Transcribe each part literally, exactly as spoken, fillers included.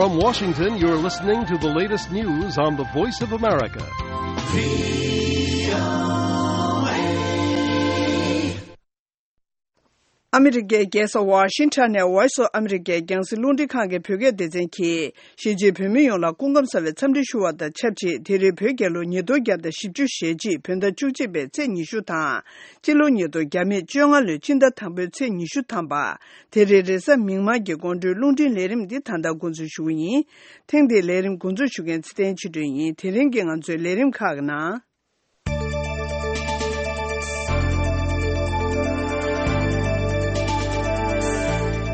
From Washington, you're listening to the latest news on the Voice of America. ཨ་མི་རི་ཀའི་རྒྱལ་ས་ཝ་ཤིང་ཊོན་ནས་Voice of America རྒྱང་སྲིང་རླུང་འཕྲིན་ཁང་གི་བོད་སྐད་སྡེ་ཚན་གྱིས་གཞིས་བྱེས་བོད་མི་ཡོངས་ལ་སྐུ་ཁམས་བཟང་བའི་འཚམས་འདྲི་ཞུ་བ་དང་ཆབས་ཅིག་དེ་རིང་བོད་རྒྱལ་ལོ་ཉིས་སྟོང་བརྒྱ་དང་བཞི་བཅུ་ཞེ་གཅིག་བོད་ཟླ་བཅུ་གཅིག་པའི་ཚེས་ཉི་ཤུ་དང་། སྤྱི་ལོ་ཉིས་སྟོང་བརྒྱ་མེད་བཅོ་ལྔ་ལོའི་སྤྱི་ཟླ་དང་པོའི་ཚེས་ཉི་ཤུ་ཐམ་པ། དེ་རིང་རེས་གཟའ་མིག་དམར་གྱི་དགོང་དྲོའི་རླུང་འཕྲིན་ལས་རིམ་འདི་ད་ལྟ་འགོ་འཛུགས་ཞུ་གི་ཡིན། ཐེངས་འདིའི་ལས་རིམ་འགོ་འཛུགས་ཞུ་མཁན་ཚེ་བརྟན་ཆོས་སྒྲོན་ཡིན། དེ་རིང་གི་ང་ཚོའི་ལས་རིམ་ཁག་གི་ནང་།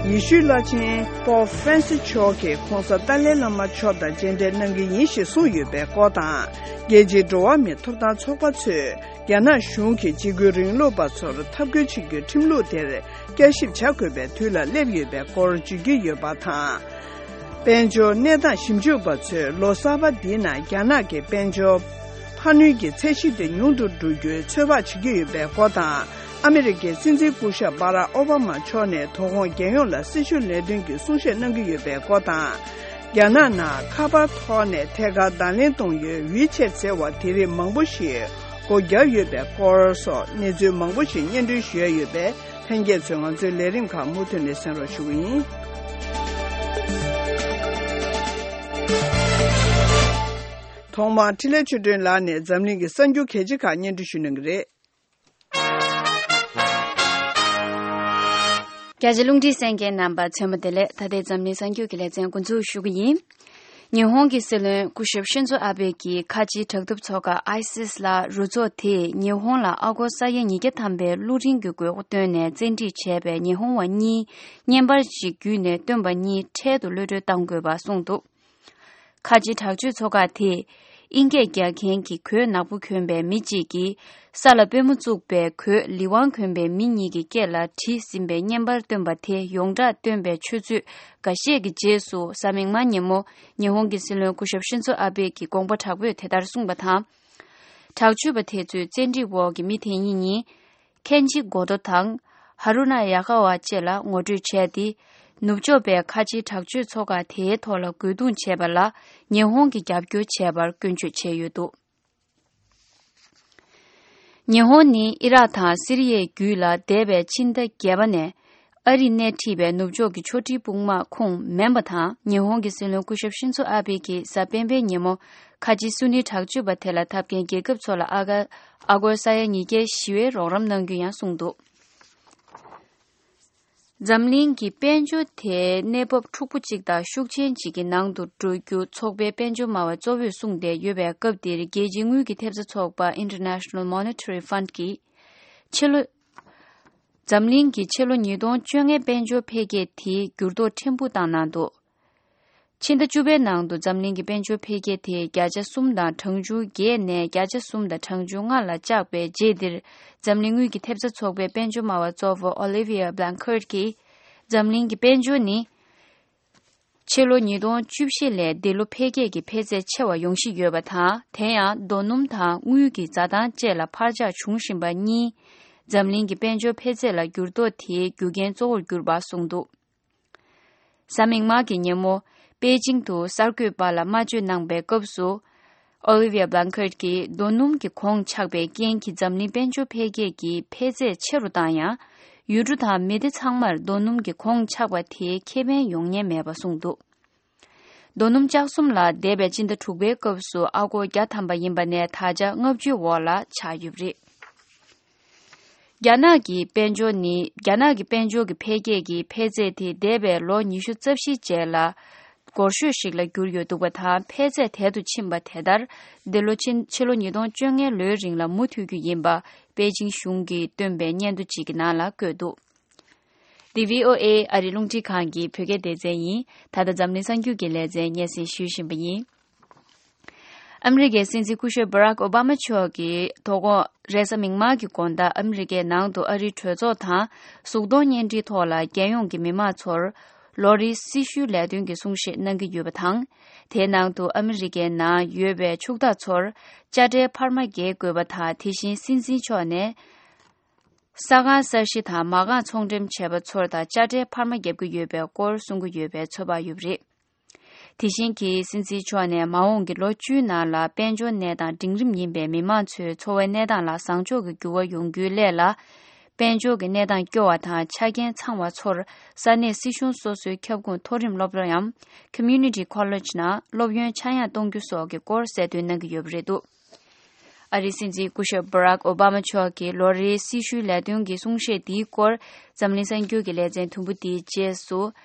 ཡེ་ཤུའི་བླ་ཆེན་པོབ་ཧྥ་རན་སི་མཆོག་གིས་༸གོང་ས་ཏཱ་ལའི་བླ་མ་མཆོག་དང་མཇལ་འཕྲད་གནང་གི་ཡིན་ཞེས་གསུངས་ཡོད་པའི་སྐོར་དང་། རྒྱལ་སྤྱིའི་འགྲོ་བ་མིའི་ཐོབ་ཐང་ཚོགས་པ་ཚོས་རྒྱ་ནག་གཞུང་གིས་འཇིགས་སྐུལ་རིང་ལུགས་པ་ཚོར་འཐབ་རྒོལ་བྱེད་རྒྱུའི་ཁྲིམས་ལུགས་དེར་བསྐྱར་ཞིབ་བྱ་དགོས་པའི་དུས་ལ་སླེབས་ཡོད་པའི་སྐོར་བརྗོད་ཀྱི་ཡོད་པ་དང་། དཔལ་འབྱོར་གནས་སྟངས་ཞིབ་འཇུག་པ་ཚོས་ལོ་གསར་པ་འདིའི་ནང་རྒྱ་ནག་གི་དཔལ་འབྱོར་འཕར་སྣོན་གྱི་ཚད་གཞི་དེ་ཉུང་དུ་འགྲོ་རྒྱུའི་ཚོད་དཔག་བྱེད་ཀྱི་ཡོད་པའི་སྐོར་དང་། ཨ་མི་རི་ཀའི་སྲིད་འཛིན་སྐུ་ཞབས་སྦ་རག་ཨོ་བྷ་མ་མཆོག་ནས་དོ་དགོང་རྒྱལ་ཡོངས་ལ་སྲི་ཞུ་ལས་དོན་གྱི་གསུང་བཤད་གནང་གི་ཡོད་པའི་སྐོར་དང་། རྒྱ་ནག་ནང་ཁ་པར་ཐོག་ནས་ཐད་ཀར་བརྡ་ལན་གཏོང་ཡུལ་ཝི་ཆེད་ཟེར་བ་དེ་རིགས་མང་པོ་ཞིག་སྒོ་བརྒྱབ་ཡོད་པའི་སྐོར་སོགས་གནས་ཚུལ་མང་པོ་ཞིག་སྙན་སྒྲོན་ཞུ་ཡ་ཡོད་པས། ལྷན་རྒྱས་ཚོས་ང་ཚོའི་ལས་རིམ་ཁག་མུ་མཐུད་ནས་གསན་རོགས་ཞུ་གི་ཡིན། ཐོག་མར་འཕྲིན་ལས་ཆོས་སྒྲོན་ལགས་ནས་འཛམ་གླིང་གི་གསར་འགྱུར་གལ་ཆེ་ཁག་སྙན་སྒྲོན་ཞུ་གནང་གི་རེད། རྒྱ་ཆེ་རླུང་འཕྲིན་གསན་མཁན་རྣམ་པ་ཚང་མ་བདེ་ལེགས། ད་ལྟའི་འཛམ་གླིང་གསར་འགྱུར་གྱི་ལེ་ཚན་འགོ་འཛུགས་ཞུ་གི་ཡིན། ཉི་ཧོང་གི་སྲིད་བློན་སྐུ་ཞབས་ཤིན་ཛོ་ཨ་བྷེ་གིས་ཁ་ཆེའི་དྲག་འཐབ་ཚོགས་ཁག་ཨའི་སིས་ལ་རུ་ཚོགས་དེས་ཉི་ཧོང་ལ་ཨ་སྒོར་ས་ཡ་ཉིས་བརྒྱ་ཐམ་པའི་གློག་འཕྲིན་གྱི་དགོས་མཁོ་བཏོན་ནས་བཙན་ཁྲིད་བྱས་པའི་ཉི་ཧོང་བ་གཉིས་བརྙན་པར་ཞིག་བརྒྱུད་ནས་བཏོན་པ་གཉིས་འཕྲལ་དུ་གློད་གྲོལ་གཏང་དགོས་པ་གསུངས་འདུག་ཁ་ཆེའི་དྲག་སྤྱོད་ཚོགས་ཁག་དེས་དབྱིན་སྐད་རྒྱག་མཁན་གྱི་གོས་ནག་པོ་གྱོན་པའི་མི་གཅིག་གིས་ས་ལ་པུས་མོ་བཙུགས་པའི་གོས་ལི་ཝང་གྱོན་པའི་མི་གཉིས་ཀྱི་སྐེ་ལ་བྲིས་ཟིན་པའི་བརྙན་པར་བཏོན་པ་དེ་ཡོངས་གྲགས་བཏོན་པའི་ཆུ་ཚོད་འགའ་ཤས་ཀྱི་རྗེས་སུ་གཟའ་མིག་དམར་ཉིན་མོ་ཉི་ཧོང་གི་སྲིད་བློན་སྐུ་ཞབས་ཤིན་ཛོ་ཨ་བྷེ་གིས་དགོངས་པ་དྲག་པོས་དེ་ལྟར་གསུངས་པ་དང་། དྲག་སྤྱོད་པ་དེ་ཚོས་བཙན་ཁྲིད་འོག་གི་མི་དེ་གཉིས་གཉིས། ཁེན་ཇི་གོ་ཏོ་དང་། ཧ་རུ་ན་ཡ་ཀ་ཝ་བཅས་ལ་ངོ་སྤྲོད་བྱས་ཏེ། ནུབ་ཕྱོགས་པའི་ཁ་ཆེའི་དྲག་སྤྱོད་ཚོགས་ཁག་དེའི་ཐོག་ལ་རྒོལ་རྡུང་བྱས་པ་ལ་ཉི་ཧོང་གིས་རྒྱབ་སྐྱོར་བྱས་པར་སྐྱོན་བརྗོད་བྱས་ཡོད་འདུག་ཉི་ཧོང་ནི་ཨི་རག་དང་སི་རི་ཡའི་རྒྱུད་ལ་འདས་པའི་ཕྱི་ཟླ་བརྒྱད་པ་ནས་ཨ་རིས་སྣེ་ཁྲིད་པའི་ནུབ་ཕྱོགས་ཀྱི་ཕྱོགས་སྒྲིག་དཔུང་དམག་ཁོངས་མིན་པ་དང་། ཉི་ཧོང་གི་སྲིད་བློན་སྐུ་ཞབས་ཤིན་ཛོ་ཨ་བྷེ་གིས་གཟའ་སྤེན་པའི་ཉིན་མོ་ཁ་ཆེའི་སུ་ནི་དྲག་སྤྱོད་པ་དེ་ལ་འཐབ་མཁན་རྒྱལ་ཁབ་ཚོ་ལ་ཨ་ག་ཨ་སྒོར་ས་ཡ་ཉིས་བརྒྱའི་ཞི་བའི་རོགས་རམ་གནང་རྒྱུ་ཡང་གསུངས་འདུག་འཛམ་གླིང་གི་དཔལ་འབྱོར་དེ་གནས་བབ་འཁྲུག་པོ་གཅིག་དང་ཤུགས་ཆེན་གཅིག་གི་ནང་དུ་འགྲོ་རྒྱུ་ཚོགས་པའི་དཔལ་འབྱོར་སྨྲ་བ་གཙོ་བོས་གསུངས་བསྡད་ཡོད་པའི་སྐབས་འདིར། རྒྱལ་སྤྱིའི་དངུལ་གྱི་ཐེབས་རྩ་ཚོགས་པ་International Monetary Fund གིས་ཕྱི་ལོ། འཛམ་གླིང་གི་ཕྱི་ལོ་ཉིས་སྟོང་བཅོ་ལྔའི་དཔལ་འབྱོར་འཕེལ་རྒྱས་དེ་འགྱུར་ལྡོག་ཕྲན་བུ་བཏང་གནང་འདུག་ཕྱི་ཟླ་བཅུ་པའི་ནང་དུ་འཛམ་གླིང་གི་དཔལ་འབྱོར་འཕེལ་རྒྱས་དེ་བརྒྱ་ཆ་གསུམ་དང་གྲངས་ཆུང་བརྒྱད་ནས་བརྒྱ་ཆ་གསུམ་དང་གྲངས་ཆུང་ལྔ་ལ་བཅག་པའི་རྗེས་འདིར། འཛམ་གླིང་དངུལ་གྱི་ཐེབས་རྩ་ཚོགས་པའི་དཔལ་འབྱོར་སྨྲ་བ་གཙོ་བོ་Olivia Blanchard གྱིས། འཛམ་གླིང་གི་དཔལ་འབྱོར་ནི་ཕྱི་ལོ་ཉིས་སྟོང་བཅུ་བཞི་ལས་འདི་ལོ་འཕེལ་རྒྱས་ཀྱི་འཕེལ་ཚད་ཆེ་བ་ཡོང་བཞིན་ཡོད་པ་དང་། དེ་ཡང་རྡོ་སྣུམ་དང་དངུལ་གྱི་འཛའ་ཐང་བཅས་ལ་འཕར་ཆག་བྱུང་བཞིན་པ་གཉིས། འཛམ་གླིང་གི་དཔལ་འབྱོར་འཕེལ་ཚད་ལ་འགྱུར་ལྡོག་དེའི་རྒྱུ་རྐྱེན་གཙོ་བོར་གྱུར་པ་གསུངས་འདུག་གཟའ་མིག་དམར་གྱི་ཉིན་མོ། པེ་ཅིང་དུ་གསར་འགོད་པ་ལ་སྨྲ་བརྗོད་གནང་པའི་སྐབས་སུ། Olivia Blanchard གྱིས་རྡོ་སྣུམ་གྱི་གོང་ཆག་པའི་རྐྱེན་གྱིས་འཛམ་གླིང་དཔལ་འབྱོར་འཕེལ་རྒྱས་ཀྱི་འཕེལ་ཚད་ཆེ་རུ་བཏང་ཡང་། ཡུལ་གྲུ་དང་མི་སྡེ་ཚང་མར་རྡོ་སྣུམ་གྱི་གོང་ཆག་པ་དེའི་ཁེ་ཕན་ཡོང་ཉེན་མེད་པ་གསུངས་འདུག་རྡོ་སྣུམ་ལྕགས་ཟམ་ལ་འདས་པའི་སྤྱི་ཟླ་དྲུག་པའི་སྐབས་སུ་ཨ་སྒོར་བརྒྱ་ཐམ་པ་ཡིན་པ་ནས་ད་ཆ་ལྔ་བཅུའི་འོག་ལ་ཆགས་ཡོད་པ་རེད། རྒྱ་ནག་གི་དཔལ་འབྱོར་ནི། རྒྱ་ནག་གི་དཔལ་འབྱོར་གྱི་འཕེལ་རྒྱས་ཀྱི་འཕེལ་ཚད་དེ་འདས་པའི་ལོ་ཉི་ཤུ་རྩ་བཞི་རྗེས་ལ་འགོར་ཤོས་ཤིག་ལ་གྱུར་ཡོད་འདུག་པ་དང་། འཕེལ་ཚད་དལ་དུ་ཕྱིན་པ་དེ་ལྟར། འདི་ལོ་ཕྱི་ཕྱི་ལོ་ཉིས་སྟོང་བཅོ་ལྔའི་ལོའི་རིང་ལ་མུ་མཐུད་རྒྱུ་ཡིན་པ་པེ་ཅིང་གཞུང་གིས་བཏོན་པའི་སྙན་ཐོ་གཅིག་གི་ནང་ལ་བཀོད་འདུག་འདི་བྷི་ཨོ་ཨེ་ཨ་རིའི་རླུང་འཕྲིན་ཁང་གི་བོད་སྐད་སྡེ་ཚན་ཡིན། ད་ལྟ་འཛམ་གླིང་གསར་འགྱུར་གྱི་ལེ་ཚན་སྙན་སེང་ཞུ་བཞིན་པ་ཡིན། ཨ་མི་རི་ཀའི་སྲིད་འཛིན་སྐུ་ཞབས་Barack Obama མཆོག་གིས་དོ་དགོང་རེས་གཟའ་མིག་དམར་གྱི་དགོང་དག་ཨ་མི་རི་ཀའི་ནང་དུ་ཨ་རིའི་གྲོས་ཚོགས་དང་གཟུགས་མཐོང་བརྙན་འཕྲིན་ཐོག་ལ་རྒྱལ་ཡོངས་ཀྱི་མི་མང་ཚོར་ལོ་རེའི་སྲི་ཞུའི་ལས་དོན་གྱི་གསུང་བཤད་གནང་གི་ཡོད་པ་དང་། དེའི་ནང་དུ་ཨ་མི་རི་ཀའི་ནང་ཡོད་པའི་ཕྱུག་བདག་ཚོར་དཔྱ་ཁྲལ་འཕར་མ་འགེལ་དགོས་པ་དང་། དེ་བཞིན་སྲིད་འཛིན་མཆོག་ནས་ས་ཁང་གསར་བཞེངས་དང་མ་རྐང་ཚོང་འགྲེམས་བྱས་པ་ཚོར་དང་དཔྱ་ཁྲལ་འཕར་མ་བརྒྱབ་ཀྱི་ཡོད་པའི་སྐོར་གསུང་གི་ཡོད་པའི་ཚོད་དཔག་ཡོད་པ་རེད། དེ་བཞིན་གྱི་སྲིད་འཛིན་མཆོག་ནས་མ་འོངས་ཀྱི་ལོ་བཅུའི་ནང་ལ་དཔལ་འབྱོར་གནས་སྟངས་འབྲིང་རིམ་ཡིན་པའི་མི་མང་ཚོའི་འཚོ་བའི་གནས་སྟངས་ལ་བཟང་ཕྱོགས་ཀྱི་འགྱུར་བ་ཡོང་རྒྱུའི་སླད་ལ། དཔལ་འབྱོར་གྱི་གནས་སྟངས་སྐྱོ་བ་དང་ཆ་རྐྱེན་ཚང་བ་ཚོར་ས་གནས་སྲིད་གཞུང་སོ་སོའི་ཁྱབ་ཁོངས་མཐོ་རིམ་སློབ་གྲྭའམ་Community College ནང་སློབ་ཡོན་ཆག་ཡང་གཏོང་རྒྱུ་སོགས་ཀྱི་སྐོར་གསལ་སྟོན་གནང་གི་ཡོད་པ་རེད་འདུག་ཨ་རིའི་སྲིད་འཛིན་སྐུ་ཞབས་Barack Obama མཆོག་གིས་ལོ་རེའི་སྲི་ཞུའི་ལས་དོན་གྱི་གསུང་བཤད་འདིའི་སྐོར་འཛམ་གླིང་གསར་འགྱུར་གྱི་ལེ་ཚན་དུམ་བུ་འདིའི་རྗེས་སུ་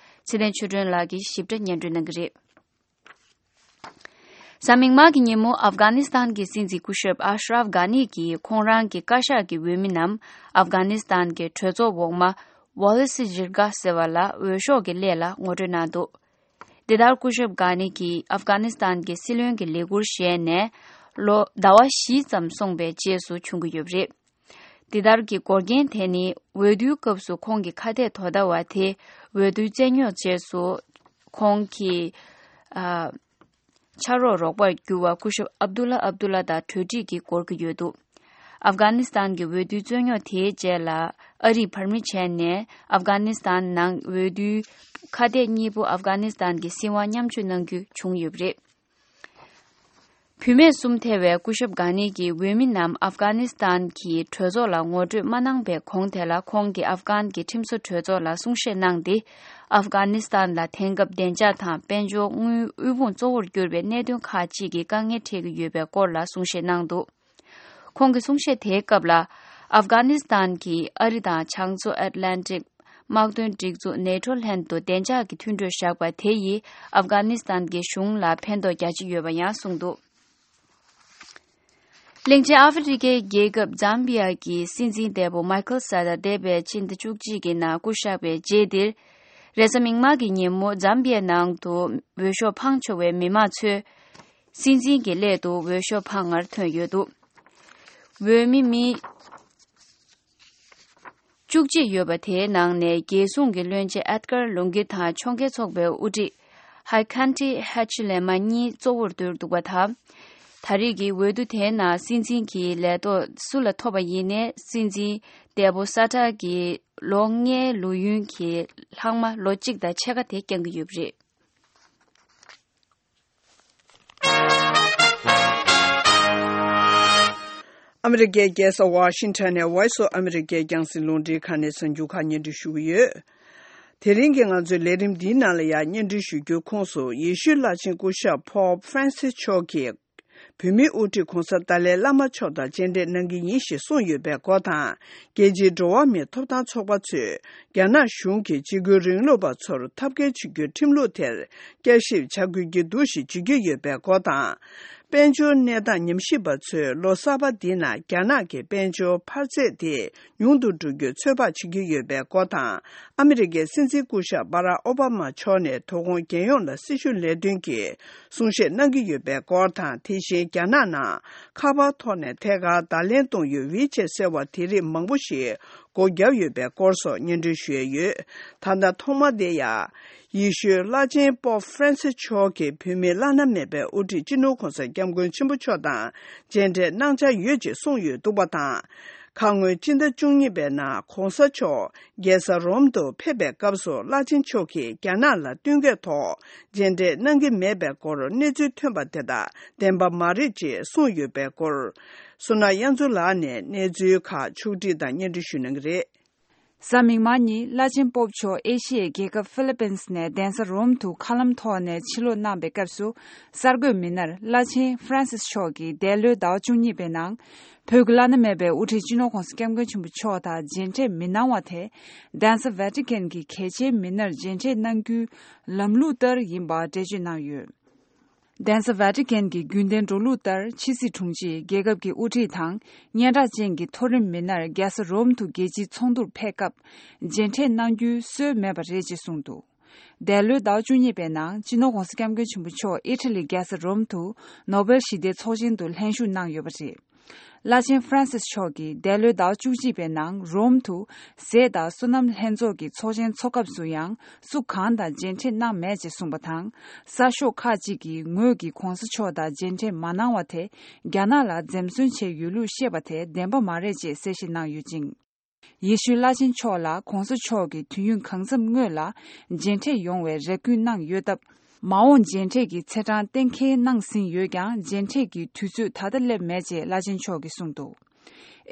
ཚེ་བརྟན་ཆོས་སྒྲོན་ལགས་ཀྱིས་ཞིབ་ཕྲ་སྙན་སྒྲོན་གནང་གི་རེད། གཟའ་མིག་དམར་གྱི་ཉིན་མོ་ཨབ་གྷ་ནི་སི་ཐན་གྱི་སྲིད་འཛིན་སྐུ་ཞབས་ཨ་ཤ་རབ་གྷ་ནི་གིས་ཁོང་རང་གི་བཀའ་ཤག་གི་འོས་མི་རྣམས་ཨབ་གྷ་ནི་སི་ཐན་གྱི་གྲོས་ཚོགས་འོག་མ་Wallis Jirga ཟེར་བ་ལ་འོས་ཤོག་གི་སླད་ལ་ངོ་སྤྲོད་གནང་འདུག་འདི་ལྟར་སྐུ་ཞབས་གྷ་ནི་གིས་ཨབ་གྷ་ནི་སི་ཐན་གྱི་སྲིད་བློན་གྱི་ལས་འཁུར་བཞེས་ནས་ལོ་ཟླ་བ་བཞི་ཙམ་སོང་པའི་རྗེས་སུ་བྱུང་གི་ཡོད་པ་རེད། འདི་ལྟར་གྱི་འགོག་རྐྱེན་དེ་ནི་འོས་བསྡུའི་སྐབས་སུ་ཁོང་གི་ཁ་གཏད་དོ་ཟླ་བ་དེ་འོས་བསྡུའི་རྩོད་རྙོག་རྗེས་སུ་ཁོང་གི་ཨ་ཕྱག་རོགས་རོགས་པར་གྱུར་བ་སྐུ་ཞབས་ཨབ་དུ་ལ་ཨབ་དུ་ལ་དང་གྲོས་འགྲིག་གིས་འགོར་གྱི་ཡོད་འདུག་ཨབ་གྷ་ནི་སི་ཐན་གྱི་འོས་བསྡུའི་རྩོད་རྙོག་དེའི་རྗེས་ལ་ཨ་རིས་བར་མི་བྱས་ནས་ཨབ་གྷ་ནི་སི་ཐན་ནང་འོས་བསྡུའི་ཁ་གཏད་གཉིས་པོ་ཨབ་གྷ་ནི་སི་ཐན་གྱི་སྲིད་དབང་མཉམ་སྤྱོད་གནང་རྒྱུ་བྱུང་ཡོད་པ་རེད། བུད་མེད་གསུམ་ཐེ་བའི་སྐུ་ཞབས་གྷ་ནི་གྱི་འོས་མི་རྣམས་ཨབ་གྷ་ནི་སི་ཐན་གྱི་གྲོས་ཚོགས་ལ་ངོ་སྤྲོད་མ་གནང་པའི་གོང་དེ་ལ་ཁོང་གིས་ཨབ་གྷན་གྱི་ཁྲིམས་བཟོ་གྲོས་ཚོགས་ལ་གསུང་བཤད་གནང་སྟེ། ཨབ་གྷ་ནི་སི་ཐན་ལ་དེང་སྐབས་བདེ་འཇགས་དང་དཔལ་འབྱོར་དངུལ་དབུལ་ཕོངས་གཙོ་བོར་གྱུར་པའི་གནད་དོན་ཁག་ཅིག་གིས་དཀའ་ངལ་འཕྲད་ཀྱི་ཡོད་པའི་སྐོར་ལ་གསུང་བཤད་གནང་འདུག་ཁོང་གི་གསུང་བཤད་དེའི་སྐབས་ལ། ཨབ་གྷ་ནི་སི་ཐན་གྱིས་ཨ་རི་དང་བྱང་མཚོ་ཨེཊ་ལན་ཊིག་དམག་དོན་སྒྲིག་འཛུགས་ནེ་ཊོ་ལྷན་དུ་བདེ་འཇགས་ཀྱི་མཐུན་གྲོས་བཞག་པ་དེ་ཡིས་ཨབ་གྷ་ནི་སི་ཐན་གྱི་གཞུང་ལ་ཕན་ཐོགས་རྒྱ་ཆེ་ཡོད་པ་ཡང་གསུངས་འདུག་གླིང་ཆེན་ཨ་ཧྥེ་རི་ཁའི་རྒྱལ་ཁབ་ཛམ་བི་ཡ་གི་སྲིད་འཛིན་འདས་པོ་མཱི་ཁལ་ས་ཏཱ་འདས་པའི་ཕྱི་ཟླ་བཅུ་གཅིག་གི་ནང་སྐུ་གཤེགས་པའི་རྗེས་འདིར། རེས་གཟའ་མིག་དམར་གྱི་ཉིན་མོ་ཛམ་བི་ཡའི་ནང་དུ་འོས་ཤོག་འཕང་ཆོག་པའི་མི་མང་ཚོས། སྲིད་འཛིན་གྱི་སླད་དུ་འོས་ཤོག་འཕང་བར་ཐོན་ཡོད་འདུག་འོས་མི་མི་བཅུ་གཅིག་ཡོད་པ་དེའི་ནང་ནས་རྒྱལ་སྲུང་གི་བློན་ཆེན་ཨེད་གར་ལུང་གི་དང་ཕྱོགས་འགལ་ཚོགས་པའི་དབུ་ཁྲིད་ཧའི་ཁན་ཏི་ཧེ་ཆི་ལེ་མ་གཉིས་གཙོ་བོར་གྱུར་འདུག་པ་དང་། ད་རེས་ཀྱི་འོས་བསྡུ་དེའི་ནང་སྲིད་འཛིན་གྱི་ལས་ཐོག་སུ་ལ་ཐོབ་པ་ཡིན་ནའི་སྲིད་འཛིན་འདས་པོ་ས་ཏཱ་གི་ལོ་ལྔའི་ལོ་ཡུན་གྱི་ལྷག་མ་ལོ་གཅིག་དང་ཕྱེད་ཀ་དེ་བསྐྱང་གི་ཡོད་པ་རེད། ཨ་མི་རི་ཀའི་རྒྱལ་ས་ཝ་ཤིང་ཊོན་ནས་Voice of America རྒྱང་སྲིང་རླུང་འཕྲིན་ཁང་ནས་གསར་འགྱུར་ཁག་སྙན་སྒྲོན་ཞུ་གི་ཡོད། དེ་རིང་གི་ང་ཚོའི་ལས་རིམ་འདིའི་ནང་ལ་ཡང་སྙན་སྒྲོན་ཞུ་རྒྱུའི་ཁོངས་སུ་ཡེ་ཤུའི་བླ་ཆེན་སྐུ་ཞབས་Pope Francis མཆོག་གིས་བོད་མིའི་དབུ་ཁྲིད་༧གོང་ས་ཏཱ་ལའི་བླ་མ་མཆོག་དང་མཇལ་འཕྲད་གནང་གི་ཡིན་ཞེས་གསུངས་ཡོད་པའི་སྐོར་དང་། རྒྱལ་སྤྱིའི་འགྲོ་བ་མིའི་ཐོབ་ཐང་ཚོགས་པ་ཚོས་རྒྱ་ནག་གཞུང་གིས་འཇིགས་སྐུལ་རིང་ལུགས་པ་ཚོར་ཐབས་འགལ་བྱེད་རྒྱུའི་ཁྲིམས་ལུགས་དེར་བསྐྱར་ཞིབ་བྱ་དགོས་ཀྱི་འདུག་ཞེས་བརྗོད་ཀྱི་ཡོད་པའི་སྐོར་དང་། དཔལ་འབྱོར་གནས་སྟངས་ཉམས་ཞིབ་པ་ཚོས་ལོ་གསར་པ་འདི་ནང་རྒྱ་ནག་གི་དཔལ་འབྱོར་འཕར་ཚད་དེ་ཉུང་དུ་འགྲོ་རྒྱུའི་ཚོད་དཔག་བྱེད་ཀྱི་ཡོད་པའི་སྐོར་དང་། ཨ་མི་རི་ཀའི་སྲིད་འཛིན་སྐུ་ཞབས་Barack Obama མཆོག་ནས་དོ་དགོང་རྒྱལ་ཡོངས་ལ་སྲི་ཞུ་ལས་དོན་གྱི་གསུང་བཤད་གནང་གི་ཡོད་པའི་སྐོར་དང་། དེ་བཞིན་རྒྱ་ནག་ནང་ཁ་པར་ཐོག་ནས་ཐད་ཀར་བརྡ་ལན་གཏོང་ཡུལ་WeChat ཟེར་བ་དེ་རིགས་མང་པོ་ཞིག་སྒོ་བརྒྱབ་ཡོད་པའི་སྐོར་སོགས་སྙན་སྒྲོན་ཞུ་ཡས་ཡོད། ད་ལྟ་ཐོག་མ་དེ་ཡང་། ཡེ་ཤུའི་བླ་ཆེན་པོབ་ཧྥ་རན་སིས་མཆོག་གིས་བོད་མིའི་བླ་ན་མེད་པའི་དབུ་ཁྲིད་སྤྱི་ནོར་༧གོང་ས་༧སྐྱབས་མགོན་ཆེན་པོ་མཆོག་དང་མཇལ་འཕྲད་གནང་འཆར་ཡོད་ཅེས་གསུངས་ཡོད་འདུག་པ་དང་། ཁ་སྔོན་སྤྱི་ཟླ་བཅུ་གཉིས་པའི་ནང་༧གོང་ས་མཆོག་རྒྱལ་ས་རོམ་དུ་ཕེབས་པའི་སྐབས་སུ་བླ་ཆེན་མཆོག་གིས་རྒྱ་ནག་ལ་བསྟུན་མཁས་ཐོག་མཇལ་འཕྲད་གནང་གི་མེད་པའི་སྐོར་གནས་ཚུལ་ཐོན་པ་དེ་དག་བདེན་པ་མ་རེད་ཅེས་གསུངས་ཡོད་པའི་སྐོར། བསོད་ནམས་དབྱངས་མཚོ་ལགས་ནས་གནས་ཚུལ་ཁག་ཕྱོགས་བསྒྲིགས་དང་སྙན་སྒྲོན་ཞུ་གནང་གི་རེད། གཟའ་མིག་དམར་ཉིན་བླ་ཆེན་པོབ་མཆོག་ཨེ་ཤི་ཡའི་རྒྱལ་ཁབ་ཧྥི་ལི་པིན་སི་ནས་གདན་ས་རོམ་དུ་མཁའ་ལམ་ཐོག་ནས་ཕྱིར་ལོག་གནང་པའི་སྐབས་སུ། གསར་འགོད་མི་སྣར་བླ་ཆེན་ཧྥ་རན་སིས་མཆོག་གིས་འདས་ལོའི་ཟླ་བ་བཅུ་གཉིས་པའི་ནང་། བོད་ཀྱི་བླ་ན་མེད་པའི་དབུ་ཁྲིད་སྤྱི་ནོར་༧གོང་ས་༧སྐྱབས་མགོན་ཆེན་པོ་མཆོག་དང་མཇལ་འཕྲད་མི་གནང་བ་དེ། གདན་ས་ཝེ་ཏི་ཀན་གྱི་གལ་ཆེའི་མི་སྣར་མཇལ་འཕྲད་གནང་རྒྱུའི་ལམ་ལུགས་ལྟར་ཡིན་པ་འགྲེལ་བརྗོད་གནང་ཡོད། གདན་ས་ཝེ་ཏི་ཀན་གྱི་རྒྱུན་ལྡན་འགྲོ་ལུགས་ལྟར། ཕྱི་སྲིད་དྲུང་ཆེས་རྒྱལ་ཁབ་ཀྱི་དབུ་ཁྲིད་དང་། སྙན་གྲགས་ཅན་གྱི་མཐོ་རིམ་མི་སྣར་རྒྱལ་ས་རོམ་དུ་རྒྱལ་སྤྱིའི་ཚོགས་འདུར་ཕེབས་སྐབས། མཇལ་འཕྲད་གནང་རྒྱུའི་སྲོལ་མེད་པ་རེད་ཅེས་གསུངས་འདུག་འདས་ལོའི་ཟླ་བ་བཅུ་གཉིས་པའི་ནང་། སྤྱི་ནོར་༧གོང་ས་༧སྐྱབས་མགོན་ཆེན་པོ་མཆོག་ཨི་ཊ་ལི་རྒྱལ་ས་རོམ་དུ། ནོ་བེལ་ཞི་བདེའི་ཚོགས་ཆེན་དུ་ལྷན་ཞུགས་གནང་ཡོད་པ་རེད། བླ་ཆེན་ཧྥ་རན་སིས་མཆོག་གིས་འདས་ལོའི་ཟླ་བ་བཅུ་གཅིག་པའི་ནང་རོམ་དུ། ཟས་དང་སོ་ནམ་ལྷན་ཚོགས་ཀྱི་ཚོགས་ཆེན་འཚོགས་སྐབས་སུ་ཡང་སུ་གང་དང་མཇལ་འཕྲད་གནང་མེད་ཅེས་གསུངས་པ་དང་། གསར་ཤོག་ཁག་ཅིག་གིས་ངོས་ཀྱིས་༧གོང་ས་མཆོག་དང་མཇལ་འཕྲད་མ་གནང་བ་དེ་རྒྱ་ནག་ལ་འཛེམ་ཟོན་བྱས་ཡོད་ལུགས་བཤད་པ་དེ་བདེན་པ་མ་རེད་ཅེས་གསལ་བཤད་གནང་ཡོད་ཅིང་། ཡེ་ཤུའི་བླ་ཆེན་མཆོག་ལ་༧གོང་ས་མཆོག་གིས་དུས་ཡུན་གང་འཚམ་སྔོན་ལ་མཇལ་འཕྲད་ཡོང་བའི་རེ་སྐུལ་གནང་ཡོད་སྟབས། མ་འོངས་མཇལ་འཕྲད་ཀྱི་ཚེས་གྲངས་གཏན་འཁེལ་གནང་ཟིན་ཡོད་ཀྱང་། མཇལ་འཕྲད་ཀྱི་དུས་ཚོད་ད་ལྟ་སླེབས་མེད་ཅེས་བླ་ཆེན་མཆོག་གིས་གསུངས་འདུག།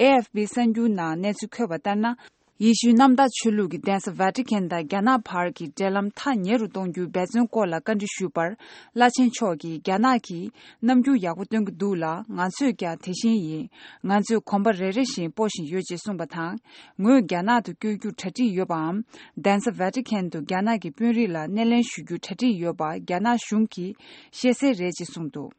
ཨེ་ཨེཕ་པི་གསར་འགྱུར་ནང་གནས་ཚུལ་འཁོད་པ་ལྟར་ན། ཡེ་ཤུའི་གནམ་བདག་ཆོས་ལུགས་ཀྱི་གདན་ས་ཝེ་ཏི་ཁན་དང་རྒྱ་ནག་བར་གྱི་འབྲེལ་ལམ་ཐག་ཉེ་རུ་གཏོང་རྒྱུའི་འབད་བརྩོན་སྐོར་ལ་བཀའ་འདྲི་ཞུས་པར། བླ་ཆེན་མཆོག་གིས། རྒྱ་ནག་གིས་རྣམ་འགྱུར་ཡག་པོ་སྟོན་གྱི་འདུག་ལ། ང་ཚོས་ཀྱང་དེ་བཞིན་ཡིན། ང་ཚོས་གོམ་པ་རེ་རེ་བཞིན་སྤོ་བཞིན་ཡོད་ཅེས་གསུངས་པ་དང་། ངོས་རྒྱ་ནག་ཏུ་བསྐྱོད་རྒྱུར་གྲ་སྒྲིག་ཡོད་པའམ། གདན་ས་ཝེ་ཏི་ཁན་དུ་རྒྱ་ནག་གི་དཔོན་རིགས་ལ་སྣེ་ལེན་ཞུ་རྒྱུར་གྲ་སྒྲིག་ཡོད་པ་རྒྱ་ནག་གཞུང་གིས་ཤེས་གསལ་རེད་ཅེས་གསུངས་འདུག།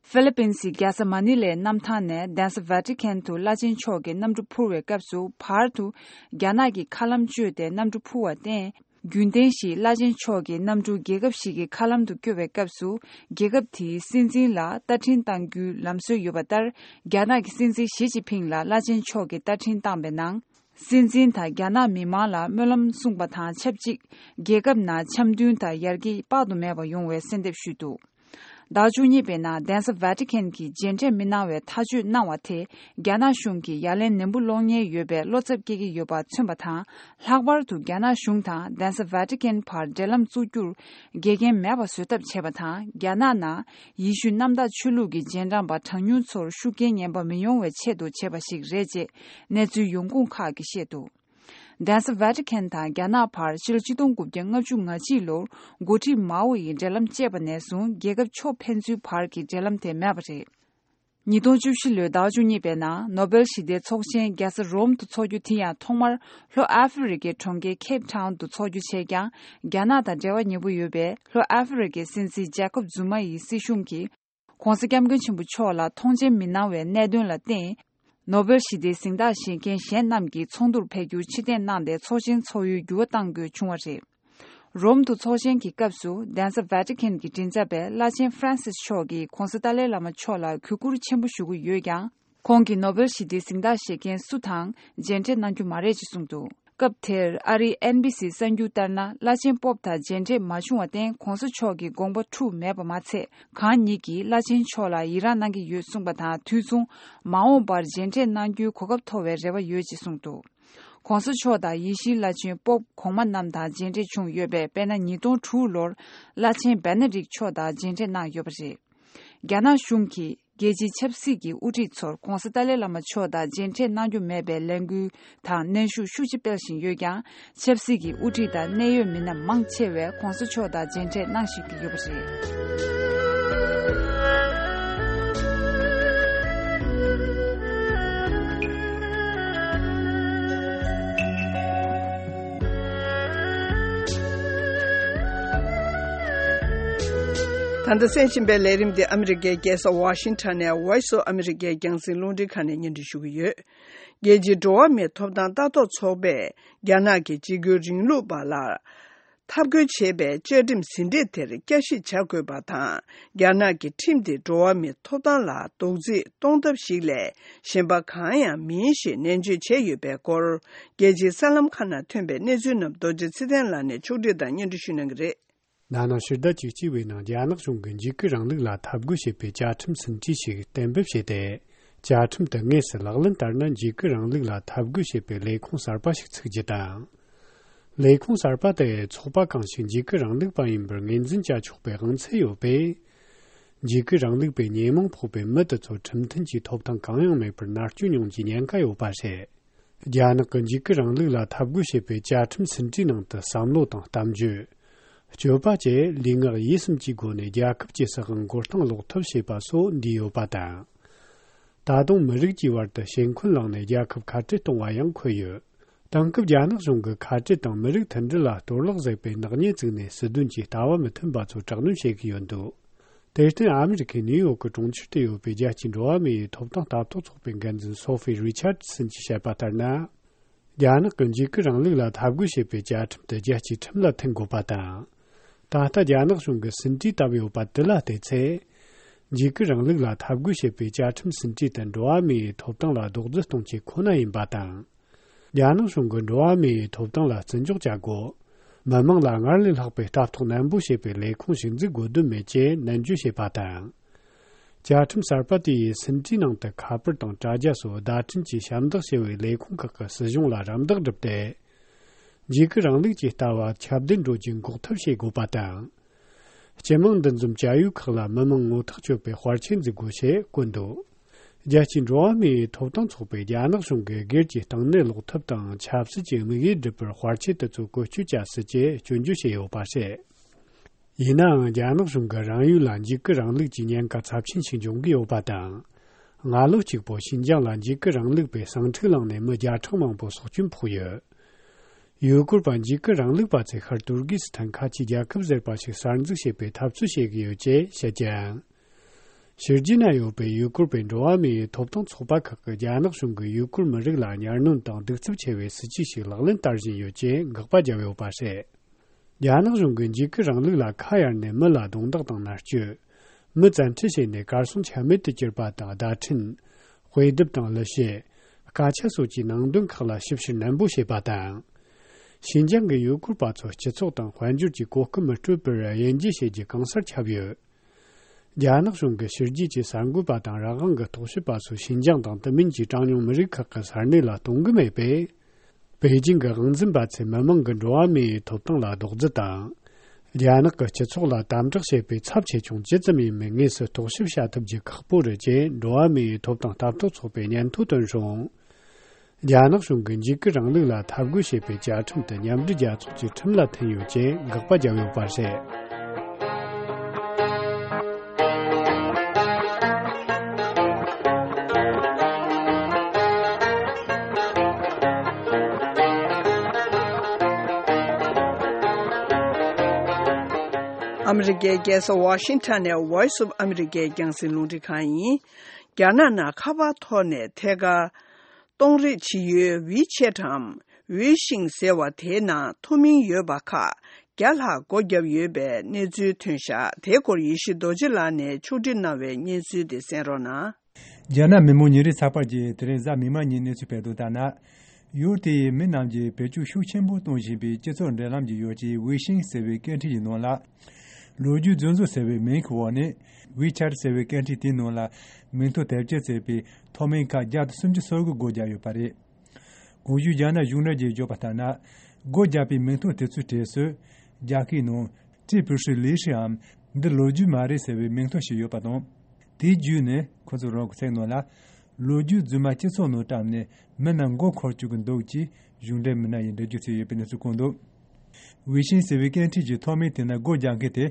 ཧྥི་ལི་པིན་སི་རྒྱལ་ས་མ་ནི་ལའི་གནམ་ཐང་ནས་གདན་ས་ཝེ་ཏི་ཁན་དུ་བླ་ཆེན་མཆོག་གིས་གནམ་གྲུ་འཕུར་བའི་སྐབས་སུ། བར་དུ་རྒྱ་ནག་གི་མཁའ་ལམ་བཅོས་ཏེ་གནམ་གྲུ་འཕུར་བར་བརྟེན། རྒྱུན་ལྡན་བཞིན་བླ་ཆེན་མཆོག་གི་གནམ་གྲུ་རྒྱལ་ཁབ་ཞིག་གི་མཁའ་ལམ་དུ་བསྐྱོད་པའི་སྐབས་སུ། རྒྱལ་ཁབ་དེའི་སྲིད་འཛིན་ལ་རྟ་འཕྲིན་བཏང་རྒྱུའི་ལམ་སྲོལ་ཡོད་པ་ལྟར། རྒྱ་ནག་གི་སྲིད་འཛིན་ཞི་ཅིན་ཕིང་ལ་བླ་ཆེན་མཆོག་གིས་རྟ་འཕྲིན་བཏང་པའི་ནང་། སྲིད་འཛིན་དང་རྒྱ་ནག་མི་མང་ལ་སྨོན་ལམ་གསུངས་པ་དང་ཆབས་ཅིག། རྒྱལ་ཁབ་ནང་འཆམ་མཐུན་དང་ཡར་རྒྱས་དཔག་ཏུ་མེད་པ་ཡོང་བའི་གསོལ་འདེབས་ཞུས་འདུག། ཟླ་བཅུ་གཉིས་པའི་ནང་གདན་ས་ཝེ་ཏི་ཁན་གྱིས་མཇལ་འཕྲད་མི་གནང་བའི་ཐག་གཅོད་གནང་བ་དེ། རྒྱ་ནག་གཞུང་གིས་ཡ་ལན་ནན་པོ་སློག་ཉེན་ཡོད་པའི་བློ་འཚབ་སྐྱེ་གི་ཡོད་པ་མཚོན་པ་དང་། ལྷག་པར་དུ་རྒྱ་ནག་གཞུང་དང་གདན་ས་ཝེ་ཏི་ཁན་བར་འབྲེལ་ལམ་བཙུགས་རྒྱུར་འགལ་རྐྱེན་མེད་པ་བཟོ་ཐབས་བྱས་པ་དང་། རྒྱ་ནག་ནང་ཡེ་ཤུ་གནམ་བདག་ཆོས་ལུགས་ཀྱི་རྗེས་འབྲང་པ་གྲངས་ཉུང་ཚོར་ཤུགས་རྐྱེན་ངན་པ་མི་ཡོང་བའི་ཆེད་དུ་བྱས་པ་ཞིག་རེད་ཅེས་གནས་ཚུལ་ཡོང་ཁུངས་ཁག་གིས་བཤད་འདུག། གདན་ས་ཝེ་ཏི་ཁན་དང་རྒྱ་ནག་བར་ཕྱི་ལོ་ཆིག་སྟོང་དགུ་བརྒྱ་ལྔ་བཅུ་ང་གཅིག་ལོར་འགོ་ཁྲིད་མའོ་ཡིས་འབྲེལ་ལམ་བཅད་པ་ནས་བཟུང་། རྒྱལ་ཁབ་ཕྱོགས་ཕན་ཚུན་བར་གྱི་འབྲེལ་ལམ་དེ་མེད་པ་རེད། ཉིས་སྟོང་བཅུ་བཞི་ལོའི་ཟླ་བཅུ་གཉིས་པའི་ནང་ནོ་བེལ་ཞི་བདེའི་ཚོགས་ཆེན་རྒྱལ་ས་རོམ་དུ་འཚོགས་རྒྱུ་དེ་ཡང་ཐོག་མར་ལྷོ་ཨ་ཧྥེ་རི་ཀའི་གྲོང་ཁྱེར་ཁེབ་ཊའུན་དུ་འཚོགས་རྒྱུ་བྱས་ཀྱང་། རྒྱ་ནག་དང་འབྲེལ་བ་ཉེ་པོ་ཡོད་པའི་ལྷོ་ཨ་ཧྥེ་རི་ཀའི་སྲིད་འཛིན་ཇེ་ཀོབ་ཛུ་མ་ཡི་སྲིད་གཞུང་གིས། ྋགོང་ས་ྋསྐྱབས་མགོན་ཆེན་པོ་མཆོག་ལ་ཐོངས་མཆན་མི་གནང་བའི་གནད་དོན་ལ་བརྟེན། ནོ་བེལ་ཞི་བདེའི་གཟེངས་རྟགས་བཞེས་མཁན་གཞན་རྣམས་ཀྱིས་ཚོགས་འདུར་ཕེབས་རྒྱུར་ཕྱིར་འཐེན་གནང་སྟེ། ཚོགས་ཆེན་འཚོགས་ཡུལ་འགྱུར་བ་གཏང་དགོས་བྱུང་བ་རེད། རོམ་དུ་ཚོགས་ཆེན་གྱི་སྐབས་སུ། གདན་ས་ཝེ་ཏི་ཁན་གྱི་མགྲིན་ཚབ་པས་བླ་ཆེན་ཧྥ་རན་སིས་མཆོག་གིས་ྋགོང་ས་ཏཱ་ལའི་བླ་མ་མཆོག་ལ་གུས་བཀུར་ཆེན་པོ་ཞུ་གི་ཡོད་ཀྱང་། ཁོང་གིས་ནོ་བེལ་ཞི་བདེའི་གཟེངས་རྟགས་བཞེས་མཁན་སུ་དང་མཇལ་འཕྲད་གནང་རྒྱུ་མ་རེད་ཅེས་གསུངས་འདུག། སྐབས་དེར་ཨ་རིའི་ཨེན་བྷི་སིའི་གསར་འགྱུར་ལྟར་ན། བླ་ཆེན་པོབ་དང་མཇལ་འཕྲད་མ་བྱུང་བར་བརྟེན། ྋགོང་ས་མཆོག་གི་དགོངས་པ་འཁྲུགས་མེད་པ་མ་ཚད། གང་ཉིད་ཀྱིས་བླ་ཆེན་མཆོག་ལ་ཡི་རངས་གནང་གི་ཡོད་གསུངས་པ་དང་། དུས་མཚུངས་མ་འོངས་པར་མཇལ་འཕྲད་གནང་རྒྱུའི་གོ་སྐབས་ཐོབ་པའི་རེ་བ་ཡོད་ཅེས་གསུངས་འདུག། ྋགོང་ས་མཆོག་དང་ཡེ་ཤུའི་བླ་ཆེན་པོབ་གོང་མ་རྣམས་དང་མཇལ་འཕྲད་བྱུང་ཡོད་པས། དཔེར་ན། ཉིས་སྟོང་དྲུག་ལོར་བླ་ཆེན་བེ་ན་རིག་མཆོག་དང་མཇལ་འཕྲད་གནང་ཡོད་པ་རེད། རྒྱ་ནག་གཞུང་གིས་རྒྱལ་སྤྱིའི་ཆབ་སྲིད་ཀྱི་དབུ་ཁྲིད་ཚོར་ྋགོང་ས་ཏཱ་ལའི་བླ་མ་མཆོག་དང་མཇལ་འཕྲད་གནང་རྒྱུ་མེད་པའི་ལས་འགུལ་དང་གནོན་ཤུགས་ཤུགས་ཆེ་སྤེལ་བཞིན་ཡོད་ཀྱང་། ཆབ་སྲིད་ཀྱི་དབུ་ཁྲིད་དང་གནད་ཡོད་མི་སྣ་མང་ཆེ་བས་ྋགོང་ས་མཆོག་དང་མཇལ་འཕྲད་གནང་བཞིན་ཡོད་པ་རེད། ད་ལྟ་གསན་བཞིན་པའི་ལས་རིམ་འདི་ཨ་མི་རི་ཀའི་རྒྱལ་ས་ཝ་ཤིང་ཊོན་ནས་Voice of America རྒྱང་སྲིང་རླུང་འཕྲིན་ཁང་ནས་སྙན་སྒྲོན་ཞུ་གི་ཡོད། རྒྱལ་སྤྱིའི་འགྲོ་བ་མིའི་ཐོབ་ཐང་ལྟ་རྟོག་ཚོགས་པས་རྒྱ་ནག་གི་འཇིགས་སྐུལ་རིང་ལུགས་པ་ལ་འཐབ་རྒོལ་བྱེད་པའི་བཅའ་ཁྲིམས་ཟིན་བྲིས་དེར་བསྐྱར་ཞིབ་བྱ་དགོས་པ་དང་། རྒྱ་ནག་གི་ཁྲིམས་དེ་འགྲོ་བ་མིའི་ཐོབ་ཐང་ལ་རྡོག་རྫིས་གཏོང་ཐབས་ཤིག་ལས་གཞན་པ་གང་ཡང་མིན་ཞེས་ནན་བརྗོད་བྱས་ཡོད་པའི་སྐོར། རྒྱལ་སྤྱིའི་གསར་ལམ་ཁག་ནང་ཐོན་པའི་གནས་ཚུལ་རྣམས་རྡོ་རྗེ་ཚེ་བརྟན་ལགས་ནས་ཕྱོགས་སྒྲིག་དང་སྙན་སྒྲོན་ཞུ་གནང་གི་རེད། ན་ནིང་ཕྱི་ཟླ་བཅུ་གཅིག་པའི་ནང་རྒྱ་ནག་གཞུང་གིས་འཇིགས་སྐུལ་རིང་ལུགས་ལ་འཐབ་རྒོལ་བྱེད་པའི་བཅའ་ཁྲིམས་ཟིན་བྲིས་ཤིག་གཏན་འབེབས་བྱས་ཏེ། བཅའ་ཁྲིམས་དེ་དངོས་སུ་ལག་ལེན་བསྟར་ན། འཇིགས་སྐུལ་རིང་ལུགས་ལ་འཐབ་རྒོལ་བྱེད་པའི་ལས་ཁུངས་གསར་པ་ཞིག་ཚུགས་རྒྱུ་དང་། ལས་ཁུངས་གསར་པ་དེ་ཚོགས་པ་གང་ཞིག་འཇིགས་སྐུལ་རིང་ལུགས་པ་ཡིན་པར་ངོས་འཛིན་བྱ་ཆོག་པའི་དབང་ཚད་ཡོད་པས། འཇིགས་སྐུལ་རིང་ལུགས་པའི་ཉེས་མིང་ཕོག་པའི་མི་དེ་ཚོར་ཁྲིམས་མཐུན་གྱི་ཐོབ་ཐང་གང་ཡང་མེད་པར་མནར་གཅོད་མྱོང་རྒྱུའི་ཉེན་ཁ་ཡོད་པ་རེད། རྒྱ་ནག་གི་འཇིགས་སྐུལ་རིང་ལུགས་ལ་འཐབ་རྒོལ་བྱེད་པའི་བཅའ་ཁྲིམས་ཟིན་བྲིས་ནང་དུ་བསམ་བློ་དང་གཏམ་བརྗོད། སྤྱོད་པ་བཅས་ལུས་ངག་ཡིད་གསུམ་གྱི་སྒོ་ནས་རྒྱལ་ཁབ་ཀྱི་སྲིད་དབང་མགོ་རྟིང་སློག་ཐབས་བྱེད་པ་སོགས་འདུས་ཡོད་པ་དང་། ད་དུང་མི་རིགས་ཀྱི་བར་དུ་ཤེས་འཁོན་བསླངས་ནས་རྒྱལ་ཁབ་ཁ་བྲལ་གཏོང་བ་ཡང་འཁོད་ཡོད། དེང་སྐབས་རྒྱ་ནག་གཞུང་གིས་ཁ་བྲལ་དང་མི་རིགས་མཐུན་སྒྲིལ་ལ་གཏོར་བརླག་བཟོས་པའི་ནག་ཉེས་བཙུགས་ནས། སྲིད་དོན་གྱི་ལྟ་བ་མི་མཐུན་པ་ཚོར་དྲག་གནོན་བྱེད་ཀྱི་ཡོད་འདུག། དེར་བརྟེན། ཨ་མི་རི་ཁའི་ནིའུ་ཡོག་གི་གྲོང་ཁྱེར་དུ་ཡོད་པའི་རྒྱལ་སྤྱིའི་འགྲོ་བ་མི་ཡི་ཐོབ་ཐང་ལྟ་རྟོག་ཚོགས་པའི་འགན་འཛིན་སོ་ཧྥི་རི་ཆར་སན་གྱིས་བཤད་པ་ལྟར་ན། རྒྱ་ནག་གི་འཇིགས་སྐུལ་རིང་ལུགས་ལ་འཐབ་རྒོལ་བྱེད་པའི་བཅའ་ཁྲིམས་དེ་རྒྱལ་སྤྱིའི་ཁྲིམས་ལ་མཐུན་དགོས་པ་དང་། ད་ལྟ་རྒྱ་ནག་གཞུང་གིས་ཟིན་བྲིས་བཏབ་ཡོད་པ་དེ་ལ་བལྟས་ཚེ། འཇིགས་སྐུལ་རིང་ལུགས་ལ་འཐབ་རྒོལ་བྱེད་པའི་བཅའ་ཁྲིམས་ཟིན་བྲིས་དེ་འགྲོ་བ་མིའི་ཐོབ་ཐང་ལ་རྡོག་རྫིས་གཏོང་ཆེད་ཁོ་ན་ཡིན་པ་དང་། རྒྱ་ནག་གཞུང་གིས་འགྲོ་བ་མིའི་ཐོབ་ཐང་ལ་བརྩི་འཇོག་བྱ་དགོས། མི་མང་ལ་སྔར་ལས་ལྷག་པའི་ལྟ་རྟོག་ནན་པོ་བྱེད་པའི་ལས་ཁུངས་ཤིག་འཛུགས་དགོས་དོན་མེད་ཅེས་ནན་བརྗོད་བྱས་པ་དང་། བཅའ་ཁྲིམས་གསར་པ་དེ་ཡིས་ཟིན་བྲིས་ནང་དུ་ཁ་པར་དང་དྲ་རྒྱ་སོགས་བརྡ་འཕྲིན་གྱི་ཞབས་འདེགས་ཞུ་བའི་ལས་ཁུངས་ཁག་གི་སྲིད་གཞུང་ལ་རམ་འདེགས་བསྒྲུབས་ཏེ། འཇིགས་སྐུལ་རིང་ལུགས་ཀྱི་ལྟ་བ་ཁྱབ་གདལ་འགྲོ་རྒྱུ་འགོག་ཐབས་བྱེད་དགོས་པ་དང་། སྤྱི་དམངས་འདུ་འཛོམས་བྱ་ཡུལ་ཁག་ལ་མི་མང་ངོ་ཐག་གཅོད་པའི་དཔར་ཆས་འཛུགས་དགོས་ཞེས་བཀོད་འདུག། རྒྱལ་སྤྱིའི་འགྲོ་བ་མིའི་ཐོབ་ཐང་ཚོགས་པས་རྒྱ་ནག་གཞུང་གིས་སྒེར་གྱི་བཏང་གནས་སློག་ཐབས་དང་ཆབ་སྲིད་ཀྱི་དམིགས་ཡུལ་སྒྲུབ་པར་དཔར་ཆས་དེ་ཚོ་བཀོལ་སྤྱོད་བྱ་སྲིད་ཅེས་སྐྱོན་བརྗོད་བྱས་ཡོད་པ་རེད། ཡིན་ནའང་རྒྱ་ནག་གཞུང་གིས་རང་ཡུལ་ལ་འཇིགས་སྐུལ་རིང་ལུགས་ཀྱི་ཉེན་ཁ་ཚབས་ཆེན་ཞིག་འབྱུང་གི་ཡོད་པ་དང་། སྔ་ལོ་གཅིག་པོ་ཞིན་ཅང་ལ་འཇིགས་སྐུལ་རིང་ལུགས་པས་ཟིང་འཁྲུག་བསླངས་ནས་མི་བརྒྱ་ཕྲག་མང་པོ་སྲོག་སྐྱོན་ཕོག་ཡོད། ཡུལ་སྐོར་པ་འཇིགས་སྐུལ་རིང་ལུགས་པ་ཚོའི་ཤར་ཏུར་ཀི་སི་ཐན་ཁ་ཆེའི་རྒྱལ་ཁབ་ཟེར་བ་ཞིག་གསར་འཛུགས་བྱེད་པའི་འཐབ་རྩོད་བྱེད་ཀྱི་ཡོད་ཅེས་བཤད་ཀྱང་། ཕྱི་རྒྱལ་ན་ཡོད་པའི་ཡུལ་སྐོར་པའི་འགྲོ་བ་མིའི་ཐོབ་ཐང་ཚོགས་པ་ཁག་གིས་རྒྱ་ནག་གཞུང་གིས་ཡུལ་སྐོར་མི་རིགས་ལ་གཉའ་གནོན་དང་གདུག་རྩུབ་ཆེ་བའི་སྲིད་ཇུས་ཤིག་ལག་ལེན་བསྟར་བཞིན་ཡོད་ཅེས་དགག་པ་བརྒྱབ་ཡོད་པ་རེད། རྒྱ་ནག་གཞུང་གིས་འཇིགས་སྐུལ་རིང་ལུགས་ལ་ཁ་གཡར་ནས་མི་ལ་རྡུང་རྡེག་དང་མནར་གཅོད། མི་བཙན་ཁྲིད་བྱས་ནས་གར་སོང་ཆ་མེད་དུ་གྱུར་པ་དང་བརྡ་འཕྲིན། དཔེ་དེབ་དང་གླུ་གཞས། སྐད་ཆ་སོགས་ཀྱི་ནང་དོན་ཁག་ལ་ཞིབ་བཤེར་ནན་པོ་བྱེད་པ་དང་། ཞིན་ཅང་གི་ཡུལ་སྐོར་པ་ཚོ་སྤྱི་ཚོགས་དང་དཔལ་འབྱོར་གྱི་གོ་སྐབས་མི་སྤྲོད་པར་དབྱེ་འབྱེད་བྱེད་རྒྱུ་གང་སར་ཁྱབ་ཡོད། རྒྱ་ནག་གཞུང་གིས་ཕྱི་རྒྱལ་གྱི་གསར་འགོད་པ་དང་རང་དབང་གི་རྟོག་ཞིབ་པ་ཚོ་ཞིན་ཅང་དང་དེ་མིན་གྱི་གྲངས་ཉུང་མི་རིགས་ཁག་གི་ས་གནས་ལ་གཏོང་གི་མེད་པས། པེ་ཅིང་གི་དབང་འཛིན་པ་ཚོས་མི་མང་གི་འགྲོ་བ་མིའི་ཐོབ་ཐང་ལ་རྡོག་རྫིས་དང་། རྒྱ་ནག་གི་སྤྱི་ཚོགས་ལ་དམ་དྲག་བྱེད་པའི་ཚབས་ཆེ་ཆུང་ཇི་ཙམ་ཡིན་མིན་དངོས་སུ་རྟོག་ཞིབ་བྱ་ཐུབ་རྒྱུ་ཁག་པོ་རེད་ཅེས་འགྲོ་བ་མིའི་ཐོབ་ཐང་ལྟ་རྟོག་ཚོགས་པས་སྙན་ཐོ་བཏོན་སོང་། རྒྱ་ནག་གཞུང་གིས་འཇིགས་སྐུལ་རིང་ལུགས་ལ་འཐབ་རྒོལ་བྱེད་པའི་བཅའ་ཁྲིམས་དེ་མཉམ་འབྲེལ་རྒྱལ་ཚོགས་ཀྱི་ཁྲིམས་ལ་མཐུན་ཡོད་ཅེས་དགག་པ་བརྒྱབ་ཡོད་པ་རེད། ཨ་མི་རི་ཀའི་རྒྱལ་ས་ཝ་ཤིང་ཊོན་ནས་Voice of America རྒྱང་སྲིང་རླུང་འཕྲིན་ཁང་ཡིན། རྒྱ་ནག་ནང་ཁ་པར་ཐོག་ནས་ཐད་ཀར་གཏོང་རེས་བྱེད་ཡུལ་ཝི་ཆེ་ཊམ་ཝི་ཤིང་ཟེར་བ་དེའི་ནང་ཐོ་མིང་ཡོད་པ་ཁག་བརྒྱ་ལྷག་སྒོ་བརྒྱབ་ཡོད་པའི་གནས་ཚུལ་ཐོན་ཤག་དེའི་སྐོར་ཡེ་ཤེས་རྡོ་རྗེ་ལགས་ནས་ཕྱོགས་སྒྲིག་གནང་བའི་སྙན་ཚུལ་དེ་གསན་རོགས་གནང་། རྒྱ་ནག་མི་དམངས་ཉིན་རེའི་ཚགས་པར་གྱིས་དེ་རིང་གཟའ་མིག་དམར་ཉིན་གནས་ཚུལ་སྤེལ་དོན་ལྟར་ན། ཡུལ་དེའི་མི་རྣམས་ཀྱིས་བེད་སྤྱོད་ཤུགས་ཆེན་པོ་གཏོང་བཞིན་པའི་སྤྱི་ཚོགས་འབྲེལ་ལམ་གྱི་ཡོ་བྱད་ཝི་ཤིང་ཟེར་བའི་སྐད་འཕྲིན་གྱི་ནང་ལ། ལོ་རྒྱུས་རྫུན་བཟོ་ཟེར་བའི་མིང་གི་འོག་ནས་ཝི་ཆར་ཟེར་བའི་སྐད་འཕྲིན་དེའི་ནང་ལ་མིང་ཐོ་དེབ་སྐྱེལ་བྱས་པའི་ཐོ་མིང་ཁག་བརྒྱ་དང་སུམ་ཅུ་སོ་དགུ་སྒོ་བརྒྱབ་ཡོད་པ་རེད། གོང་ཞུས་རྒྱ་ནག་གཞུང་འབྲེལ་གྱིས་བརྗོད་པ་ལྟར་ན། སྒོ་བརྒྱབ་པའི་མིང་ཐོ་དེ་ཚོའི་གྲས་སུ། རྒྱ་སྐད་ནང་ཀྲི་པུ་ཧྲི་ལི་ཧྲིའམ་འདི་ལོ་རྒྱུས་མ་རེད་ཟེར་བའི་མིང་ཐོ་ཞིག་ཡོད་པ་དང་། དེའི་བརྒྱུད་ནས་ཁོ་ཚོ་རང་གི་ཚིག་ནང་ལ། ལོ་རྒྱུས་རྫུན་མ་སྤྱི་ཚོགས་ནང་བཀྲམ་ནས་མི་རྣམས་མགོ་འཁོར་བཅུག་གི་འདུག་ཅེས་གཞུང་འབྲེལ་མི་སྣ་ཡིས་འགྲེལ་བརྗོད་བྱས་ཡོད་པའི་གནས་ཚུལ་བཀོད་འདུག། ཝི་ཤིང་ཟེར་བའི་སྐད་འཕྲིན་གྱི་ཐོ་མིང་དེ་ནང་སྒོ་རྒྱག་མཁན་དེ་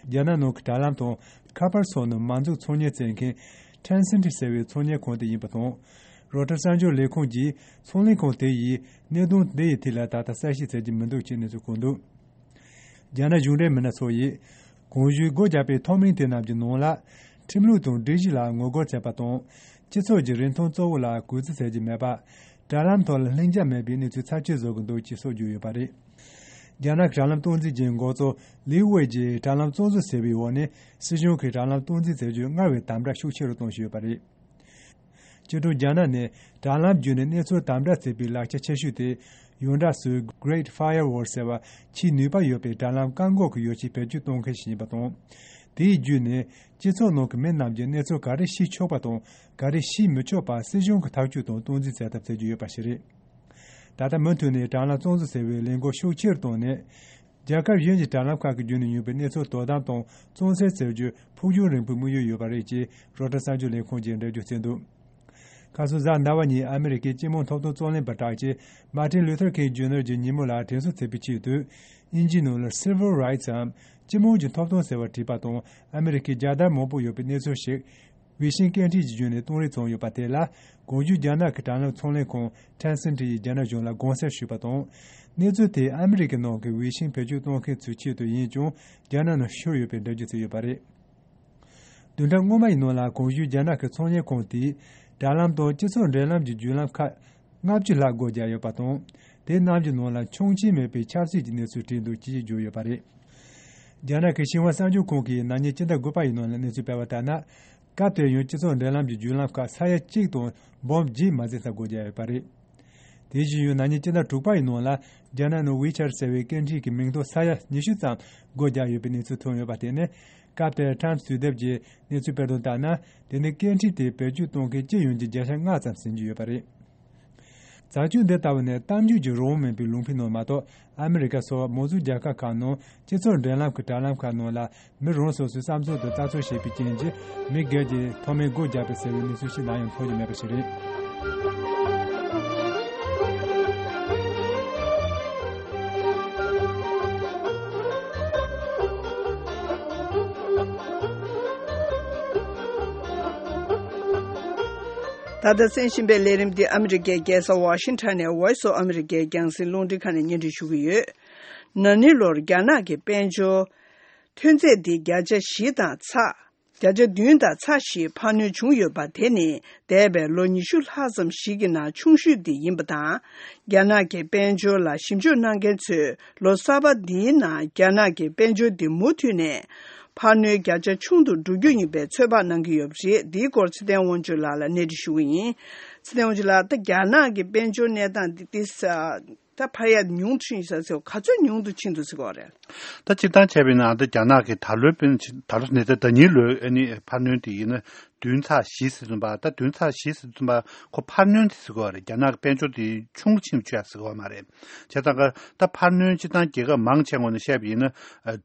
རྒྱ་ནག་ནང་གི་དྲ་ལམ་དང་ཁ་པར་སོགས་ནང་མ་འཛུགས་ཚོང་གཉེར་བྱེད་མཁན་Tencent ཟེར་བའི་ཚོང་གཉེར་ཁང་དེ་ཡིན་པ་དང་། རོའི་ཊར་གསར་འགྱུར་ལས་ཁུངས་ཀྱིས་ཚོང་ལས་ཁང་དེ་ཡིས་གནད་དོན་དེ་ཡི་ཐད་ལ་ད་ལྟ་གསལ་བཤད་བྱེད་ཀྱི་མི་འདུག་ཅེས་གནས་ཚུལ་བཀོད་འདུག། རྒྱ་ནག་གཞུང་འབྲེལ་མི་སྣ་ཚོ་ཡིས་གོང་ཞུས་སྒོ་བརྒྱབ་པའི་ཐོ་མིང་དེ་རྣམས་ཀྱི་ནང་ལ་ཁྲིམས་ལུགས་དང་སྒྲིག་གཞི་ལ་ངོ་རྒོལ་བྱས་པ་དང་། སྤྱི་ཚོགས་ཀྱི་རིན་ཐང་གཙོ་བོ་ལ་གུས་བརྩི་བྱེད་ཀྱི་མེད་པ། དྲ་ལམ་ཐོག་ལ་ལྷིང་འཇགས་མེད་པའི་གནས་ཚུལ་ཚབས་ཆེ་བཟོ་གི་འདུག་ཅེས་སོགས་བརྗོད་ཡོད་པ་རེད། རྒྱ་ནག་གི་དྲ་ལམ་སྟངས་འཛིན་གྱི་འགོ་གཙོ་ལིའུ་ཝེ་ཡིས་དྲ་ལམ་བཙོན་བཟོ་ཟེར་བའི་འོག་ནས་སྲིད་གཞུང་གིས་དྲ་ལམ་སྟངས་འཛིན་བྱེད་རྒྱུ་སྔར་བས་དམ་དྲག་ཤུགས་ཆེ་རུ་གཏོང་བཞིན་ཡོད་པ་རེད། སྤྱི་སྒྲོམ་རྒྱ་ནག་ནས་དྲ་ལམ་བརྒྱུད་ནས་གནས་ཚུལ་དམ་དྲག་བྱེད་པའི་ལག་ཆ་ཆེ་ཤོས་དེ་ཡོངས་གྲགས་སུ་Great Firewall ཟེར་བ་ཆེས་ནུས་པ་ཡོད་པའི་དྲ་ལམ་བཀག་འགོག་གི་ཡོ་བྱད་བེད་སྤྱོད་གཏོང་མཁན་ཞིག་ཡིན་པ་དང་། དེའི་བརྒྱུད་ནས་སྤྱི་ཚོགས་ནང་གི་མི་རྣམས་ཀྱིས་གནས་ཚུལ་ག་རེ་ཤེས་ཆོག་པ་དང་ག་རེ་ཤེས་མི་ཆོག་པ་སྲིད་གཞུང་གིས་ཐག་གཅོད་དང་སྟངས་འཛིན་བྱེད་ཐབས་བྱེད་ཀྱི་ཡོད་པ་ཞིག་རེད། ད་ལྟ་མུ་མཐུད་ནས་དྲ་ལམ་བཙོན་བཟོ་ཟེར་བའི་ལས་འགུལ་ཤུགས་ཆེ་རུ་བཏང་ནས། རྒྱལ་ཁབ་གཞན་གྱི་དྲ་ལམ་ཁག་གི་བརྒྱུད་ནས་ཡོང་པའི་གནས་ཚུལ་དོ་དམ་དང་བཙོན་སེལ་བྱེད་རྒྱུ་ཕུགས་རྒྱང་རིང་པོའི་དམིགས་ཡུལ་ཡོད་པ་རེད་ཅེས་རོའི་ཊར་གསར་འགྱུར་ལས་ཁུངས་ཀྱིས་འགྲེལ་བརྗོད་བྱས་འདུག། ཁ་སང་གཟའ་ཟླ་བ་ཉིན་ཨ་མི་རི་ཀའི་སྤྱི་དམངས་ཐོབ་ཐང་རྩོད་ལེན་པ་དྲག་ཆེ་Martin Luther King Junior གྱི་ཉིན་མོ་ལ་དྲན་གསོ་བྱེད་པའི་ཆེད་དུ། དབྱིན་ཇིའི་ནང་ལ་Civil Rights འམ་སྤྱི་དམངས་ཀྱི་ཐོབ་ཐང་ཟེར་བ་བྲིས་པ་དང་ཨ་མི་རི་ཀའི་རྒྱལ་དར་མང་པོ་ཡོད་པའི་གནས་ཚུལ་ཞིག་ཝི་ཤིང་སྐད་འཕྲིན་གྱི་བརྒྱུད་ནས་གཏོང་རེས་བྱུང་ཡོད་པ་དེ་ལ་གོང་ཞུས་རྒྱ་ནག་གི་དྲ་ལམ་ཚོང་ལས་ཁང་Tencent ཡིས་རྒྱ་ནག་གཞུང་ལ་དགོངས་སེལ་ཞུས་པ་དང་། གནས་ཚུལ་དེ་ཨ་མི་རི་ཀའི་ནང་གི་ཝི་ཤིང་བེད་སྤྱོད་གཏོང་མཁན་ཚོའི་ཆེད་དུ་ཡིན་ཀྱང་རྒྱ་ནག་ནང་ཤོར་ཡོད་པའི་འགྲེལ་བརྗོད་བྱས་ཡོད་པ་རེད། བདུན་ཕྲག་སྔོན་མ་ཡི་ནང་ལ་གོང་ཞུས་རྒྱ་ནག་གི་ཚོང་གཉེར་ཁང་དེས་དྲ་ལམ་དང་སྤྱི་ཚོགས་འབྲེལ་ལམ་གྱི་བརྒྱུད་ལམ་ཁག་ལྔ་བཅུ་ལྷག་སྒོ་བརྒྱབ་ཡོད་པ་དང་། དེ་རྣམས་ཀྱི་ནང་ལ་འཆང་ཆེན་མེད་པའི་ཆབ་སྲིད་ཀྱི་གནས་ཚུལ་བྲིས་འདུག་ཅེས་བརྗོད་ཡོད་པ་རེད། རྒྱ་ནག་གི་ཤིན་ཧྭ་གསར་འགྱུར་ཁང་གིས་ན་ནིང་སྤྱི་ཟླ་དགུ་པ་ཡི་ནང་ལ་གནས་ཚུལ་སྤེལ་བ་ལྟར་ན། སྐབས་དེར་ཡང་སྤྱི་ཚོགས་འབྲེལ་ལམ་གྱི་བརྒྱུད་ལམ་ཁག་ས་ཡ་གཅིག་དང་འབུམ་བརྒྱད་མ་ཟིན་ཙམ་སྒོ་བརྒྱབ་ཡོད་པ་རེད། དེ་བཞིན་ཡང་ན་ནིང་སྤྱི་ཟླ་དྲུག་པ་ཡི་ནང་ལ་རྒྱ་ནག་ནང་ཝི་ཆར་ཟེར་བའི་སྐད་འཕྲིན་གྱི་མིང་ཐོ་ས་ཡ་ཉི་ཤུ་ཙམ་སྒོ་བརྒྱབ་ཡོད་པའི་གནས་ཚུལ་ཐོན་ཡོད་པ་དེ་ནི་སྐབས་དེར་ཊའིམ་སི་དུས་དེབ་ཀྱིས་གནས་ཚུལ་སྤེལ་དོན་ལྟར་ན། དེ་ནི་སྐད་འཕྲིན་དེ་བེད་སྤྱོད་གཏོང་མཁན་སྤྱི་ཡོངས་ཀྱི་བརྒྱ་ཆ་ལྔ་ཙམ་ཟིན་གྱི་ཡོད་པ་རེད། བྱ་སྤྱོད་འདི་ལྟ་བུ་ནི་གཏམ་རྒྱུད་ཀྱི་རང་དབང་མེད་པའི་ལུང་པའི་ནང་མ་གཏོགས། ཨ་མི་རི་ཀ་སོགས་མང་གཙོའི་རྒྱལ་ཁབ་ཁག་ནང་སྤྱི་ཚོགས་འབྲེལ་ལམ་གྱི་དྲ་ལམ་ཁག་ནང་ལ་མི་རང་སོ་སོའི་བསམ་ཚུལ་དང་ལྟ་ཚུལ་བཤད་པའི་རྐྱེན་གྱིས། མི་སྒེར་གྱིས་ཐོག་མའི་སྒོ་རྒྱག་པ་ཟེར་བའི་གནས་ཚུལ་ཞིག་ནམ་ཡང་མཐོང་རྒྱུ་མེད་པ་ཞིག་རེད། ད་ལྟ་གསན་བཞིན་པའི་ལས་རིམ་འདི་ཨ་མི་རི་ཀའི་རྒྱལ་ས་ཝ་ཤིང་ཊོན་ནས་Voice of America རྒྱང་སྲིང་རླུང་འཕྲིན་ཁང་ནས་སྙན་སྒྲོན་ཞུ་གི་ཡོད། ན་ནིང་ལོར་རྒྱ་ནག་གི་དཔལ་འབྱོར་ཐོན་རྫས་འདི་བརྒྱ་ཆ་བཞི་དང་ཚེག་བརྒྱ་ཆ་བདུན་དང་ཚེག་བཞི་འཕར་སྣོན་བྱུང་ཡོད་པ། དེ་ནི་འདས་པའི་ལོ་ཉི་ཤུ་ལྷག་ཙམ་ཞིག་གི་ནང་ཆུང་ཤོས་དེ་ཡིན་པ་དང་། རྒྱ་ནག་གི་དཔལ་འབྱོར་ལ་ཞིབ་འཇུག་གནང་མཁན་ཚོས་ལོ་གསར་པ་འདིའི་ནང་རྒྱ་ནག་གི་དཔལ་འབྱོར་འདི་མུ་མཐུད་ནས་འཕར་སྣོན་རྒྱ་ཆ་ཆུང་དུ་འགྲོ་རྒྱུ་ཡིན་པའི་ཚོད་དཔག་གནང་གི་ཡོད་པ་རེད། འདིའི་སྐོར་ཚེ་བརྟན་དབང་ཕྱུག་ལགས་ལ་གནས་འདྲི་ཞུ་གི་ཡིན། ཚེ་བརྟན་དབང་ཕྱུག་ལགས། ད་རྒྱ་ནག་གི་དཔལ་འབྱོར་གནས་སྟངས་འདི་ཏིས་ད་འཕར་ཡག་ཉུང་དུ་ཕྱིན་ས་ཚོ་ག་ཚོད་ཉུང་དུ་ཕྱིན་འདུག་ཟེར་གོ་རེད། ད་སྤྱིར་བཏང་བྱས་པ་ཡིན་ན་ད་རྒྱ་ནག་གི་ད་ལོའི་དཔེར་ན་ཆ་ད་ལོ་ནས་ད་ད་ཉིན་ལོའི་ཨ་ནི་འཕར་སྣོན་དེ་ཡིན་ན་བདུན་ཚེག་བཞི་ཟེར་ཙམ་པ། ད་བདུན་ཚེག་བཞི་ཟེར་ཙམ་པ་ཁོ་འཕར་སྣོན་དེ་ཟེར་གོ་རེད། རྒྱ་ནག་གི་དཔལ་འབྱོར་དེ་ཆུང་རུ་ཕྱིན་ཆོག་ཡག་ཟེར་གོ་མ་རེད། བྱས་ཙང་ཀ་ད་འཕར་སྣོན་སྤྱིར་བཏང་རྒྱལ་ཁབ་མང་ཆེ་ངོས་ནས་བཤད་པ་ཡིན་ན་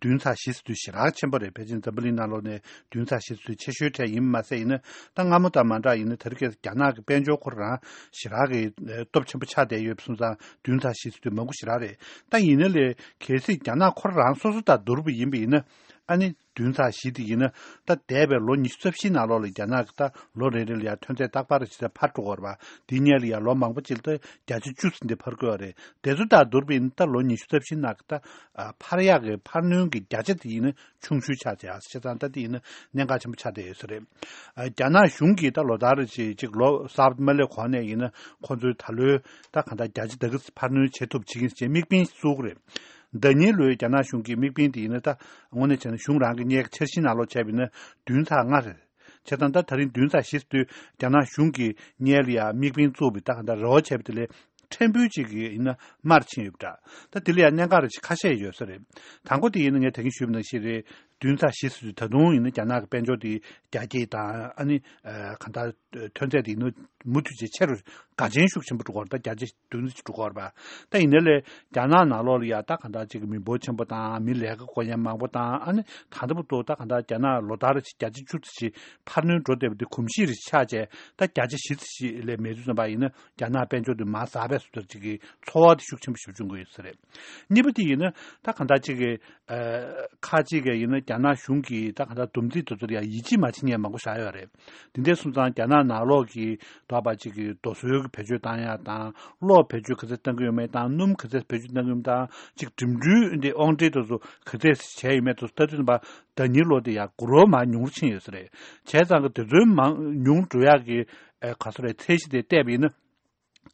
བདུན་ཚེག་བཞི་ཟེར་དུས་ཞེ་དྲག་ཆེན་པོ་རེད། ཕལ་ཆེར་འཛམ་བུ་གླིང་ནང་ལོགས་ནས་བདུན་ཚེག་བཞི་ཚོད་ཆེ་ཤོས་གྲས་ཡིན་མ་ཟད། ཡིན་ན་ད་སྔ་མོ་དང་མ་འདྲ་ཡིན་ན་དེ་རིང་ཁ་སང་རྒྱ་ནག་གི་དཔལ་འབྱོར་ཁོ་རང་ཞེ་དྲག་གི་ཨེ་སྟོབས་ཆེན་པོ་ཆགས་བསྡད་ཡོད་པ་སོང་ཙང་བདུན་ཚེག་བཞི་ཚོད་དེ་མང་པོ་ཞེ་དྲག་རེད། ད་ཡིན་ན་ལས་གལ་སྲིད་རྒྱ་ནག་ཁོ་རང་སོ་སོ་དང་བསྡུར་བ་ཡིན་པ་ཡིན་ན་ཨ་ནི་བདུན་ཚེག་བཞི་དེ་ཡིན་ན་ད་འདས་པའི་ལོ་ཉི་ཤུ་རྩ་བཞིའི་ནང་ལོགས་ལ་རྒྱ་ནག་གི་ད་ལོ་རེ་རེ་ལ་ཡང་ཐོན་རྫས་རྟག་པར་ཇི་ལྟར་འཕར་འགྲོ་གི་ཡོད་རེད་པ། དེའི་སྔོན་ལ་ཡང་ལོ་མང་པོ་ཅིག་ལ་ད་བརྒྱ་ཆ་བཅུ་ཙམ་དེ་འཕར་གི་ཡོད་རེད། དེ་ཚོ་དང་བསྡུར་བ་ཡིན་ན་ད་ལོ་ཉི་ཤུ་རྩ་བཞིའི་ནང་གི་ད་ཨ་འཕར་ཡག་གི་འཕར་སྣོན་གྱི་བརྒྱ་ཆ་དེ་ཡིན་ན་ཆུང་ཤོས་ཆགས་བྱས། བྱས་ཙང་ད་དེ་ཡིན་ན་གནད་འགག་ཆེན་པོ་ཆགས་བསྡད་ཡོད་ས་རེད། ཨ་རྒྱ་ནག་གཞུང་གིས་ད་ལོ་ལྟར་ཅིག་ཅིག་ལོ་གསར་པ་མ་སླེབས་གོང་ནས་ཡིན་ན་ཁོང་ཚོའི་ད་ལོའི་ད་གང་ལྟར་བརྒྱ་ཆ་དེ་ག་འཕར་སྣོན་བྱེད་ཐུབ་བྱེད་ཀྱི་ཡིན་ཟེར་དམིགས་འབེན་བཙུགས་རེད། ཟླ་ཉིན་ལོའི་རྒྱ་ནག་གཞུང་གི་དམིགས་འབེན་དེ་ཡིན་ན་ད་དངོས་གནས་བྱས་ན་གཞུང་རང་གི་སྔའི་འཆར་གཞིའི་ནང་ལོགས་བྱས་པ་ཡིན་ན་བདུན་ཚེག་ལྔ་རེད། བྱས་ཙང་ད་ད་རིང་བདུན་ཚེག་བཞི་ཟེར་དུས་རྒྱ་ནག་གཞུང་གིས་སྔོན་ལ་ཡང་དམིགས་འབེན་བཙུགས་པའི་ད་གང་ལྟར་རེ་བ་བྱས་པ་དེ་ལས་ཕྲན་བུ་ཅིག་གི་ཡིན་ན་མར་ཕྱིན་ཡོད་པ་འདྲ། ད་དེ་ལ་ཡང་གནད་འགག་རེ་ཞིག་ཁ་ཤས་ཡོད་ས་རེད། དང་པོ་དེ་ཡིན་ན་ངས་ད་གིན་ཞུས་པ་ནང་བཞིན་རེད། བདུན་ཚེག་བཞི་ཟེར་དུས་ད་དུང་ཡིན་ན་རྒྱ་ནག་གི་དཔལ་འབྱོར་དེ་རྒྱ་སྐྱེད་དང་ཨ་ནི་ཨ་གང་ལྟར་ཐོན་རྫས་དེ་ཡིན་ན་མུ་མཐུད་བྱས་ཆེ་རུ་དགའ་ཆེན་ཤུགས་ཆེན་པོ་འགྲོ་གི་ཡོད་རེད། ད་བརྒྱ་ཆ་བདུན་ཙམ་འགྲོ་གི་ཡོད་རེད་པ། ད་ཡིན་ནའི་ལས་རྒྱ་ནག་ནང་ལོགས་ལ་ཡ་ད་གང་ལྟར་ཅིག་མི་འབོར་ཆེན་པོ་དང་མི་ལས་ཀ་དགོས་མཁན་མང་པོ་དང་ཨ་ནི་ད་ལྟ་བར་དུ་ད་གང་ལྟར་རྒྱ་ནག་ལོ་ལྟར་བརྒྱ་ཆ་བཅུ་ཙམ་ཞིག་འཕར་སྣོན་འགྲོ་བསྡད་པ་འདི་གོམས་གཤིས་རེ་ཆགས་བྱས། ད་བརྒྱ་ཆ་བཞི་ཙམ་ཞིག་ལས་མེད་དུས་ཙམ་པ་ཡིན་ན་རྒྱ་ནག་དཔལ་འབྱོར་འདི་མར་ཟག་པའི་བཟོ་ལྟར་ཅིག་གི་ཚོར་བ་དེ་ཤུགས་ཆེན་པོ་ཞིག་བྱུང་གི་ཡོད་ས་རེད། གཉིས་པ་དེ་ཡིན་ན་ད་གང་ལྟར་ཅིག་གི་ཨ་ཁག་ཅིག་གི་ཡིན་ན་རྒྱ་ནག་གཞུང་གིས་ད་གང་ལྟར་བསྡོམས་རྩིས་དེ་ཚོ་ལ་ཡང་ཡིད་ཆེས་མ་བྱེད་མཁན་མང་པོ་བཞག་ཡོད་རེད། དེ་འདྲ་སོང་ཙང་རྒྱ་ནག་ནང་ལོགས་ཀྱི་ད་བར་ཅིག་གི་རྡོ་སོལ་གྱི་བེད་སྤྱོད་བཏང་ཡག་དང་གློག་བེད་སྤྱོད་ག་ཚད་བཏང་གི་ཡོད་མེད་དང་སྣུམ་ག་ཚད་བེད་སྤྱོད་བཏང་གི་ཡོད་མེད་དང་ཅིག་འགྲིམ་འགྲུལ་འདི་དབང་ཁྲིད་དེ་ཚོ་ག་ཚད་བྱས་ཡོད་མེད་དེ་ཚོ་ལྟ་དུས་ཙམ་པ་ཟླ་ཉིན་ལོ་དེ་ཡང་འགྱུར་བ་མར་ཉུང་རུ་ཕྱིན་ཡོད་ས་རེད། བྱས་ཙང་གི་དེ་ཚོའི་མང་ཉུང་འགྲོ་ཡག་གི་ཨ་ག་ཚོད་རེད་ཚད་གཞི་དེ་བལྟས་པ་ཡིན་ན།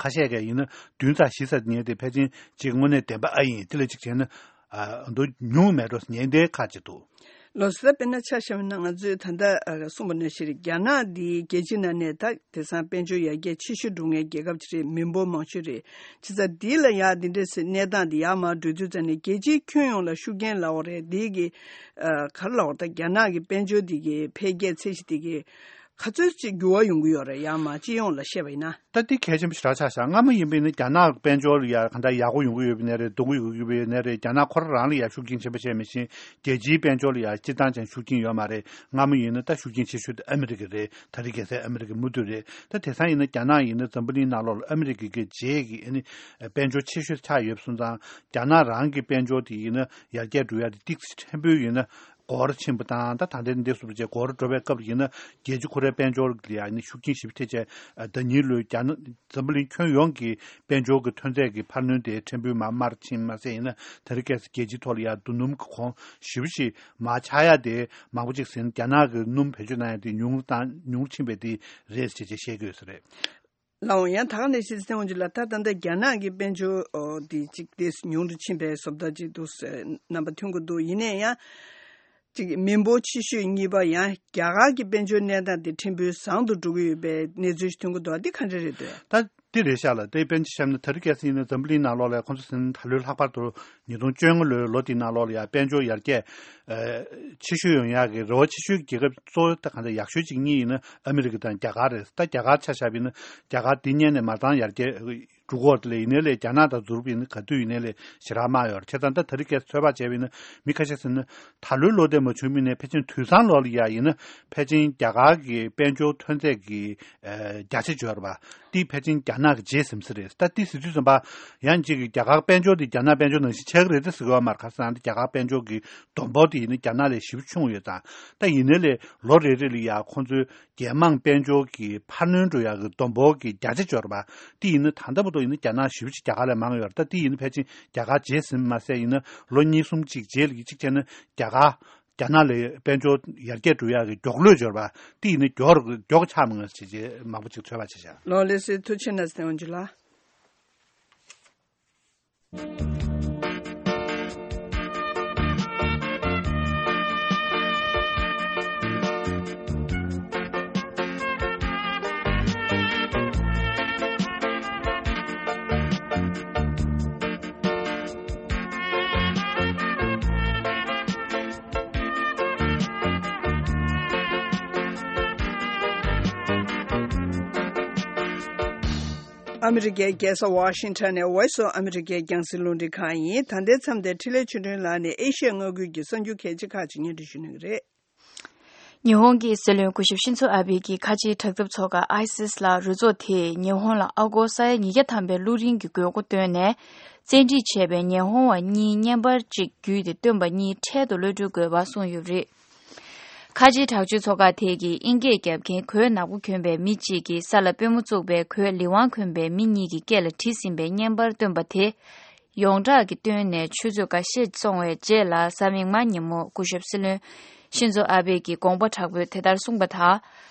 ཁ་ཤས་ཀྱིས་ཡིན་ན་བདུན་ཚེག་བཞི་ཟེར་ཉན་དེ་ཕལ་ཆེར་ཅིག་དངོས་གནས་བདེན་པ་ཨ་ཡིན། དེ་ལས་ཅིག་བྱས་ན་ཨ་མདོ་ཉུང་མེད་འགྲོ་ཉན་དེ་ཁག་ཅིག་འདུག་ལགས་སོ། ད་དཔེར་ན་ཆ་བཞག་པ་ན་ང་ཚོས་ད་ལྟ་ཨ་གསུངས་པ་ནང་བཞིན་རེད། རྒྱ་ནག་འདི་རྒྱལ་སྤྱིའི་ནང་ནས་ད་དེང་སང་དཔལ་འབྱོར་ཡར་རྒྱས་ཆེ་ཤོས་འགྲོ་མཁན་རྒྱལ་ཁབ་ཅིག་རེད། མི་འབོར་མང་ཤོས་རེད། བྱས་ཙང་འདི་ལ་ཡ་འདི་འདྲའི་གནས་སྟངས་འདི་ཡར་མར་འགྲོ་དུས་ཙམ་ནས་རྒྱལ་སྤྱིའི་ཁྱོན་ཡོངས་ལ་ཤུགས་རྐྱེན་ལབ་པ་རེད། འདི་གི་ཨ་ག་རེ་ལབ་པ་རེད། ད་རྒྱ་ནག་གི་དཔལ་འབྱོར་འདི་གི་འཕེལ་རྒྱས་ཚད་གཞི་འདི་གི་ག་ཚོད་ཅིག་འགྱུར་བ་ཡོང་གི་ཡོད་རེད། ཡར་མར་སྤྱི་ཡོངས་ལ་བཤད་པ་ཡིན་ན། ད་འདི་གལ་ཆེན་པོ་ཞེ་དྲག་ཆགས་ཤག་སྔ་མོ་ཡིན་པ་ཡིན་ན་རྒྱ་ནག་དཔལ་འབྱོར་ལ་ཡ་གང་ལྟར་ཡག་པོ་ཡོང་གི་ཡོད་པ་ནས་རེད། སྡུག་པོ་ཡོང་གི་ཡོད་པ་ནས་རེད། རྒྱ་ནག་ཁོ་རང་རང་ལ་ཡ་ཤུགས་རྐྱེན་ཆེན་པོ་བྱས་མི་ཤེས། རྒྱལ་སྤྱིའི་དཔལ་འབྱོར་ལ་ཡ་སྤྱིར་བཏང་ཅན་ཤུགས་རྐྱེན་ཡོད་མ་རེད། སྔ་མོ་ཡིན་ན་ད་ཤུགས་རྐྱེན་ཆེ་ཤོས་དེ་ཨ་མི་རི་ཀ་རེད། ད་རེས་རྒྱལ་སའི་ཨ་མི་རི་ཀ་མུ་མཐུད་རེད། ད་དེང་སང་ཡིན་ན་རྒྱ་ནག་ཡིན་ན་འཛམ་བུ་གླིང་ནང་ལོགས་ལ་ཨ་མི་རི་ཀ་གི་རྗེས་ཀྱི་ཨ་ནི་དཔལ་འབྱོར་ཆེ་ཤོས་ཆགས་ཡོད་པ་སོང་ཙང་རྒྱ་ནག་རང་གི་དཔལ་འབྱོར་དེ་ཡིན་ན་ཡར་རྒྱས་འགྲོ་ཡ་དེ་ཏོག་ཙམ་ཕྲན་བུ་ཡིན་ན། འགོར་ཕྱིན་པ་དང་ད་ད་ལྟའི་འདི་སོགས་བྱས་འགོར་འགྲོ་བའི་སྐབས་ཡིན་ན་རྒྱལ་སྤྱི་ཁོ་རའི་དཔལ་འབྱོར་ལ་ཡང་ནི་ཤུགས་རྐྱེན་ཞེ་པོ་ཐེབས་བྱས། ཟླ་ཉིན་ལོའི་རྒྱ་ནག་འཛམ་བུ་གླིང་ཁྱོན་ཡོངས་ཀྱི་དཔལ་འབྱོར་གྱི་ཐོན་རྫས་ཀྱི་འཕར་སྣོན་དེ་ཕྲན་བུ་མར་མར་ཕྱིན་མ་ཟད་ཡིན་ན་དེ་རིང་ཁ་སང་རྒྱལ་སྤྱིའི་ཐོག་ལ་ཡང་རྡོ་སྣུམ་གྱི་གོང་ཞེ་པོ་ཞིག་མར་ཆག་ཡ་དེ་མང་པོ་ཅིག་ཟིན། རྒྱ་ནག་གི་སྣུམ་བེད་སྤྱོད་གནང་ཡ་དེ་ཉུང་དང་ཉུང་ཕྱིན་པའི་དེ་རེད་ཅེས་བཤད་ཀྱི་ཡོད་ས་རེད། ལགས་འོང་། ཡང་ད་ག་ནས་ཤེས་ཚེ་འོང་ཅིག་ལ་ད་ད་ལྟ་རྒྱ་ནག་གི་དཔལ་འབྱོར་འདི་ཅིག་ཏོག་ཙམ་ཉུང་དུ་ཕྱིན་པའི་བཟོ་ལྟ་ཅིག་འདུག་རྣམ་པ་ཐོན་གྱི་འདུག་ཡིན་ནའི་ཡང་ཅིག་མི་འབོར་ཆེ་ཤོས་གཉིས་པ་ཡང་རྒྱ་གར་གྱི་དཔལ་འབྱོར་གནས་སྟངས་དེ་ཕྲན་བུ་བཟང་དུ་འགྲོ་གི་ཡོད་པའི་གནས་ཚུལ་ཞིག་ཐོན་གྱི་འདུག་འདི་ག་འདྲ་རེད་འདོད། ད་འདི་རེད་ཤག་ལ་དེ་དཔེར་ན་ཆ་བཞག་ན་ད་རེས་ཁ་སང་ཡིན་ན་འཛམ་བུ་གླིང་ནང་ལོགས་ལ་ཁོང་ཚོ་ཟིན་ད་ལོའི་ལྷག་པར་དུ་ཉིས་སྟོང་བཅོ་ལྔ་ལོའི་ལོ་དེའི་ནང་ལོགས་ལ་ཡང་དཔལ་འབྱོར་ཡར་རྒྱས་ཆེ་ཤོས་ཡོང་ཡག་གི་རེ་བ་ཆེ་ཤོས་ཀྱི་རྒྱལ་ཁབ་གཙོ་བོ་ད་གང་ལྟར་ཡག་ཤོས་གཅིག་གཉིས་ཡིན་ན་ཨ་མི་རི་ཀ་དང་རྒྱ་གར་རེད། ད་རྒྱ་གར་ཆ་བཞག་པ་ཡིན་ན་རྒྱ་གར་འདི་སྔོན་ནས་མ་རྩ་ཡར་རྒྱས་ འགྲོ་གི་ཡོད་རེད། ལས་ཡིན་ནའི་ལས་རྒྱ་ནག་དང་འཛུལ་བ་ཡིན་ན་ག་དུས་ཡིན་ནའི་ལས་ཞེ་དྲག་དམའ་ཡོད་རེད། བྱས་ཙང་ད་ད་རེས་ཀྱི་ཚོད་དཔག་བྱས་པ་ཡིན་ན་མི་ཁ་ཤས་ཟེར་ན་ད་ལོའི་ལོ་དེ་མ་བྱུང་མིན་ནས་ཕལ་ཆེར་དུས་སང་ལོ་ལ་ཡ་ཡིན་ན་ཕལ་ཆེར་རྒྱ་གར་གྱི་དཔལ་འབྱོར་ཐོན་ཚད་ཀྱི་ཨ་བརྒྱ་ཆ་བརྗོད་རེད་པ། དེ་ཕལ་ཆེར་རྒྱ་ནག་གི་རྗེས་ཟིན་ས་རེད། ད་དེ་ཟེར་དུས་ཙམ་པ་ཡང་གཅིག་གི་རྒྱ་གར་དཔལ་འབྱོར་དེ་རྒྱ་ནག་དཔལ་འབྱོར་ནང་བཞིན་ཆགས་ཀྱི་རེད་དེ་ཟེར་གི་ཡོད་མ་རེད། ག་རེ་ཟེར་ན་རྒྱ་གར་དཔལ་འབྱོར་གྱི་བསྡོམས་འབོར་དེ་ཡིན་ན་རྒྱ་ནག་ལས་ཞེ་པོ་ཆུང་ཡོད་ཙང་། ད་ཡིན་ནའི་ལས་ལོ་རེ་རེ་ལ་ཡ་ཁོང་ཚོའི་རྒྱལ་དམངས་དཔལ་འབྱོར་གྱི་འཕར་སྣོན་འགྲོ་ཡག་གི་བསྡོམས་འབོར་གྱི་བརྒྱ་ཆ་འབྱོར་བ། དེ་ཡིན་ན་ད་ལྟ་བར་དུ་ཡིན་ན་རྒྱ་ནག་ཞེ་པོ་ཅིག་རྒྱ་གར་ལས་མང་ཡོད་རེད། ད་དེ་ཡིན་ན་ཕལ་ཆེར་རྒྱ་གར་རྗེས་ཟིན་མ་ཟད་ཡིན་ན་ལོ་གཉིས་གསུམ་ཅིག་རྗེས་ལ་གཅིག་བྱས་ན་རྒྱ་གར་རྒྱ་ནག་ལས་དཔལ་འབྱོར་ཡར་རྒྱས་འགྲོ་ཡག་གི་མགྱོགས་ལོས་འབྱོར་བ། དེ་ཡིན་ན་མགྱོགས་མགྱོགས་ཆགས་མ་ངེས་ཅེས་མང་པོ་ཅིག་ཚོད་དཔག་བྱེད་བྱ། ལོ་ལེ་སི་ཐུ་ཆེ་ན་སྟེང་འཇུ་ལ། ཨ་མི་རི་ཀའི་རྒྱལ་ས་ཝ་ཤིང་ཊོན་ནས་Voice of America རྒྱང་སྲིང་རླུང་འཕྲིན་ཁང་ཡིན། ད་ལྟའི་མཚམས་འདིར་འཕྲིན་ལས་ཆོས་སྒྲོན་ལགས་ནས་ཨེ་ཤི་ཡ་མངའ་ཁུལ་གྱི་གསར་འགྱུར་གལ་ཆེ་ཁག་ཅིག་སྙན་སྒྲོན་ཞུ་གནང་གི་རེད། ཉི་ཧོང་གི་སྲིད་བློན་སྐུ་ཞབས་ཤིན་ཛོ་ཨ་བྷེ་གྱིས་ཁ་ཆེའི་དྲག་འཐབ་ཚོགས་ཁག་ཨའི་སིས་ལ་རུ་ཚོགས་དེས་ཉི་ཧོང་ལ་ཨ་སྒོར་ས་ཡ་ཉིས་བརྒྱ་ཐམ་པའི་བླུགས་རིན་གྱི་དགོས་མཁོ་བཏོན་ནས། བཙན་ཁྲིད་བྱས་པའི་ཉི་ཧོང་བ་གཉིས་བརྙན་པར་གཅིག་བརྒྱུད་དེ་བཏོན་པ་གཉིས་འཕྲལ་དུ་གློད་གྲོལ་དགོས་པ་གསུངས་ཡོད་པ་རེད། ཁ་ཆེའི་དྲག་སྤྱོད་ཚོགས་ཁག་དེ་གིས་དབྱིན་སྐད་རྒྱབ་མཁན་གོས་ནག་པོ་གྱོན་པའི་མི་གཅིག་གིས་ས་ལ་པུས་མོ་བཙུགས་པའི་གོས་ལི་ཝང་གྱོན་པའི་མི་གཉིས་ཀྱི་སྐེ་ལ་བྲིས་ཟིན་པའི་བརྙན་པར་བཏོན་པ་དེ། ཡོངས་གྲགས་ཀྱིས་བཏོན་ནས་ཆུ་ཚོད་འགའ་ཤས་སོང་བའི་རྗེས་ལ་གཟའ་མིག་དམར་ཉིན་མོ་སྐུ་ཞབས་སྲིད་བློན་ཤིན་ཛོ་ཨ་བྷེ་གྱིས་དགོངས་པ་དྲག་པོས་དེ་ལྟར་གསུངས་པ་དང་།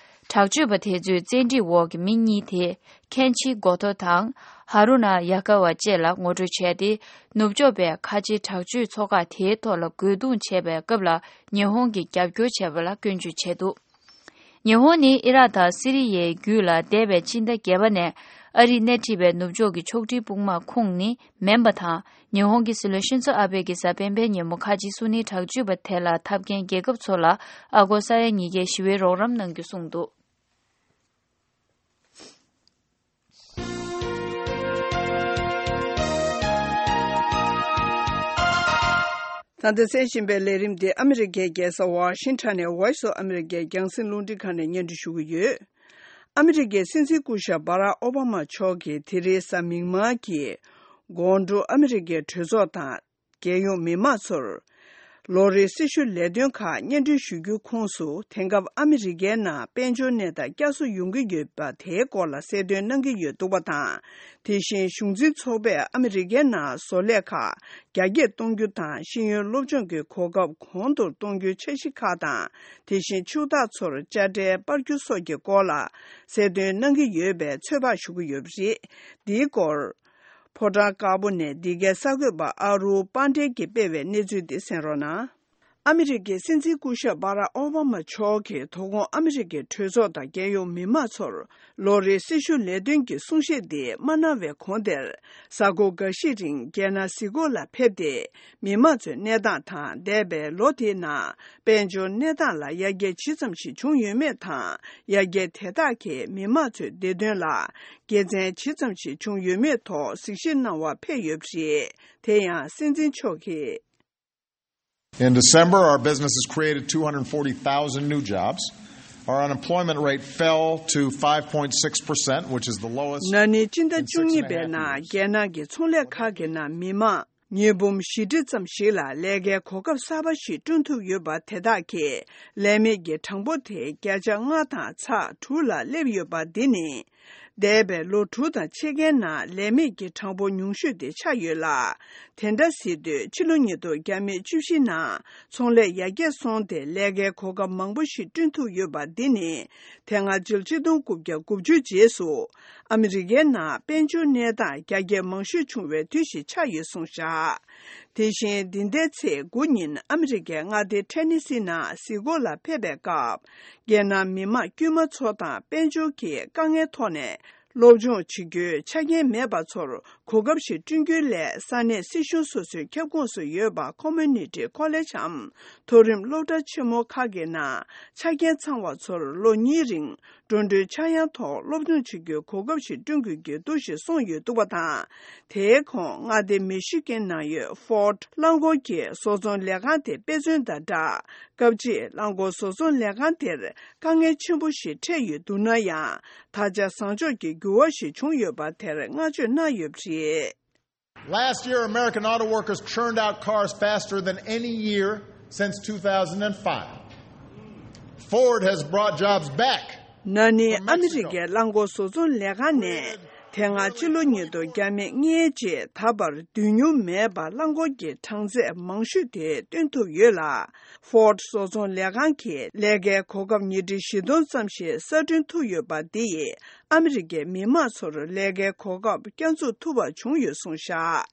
དྲག་སྤྱོད་པ་དེ་ཚོའི་བཙན་ཁྲིད་འོག་གི་མི་གཉིས་དེ་ཁེན་ཆི་གོ་ཐོ་དང་ཧ་རུ་ན་ཡ་ཀ་བ་བཅས་ལ་ངོ་སྤྲོད་བྱས་ཏེ། ནུབ་ཕྱོགས་པས་ཁ་ཆེའི་དྲག་སྤྱོད་ཚོགས་ཁག་དེའི་ཐོག་ལ་རྒོལ་རྡུང་བྱས་པའི་སྐབས་ལ་ཉི་ཧོང་གིས་རྒྱབ་སྐྱོར་བྱས་པ་ལ་སྐྱོན་བརྗོད་བྱས་འདུག་ཉི་ཧོང་ནི་ཨི་རག་དང་སི་རི་ཡའི་རྒྱུད་ལ་འདས་པའི་ཕྱི་ཟླ་བརྒྱད་པ་ནས་ཨ་རིས་སྣེ་ཁྲིད་པའི་ནུབ་ཕྱོགས་ཀྱི་ཕྱོགས་སྒྲིག་དཔུང་དམག་ཁོངས་ནི་མིན་པ་དང་། ཉི་ཧོང་གི་སྲིད་བློན་ཤིན་ཛོ་ཨ་བྷེ་གྱིས་གཟའ་སྤེན་པའི་ཉིན་མོ་ཁ་ཆེའི་སུ་ནི་དྲག་སྤྱོད་པ་དེ་ལ་འཐབ་མཁན་རྒྱལ་ཁབ་ཚོ་ལ་ཨ་སྒོར་ས་ཡ་ཉིས་བརྒྱའི་ཞི་བའི་རོགས་རམ་གནང་རྒྱུ་གསུངས་འདུག་ད་ལྟ་གསན་བཞིན་པའི་ལས་རིམ་འདི་ཨ་མི་རི་ཀའི་རྒྱལ་ས་ཝ་ཤིང་ཊོན་ནས་Voice of America རྒྱང་སྲིང་རླུང་འཕྲིན་ཁང་ནས་སྙན་སྒྲོན་ཞུ་གི་ཡོད། ཨ་མི་རི་ཀའི་སྲིད་འཛིན་སྐུ་ཞབས་སྦ་རག་ཨོ་བྷ་མ་མཆོག་གིས་དེ་རིང་གཟའ་མིག་དམར་གྱི་དགོང་དྲོ་ཨ་མི་རི་ཀའི་གྲོས་ཚོགས་དང་། རྒྱལ་ཡོངས་མི་མང་ཚོར་ལོ་རེའི་སྲི་ཞུ་ལས་དོན་ཁག་སྙན་སྒྲོན་ཞུ་རྒྱུའི་ཁོངས་སུ། དེང་སྐབས་ཨ་མི་རི་ཀའི་ནང་དཔལ་འབྱོར་གནས་སྟངས་བསྐྱར་གསོ་ཡོང་གི་ཡོད་པ་དེའི་སྐོར་ལ་གསལ་སྟོན་གནང་གི་ཡོད་འདུག་པ་དང་། དེ་བཞིན་གཞུང་འཛིན་ཚོགས་པས་ཨ་མི་རི་ཀའི་ནང་བཟོ་ལས་ཁག་རྒྱ་སྐྱེད་གཏོང་རྒྱུ་དང་། ཤེས་ཡོན་སློབ་སྦྱོང་གི་གོ་སྐབས་གོང་མཐོར་གཏོང་རྒྱུའི་འཆར་གཞི་ཁག་དང་། དེ་བཞིན་ཕྱུག་བདག་ཚོར་དཔྱ་ཁྲལ་སྤར་རྒྱུ་སོགས་ཀྱི་སྐོར་ལ་གསལ་སྟོན་གནང་གི་ཡོད་པའི་ཚོད་དཔག་ཞུ་གི་ཡོད་པ་རེད། འདིའི་སྐོར། ཕོ་བྲང་དཀར་པོ་ནས་འདི་གའི་གསར་འགོད་པ་ཨ་རུ་པཱན་ཌེ་གིས་སྤེལ་བའི་གནས་ཚུལ་འདི་གསན་རོགས་གནང་། ཨ་མི་རི་ཀའི་སྲིད་འཛིན་སྐུ་ཞབས་སྦ་རག་ཨོ་བྷ་མ་མཆོག་གིས་དོ་དགོང་ཨ་མི་རི་ཀའི་གྲོས་ཚོགས་དང་རྒྱལ་ཡོངས་མི་མང་ཚོར་ལོ་རེའི་སྲི་ཞུ་ལས་དོན་གྱི་གསུང་བཤད་འདི་མ་གནང་བའི་གོང་དེར། གཟའ་འཁོར་འགའ་ཤས་རིང་རྒྱལ་ནང་གཟིགས་སྐོར་ལ་ཕེབས་ཏེ། མི་མང་ཚོའི་གནས་སྟངས་དང་། འདས་པའི་ལོ་དེའི་ནང་དཔལ་འབྱོར་གནས་སྟངས་ལ་ཡར་རྒྱས་ཇི་ཙམ་ཞིག་བྱུང་ཡོད་མེད་དང་། ཡར་རྒྱས་དེ་དག་གིས་མི་མང་ཚོའི་བདེ་དོན་ལ་དགེ་མཚན་ཇི་ཙམ་ཞིག་བྱུང་ཡོད་མེད་ཐོག་གཟིགས་ཞིབ་གནང་བར་ཕེབས་ཡོད་པ་རེད། དེ་ཡང་སྲིད་འཛིན་མཆོག་གིས། In December, our businesses created two hundred forty thousand new jobs. Our unemployment rate fell to five point six percent, which is the lowest ན་ནིང་སྤྱི་ཟླ་བཅུ་གཉིས་པའི་ནང་རྒྱལ་ནང་གི་ཚོང་ལས་ཁག་གི་ནང་མི་མང་ཉིས་འབུམ་བཞི་ཁྲི་ཙམ་ཞིག་ལ་ལས་ཀའི་གོ་སྐབས་གསར་པ་ཞིག་བསྐྲུན་ཐུབ་ཡོད་པ་དེ་དག་གིས་ལས་མེད་ཀྱི་གྲངས་འབོར་དེ་བརྒྱ་ཆ་ལྔ་དང་ཚེག་དྲུག་ལ་སླེབས་ཡོད་པ་འདི་ནི། འདས་པའི་ལོ་དྲུག་དང་ཕྱེད་ཀའི་ནང་ལས་མེད་ཀྱི་གྲངས་འབོར་ཉུང་ཤོས་དེ་ཆགས་ཡོད་ལ། དེ་འདྲ་ཟེར་དུས་ཕྱི་ལོ་ཉིས་སྟོང་བརྒྱ་མེད་བཅུ་བཞི་ནང་ཚོང་ལས་ཡར་རྒྱས་སོང་སྟེ་ལས་ཀའི་གོ་སྐབས་མང་པོ་ཞིག་བསྐྲུན་ཐུབ་ཡོད་པ་འདི་ནི། དེ་སྔ་ཕྱི་ལོ་ཆིག་སྟོང་དགུ་བརྒྱ་དགུ་བཅུ་རྗེས་སུ་ཨ་མི་རི་ཀའི་ནང་དཔལ་འབྱོར་གནས་སྟངས་རྒྱ་སྐྱེད་མང་ཤོས་བྱུང་བའི་དུས་ཤིག་ཆགས་ཡོད་གསུངས་བཞག་དེ་བཞིན་འདི་ཟླའི་ཚེས་དགུ་ཉིན་ཨ་མི་རི་ཀའི་མངའ་སྡེ་ཐེ་ནི་སི་ནང་གཟིགས་སྐོར་ལ་ཕེབས་པའི་སྐབས། རྒྱལ་ནང་མི་མང་དཀྱུས་མ་ཚོ་དང་དཔལ་འབྱོར་གྱི་དཀའ་ངལ་ཐོག་ནས་སློབ་སྦྱོང་བྱེད་རྒྱུའི་ཆ་རྐྱེན་མེད་པ་ཚོར་གོ་སྐབས་ཤིག་བསྐྲུན་རྒྱུའི་སླད་ས་གནས་སྲིད་གཞུང་སོ་སོའི་ཁྱབ་ཁོངས་སུ་ཡོད་པ་ཁོ་མོ་ནི་ཊི་ཁོ་ལེ་ཇམ་མཐོ་རིམ་སློབ་གྲྭ་ཆེན་མོ་ཁག་གི་ནང་ཆ་རྐྱེན་ཚང་བ་ཚོར་ལོ་གཉིས་རིང་། འགྲོ་གྲོན་ཆག་ཡང་ཐོག་སློབ་སྦྱོང་བྱེད་རྒྱུའི་གོ་སྐབས་ཤིག་བསྐྲུན་དགོས་ཀྱི་འདུག་ཞེས་གསུངས་ཡོད་འདུག་པ་དང་། དེའི་གོང་མངའ་སྡེ་མི་ཤི་གན་ནང་ཡོད་ཧྥོར་ཌི་རླངས་འཁོར་གྱི་བཟོ་ཚོང་ལས་ཁང་དེ་དཔེ་མཚོན་དང་སྦྲགས། སྐབས་གཅིག་རླངས་འཁོར་བཟོ་ཚོང་ལས་ཁང་དེར་དཀའ་ངལ་ཆེན་པོ་ཞིག་འཕྲད་ཡོད་འདུག་ན་ཡང་། ད་ཆ་བཟང་ཕྱོགས་ཀྱི་འགྱུར་བ་ཞིག་བྱུང་ཡོད་པ་དེར་བསྔགས་བརྗོད་གནང་ཡོད་པ་རེད། Last year, American auto workers churned out cars faster than any year since two thousand five. Ford has brought jobs back. ན་ནིང་ཨ་མི་རི་ཀའི་རླངས་འཁོར་བཟོ་ཚོང་ལས་ཁང་ནས་དེ་སྔ་ཕྱི་ལོ་ཉིས་སྟོང་བརྒྱ་མེད་ལྔའི་རྗེས་ད་བར་བསྡུས་མྱོང་མེད་པར་རླངས་འཁོར་གྱི་གྲངས་ཚད་མང་ཤོས་དེ་བཏོན་ཐུབ་ཡོད་ལ། Ford་བཟོ་ཚོང་ལས་ཁང་གིས་ལས་ཀའི་གོ་སྐབས་ཉིས་ཁྲི་བཞི་སྟོང་ཙམ་ཞིག་གསར་སྐྲུན་ཐུབ་ཡོད་པ་འདི་ཡིས། ཨ་མི་རི་ཀའི་མི་དམངས་ཚོར་ལས་ཀའི་གོ་སྐབས་བསྐྱར་འཛུགས་ཐུབ་པ་བྱུང་ཡོད་གསུངས་བཞག་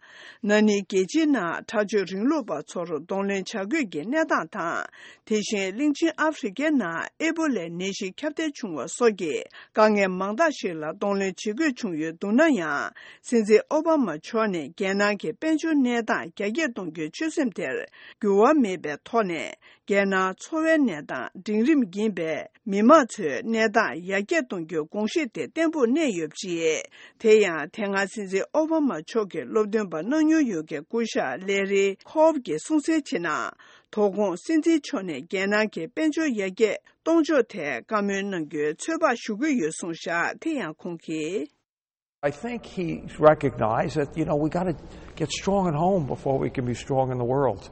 ན་ནིང་རྒྱལ་སྤྱིའི་ནང་དྲག་སྤྱོད་རིང་ལུགས་པ་ཚོར་གདོང་ལེན་བྱ་དགོས་ཀྱི་གནས་སྟངས་དང་། དེ་བཞིན་གླིང་ཆེན་ཨ་ཧྥེ་རི་ཁའི་ནང་ཨེ་པོ་ལའི་ནད་གཞི་ཁྱབ་གདལ་བྱུང་བ་སོགས་ཀྱི་དཀའ་ངལ་མང་དག་ཞིག་ལ་གདོང་ལེན་བྱེད་དགོས་བྱུང་ཡོད་འདུག་ན་ཡང་། སྲིད་འཛིན་ཨོ་བྷ་མ་མཆོག་ནས་རྒྱལ་ནང་གི་དཔལ་འབྱོར་གནས་སྟངས་རྒྱ་སྐྱེད་གཏོང་རྒྱུའི་ཆོད་སེམས་དེར་འགྱུར་བ་མེད་པའི་ཐོག་ནས། རྒྱལ་ནང་འཚོ་བའི་གནས་སྟངས་འབྲིང་རིམ་ཡིན་པས། མི་དམངས་ཚོའི་གནས་སྟངས་ཡར་རྒྱས་གཏོང་རྒྱུའི་དགོངས་གཞི་དེ་བརྟན་པོར་གནས་ཡོད་པ་རེད། དེ་ཡང་དེ་སྔ་སྲིད་འཛིན་ཨོ་བྷ་མ་མཆོག་གི་སློབ་སྟོན་པ་གནང་མྱོང་ཡོད་མཁན་སྐུ་ཞབས་ལེ་རི་ཁོབ་ཀྱིས་གསུངས་གསལ་བྱས་ན། དོ་དགོང་སྲིད་འཛིན་མཆོག་ནས་རྒྱལ་ནང་གི་དཔལ་འབྱོར་ཡར་རྒྱས་གཏོང་ཕྱོགས་ཐད་བཀའ་མོལ་གནང་རྒྱུའི་ཚོད་དཔག་ཞུ་གི་ཡོད་གསུངས་བཞག་དེ་ཡང་ཁོང་གིས། I think he recognized that, you know, we got to get strong at home before we can be strong in the world.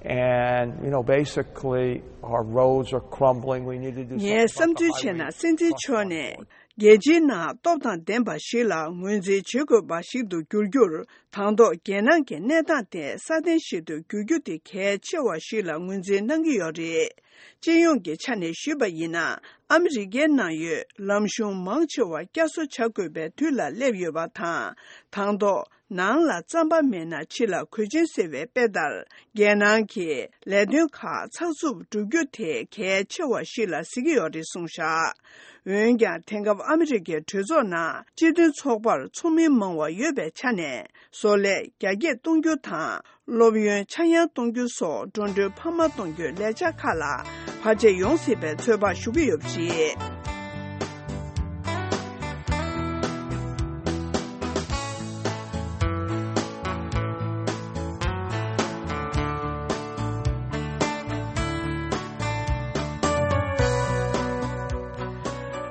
And, you know, basically, our roads are crumbling. We need to do something about the highway infrastructure. ངས་བསམ་ཚུལ་བྱས་ན་སྲིད་འཛིན་མཆོག་ནས་རྒྱལ་སྤྱིའི་ནང་སྟོབས་དང་ལྡན་པ་ཞིག་ལ་ངོས་འཛིན་བྱེད་དགོས་པ་ཞིག་ཏུ་འགྱུར་རྒྱུར། དང་ཐོག་རྒྱལ་ནང་གི་གནས་སྟངས་དེ་སྲ་བརྟན་ཞིག་ཏུ་འགྱུར་རྒྱུ་དེ་གལ་ཆེ་བ་ཞིག་ལ་ངོས་འཛིན་གནང་གི་ཡོད་རེད། སྤྱི་ཡོངས་ཀྱི་ཆ་ནས་ཞུས་པ་ཡིན་ན། ཨ་མི་རི་ཀའི་ནང་ཡོད་ལམ་གཞུང་མང་ཆེ་བ་བསྐྱར་གསོ་བྱ་དགོས་པའི་དུས་ལ་སླེབས་ཡོད་པ་དང་། དང་ཐོག་ནང་ལ་རྩམ་པ་མེད་ན་ཕྱི་ལ་གོས་ཆེན་ཟེར་བའི་དཔེ་ལྟར། རྒྱལ་ནང་གི་ལས་དོན་ཁག་ཚགས་ཚུད་སྒྲུབ་རྒྱུ་དེ་གལ་ཆེ་བ་ཞིག་ལ་གཟིགས་ཀྱི་ཡོད་རེད་གསུངས་བཞག་འོན་ཀྱང་། དེང་སྐབས་ཨ་མི་རི་ཀའི་གྲོས་ཚོགས་ནང་སྤྱི་མཐུན་ཚོགས་པར་ཚོགས་མི་མང་བ་ཡོད་པའི་ཆ་ནས། བཟོ་ལས་རྒྱ་སྐྱེད་གཏོང་རྒྱུ་དང་། སློབ་ཡོན་ཆག་ཡང་གཏོང་རྒྱུ་སོགས་འགྲོ་གྲོན་འཕར་མ་གཏོང་རྒྱུའི་ལས་འཆར་ཁག་ལ་བར་ཆད་ཡོང་སྲིད་པའི་ཚོད་དཔག་ཞུ་གི་ཡོད་པ་རེད།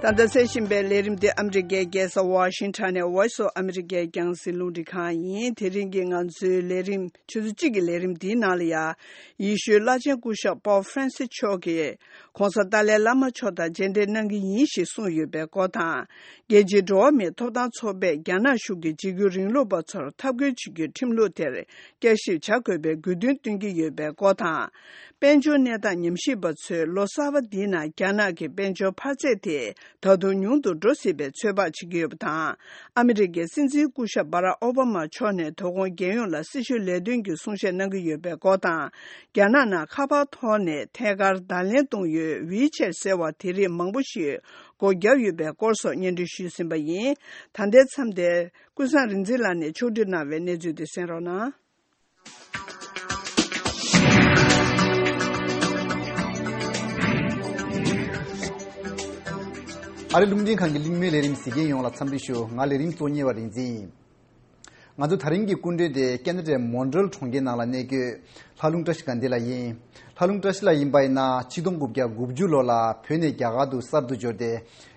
ད་ལྟ་གསན་བཞིན་པའི་ལས་རིམ་འདི་ཨ་མི་རི་ཀའི་རྒྱལ་ས་ཝ་ཤིང་ཊོན་ནས་Voice of America་རྒྱང་སྲིང་རླུང་འཕྲིན་ཁང་ཡིན། དེ་རིང་གི་ང་ཚོའི་ལས་རིམ། ཆུ་ཚོད་གཅིག་གི་ལས་རིམ་འདིའི་ནང་ལ་ཡང་། ཡེ་ཤུའི་བླ་ཆེན་སྐུ་ཞབས་པོབ་ཧྥ་རན་སི་མཆོག་གིས་ྋགོང་ས་ཏཱ་ལའི་བླ་མ་མཆོག་དང་མཇལ་འཕྲད་གནང་གི་ཡིན་ཞེས་གསུངས་ཡོད་པའི་སྐོར་དང་། རྒྱལ་སྤྱིའི་འགྲོ་བ་མིའི་ཐོབ་ཐང་ཚོགས་པས་རྒྱ་ནག་གཞུང་གི་འཇིགས་སྐུལ་རིང་ལུགས་པ་ཚོར་འཐབ་རྒོལ་བྱེད་རྒྱུའི་ཁྲིམས་ལུགས་དེར་བསྐྱར་ཞིབ་བྱ་དགོས་པའི་དགོས་འདུན་བཏོན་གྱི་ཡོད་པའི་སྐོར་དང་། དཔལ་འབྱོར་གནས་སྟངས་ཉམས་ཞིབ་པ་ཚོས་ལོ་གསར་པ་འདིའི་ནང་རྒྱ་ནག་གི་དཔལ་འབྱོར་འཕར་ཚད་དེ་ད་དུང་ཉུང་དུ་འགྲོ་སྲིད་པའི་ཚོད་དཔག་བྱེད་ཀྱི་ཡོད་པ་དང་། ཨ་མི་རི་ཀའི་སྲིད་འཛིན་སྐུ་ཞབས་སྦ་རག་ཨོ་བྷ་མ་མཆོག་ནས་དོ་དགོང་རྒྱལ་ཡོངས་ལ་སྲི་ཞུ་ལས་དོན་གྱི་གསུང་བཤད་གནང་གི་ཡོད་པའི་སྐོར་དང་། རྒྱ་ནག་ནང་ཁ་པར་ཐོག་ནས་ཐད་ཀར་བརྡ་ལན་གཏོང་ཡུལ་ཝི་ཆེད་ཟེར་བ་དེ་རིགས་མང་པོ་ཞིག་སྒོ་བརྒྱབ་ཡོད་པའི་སྐོར་སོགས་སྙན་སྒྲོན་ཞུས་ཟིན་པ་ཡིན། ད་ལྟའི་མཚམས་དེར་ཀུན་བཟང་རིག་འཛིན་ལགས་ནས་ཕྱོགས་བསྒྲིགས་གནང་བའི་གནས་ཚུལ་དེ་གསན་རོགས་གནང་། ཨ་རི་རླུང་འཕྲིན་ཁང་གི་གླེང་མོལ་ལས་རིམ་གཟིགས་མཁན་ཡོངས་ལ་འཚམས་འདྲི་ཞུ། ང་ལས་རིམ་གཙོ་གཉེར་བ་རིག་འཛིན་ཡིན། ང་ཚོ་དེ་རིང་གི་སྐུ་མགྲོན་དེ་ཀེ་ན་ཌའི་མོན་ཊི་རེལ་གྲོང་ཁྱེར་ནང་ལ་གནས་འཁོད་ལྷ་ལུང་བཀྲ་ཤིས་དགའ་ལྡན་ལགས་ཡིན། ལྷ་ལུང་བཀྲ་ཤིས་ལགས་ཡིན་པ་ཡིན་ན་ཆིག་སྟོང་དགུ་བརྒྱ་དགུ་བཅུ་ལོ་ལ་བོད་ནས་རྒྱ་གར་དུ་གསར་དུ་འབྱོར་ཏེ་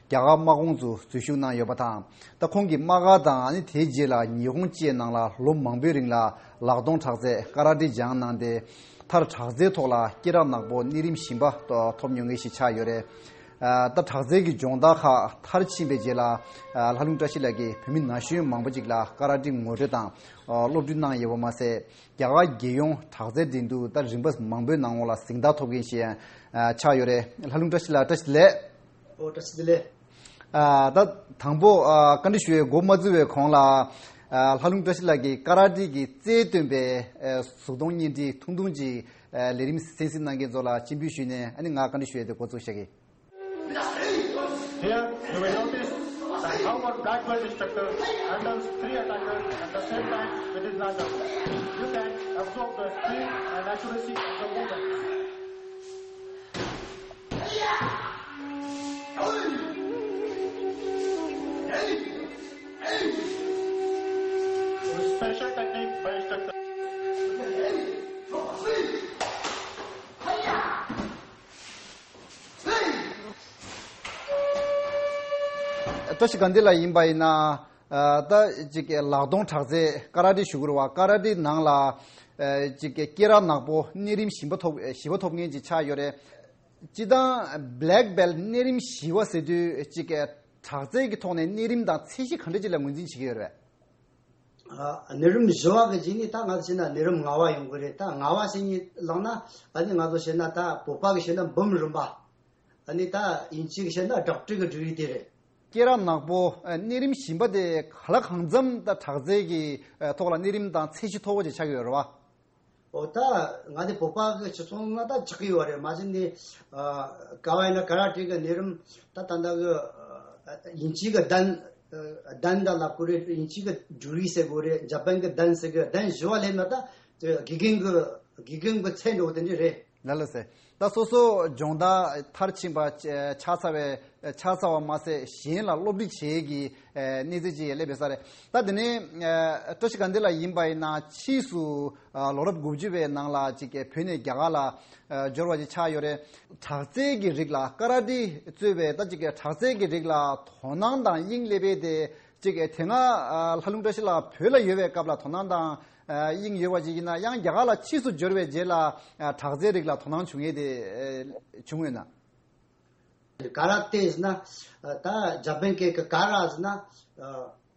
རྒྱ་གར་དམག་ཁོངས་སུ་འཛུལ་ཞུགས་གནང་ཡོད་པ་དང་། ད་ཁོང་གིས་དམག་སྒར་དང་ཨ་ནི་དེའི་རྗེས་ལ་ཉི་ཧོང་བཅས་ནང་ལ་ལོ་མང་པོའི་རིང་ལ་ལག་རྡུང་དྲག་རྩལ་ཀ་ར་ཏི་སྦྱངས་གནང་སྟེ། མཐར་དྲག་རྩལ་ཐོག་ལ་སྐད་གྲགས་ནག་པོ་གནས་རིམ་བཞི་པ་ཐོབ་མྱོང་མཁན་ཞིག་ཆགས་ཡོད་རེད། ཨ། ད་དྲག་རྩལ་གྱི་སྦྱོང་བརྡར་ཁག་མཐར་ཕྱིན་པའི་རྗེས་ལ། ཨ། ལྷ་ལུང་བཀྲ་ཤིས་ལགས་ཀྱིས་བོད་མི་ན་གཞོན་མང་པོ་ཅིག་ལ་ཀ་ར་ཏི་ངོ་སྤྲོད་དང་། ཨ། སློབ་སྟོན་གནང་ཡོད་པ་མ་ཟད། རྒྱ་གར་རྒྱལ་ཡོངས་དྲག་རྩལ་འགྲན་བསྡུར་ད་རིམ་པ་མང་པོའི་ནང་ལ་གཟེངས་རྟགས་ཐོབ་མཁན་ཞིག་ཡང་ཆགས་ཡོད་རེད། ལྷ་ལུང་བཀྲ་ཤིས་ལགས་བཀྲ་ཤིས་བདེ་ལེགས། ཨོ། བཀྲ་ཤིས་བདེ་ལེགས། ཨ། ད་དང་པོ། ཨ། བཀའ་འདྲི་ཞུ་བའི་འགོ་མ་བཙུགས་པའི་གོང་ལ། ཨ། ལྷ་ལུང་བཀྲ་ཤིས་ལགས་ཀྱིས་ཀ་ར་ཏི་གི་རྩལ་སྟོན་པའི། ཨ། གཟུགས་མཐོང་བརྙན་འཕྲིན་ཐུང་ཐུང་ཅིག་ཨ། ལས་རིམ་གསན་གཟིགས་གནང་མཁན་ཚོ་ལ་སྤྱན་འབུལ་ཞུས་ནས། ཨ་ནི་ང་བཀའ་འདྲི་ཞུ་ཡས་དེ་འགོ་བཙུགས་བཞག་གི། Here, you will notice that how one black belt instructor handles three attackers at the same time with his large arm. You can absorb the speed and accuracy of the movement. Special technique, special technique. བཀྲ་ཤིས་དགའ་ལྡན་ལགས་ཡིན་པ་ཡིན་ན། ཨ། ད་ཅིག་ལག་སྟོང་དྲག་རྩལ་ཀ་ར་ཏེ་ཞུ་དགོས་རེད་བ། ཀ་ར་ཏེ་ནང་ལ་ཨ་ཅིག་སྐེད་རགས་ནག་པོ་གནས་རིམ་བཞི་པ་ཐོབ་བཞི་པ་ཐོབ་མཁན་ཅིག་ཆགས་ཡོད་རེད། སྤྱིར་བཏང་བྷེ་ལེག་བྷེལ་གནས་རིམ་བཞི་པ་ཟེར་དུས་ཅིག་དྲག་རྩལ་གྱི་ཐོག་ནས་གནས་རིམ་དང་ཚད་གཞི་ག་འདྲ་ཅིག་ལ་ངོས་འཛིན་བྱེད་ཀྱི་ཡོད་རེད། ཨ། གནས་རིམ་བཞི་པ་གི་རྗེས་ནས་ད་ང་ཚོ་བཤད་ན་གནས་རིམ་ལྔ་པ་ཡོང་གི་རེད། ད་ལྔ་པ་ཟེར་མཁན་བླངས་ན་ཨ་ནི་ང་ཚོ་བཤད་ན་ད་བོད་པ་གི་བཤད་ན་འབུམ་རམས་པ། ཨ་ནི་ད་དབྱིན་ཇི་གི་བཤད་ན་ཌོག་ཊར་གི་ཌིག་རི་དེ་རེད། སྐེད་རགས་ནག་པོ་ཨ་གནས་རིམ་བཞི་པ་དེ་ག་ལ་གང་འཚམ་ད་དྲག་རྩལ་གྱི་ཨ་ཐོག་ལ་གནས་རིམ་དང་ཚད་གཞི་མཐོ་པོ་ཅིག་ཆགས་ཀྱི་ཡོད་རེད་བ། ཨོ། ད་ང་ཚོ་བོད་པ་གི་སྤྱི་ཚོགས་ནང་ད་ཆགས་ཀྱི་ཡོད་རེད། མ་གཞི་ནས་ཨ་ག་བ་ཡིན་ན་ཀ་ར་ཏེ་གི་གནས་རིམ་ད་ད་ལྟ་གི་ཨ་དབྱིན་ཇི་གི་ཌན་ཨ་ཌན་ད་ལབ་དགོས་རེད། དབྱིན་ཇི་གི་ཇུ་རི་ཟེར་དགོས་རེད། ཇ་པན་གི་ཌན་ཟེར་གི། ཌན་བཞི་པ་སླེབས་ན་ད་དགེ་རྒན་གི་དགེ་རྒན་གི་ཚད་འགྲོ་དེ་འདྲ་རེད། ལགས་ལགས་སེ། ད་སོ་སོ་སྦྱོང་བརྡར་མཐར་ཕྱིན་པ་ཆགས་ཚར་བའི་ཆགས་ཚར་བ་མ་ཟད་གཞན་ལ་སློབ་ཁྲིད་བྱེད་ཀྱི་གནས་ཚུལ་ཅིག་སླེབས་ཡོད་ས་རེད། ད་དེ་ནས་བཀྲ་ཤིས་དགའ་ལྡན་ལགས་ཡིན་པ་ཡིན་ན་ཕྱིས་སུ་ལོ་རབས་དགུ་བཅུ་པའི་ནང་ལ་ཅིག་བོད་ནས་རྒྱ་གར་ལ་འབྱོར་བ་ཅིག་ཆགས་ཡོད་རེད། དྲག་རྩལ་གྱི་རིགས་ལ་ཀ་ར་ཏེ་གཙོས་པའི་ད་ཅིག་དྲག་རྩལ་གྱི་རིགས་ལ་དོ་སྣང་དང་དབྱིངས་སླེབས་པའི་དེ་ཅིག་དེ་སྔ་ལྷ་ལུང་བཀྲ་ཤིས་ལགས་བོད་ལ་ཡོད་པའི་སྐབས་ལ་དོ་སྣང་དང་ཨ་དབྱིངས་ཡོད་པ་ཅིག་ཡིན་ན་ཡང་རྒྱ་གར་ལ་ཕྱིས་སུ་འབྱོར་བའི་རྗེས་ལ་ཨ་དྲག་རྩལ་རིགས་ལ་དོ་སྣང་བྱུང་ཡས་དེ་ཨ་བྱུང་ཡོད་ན། ག་ར་ཏེ་ཟེར་ན་ཨ་ད་ཇ་པན་སྐད་ཀྱི་ག་ར་ཟེར་ན་ཨ་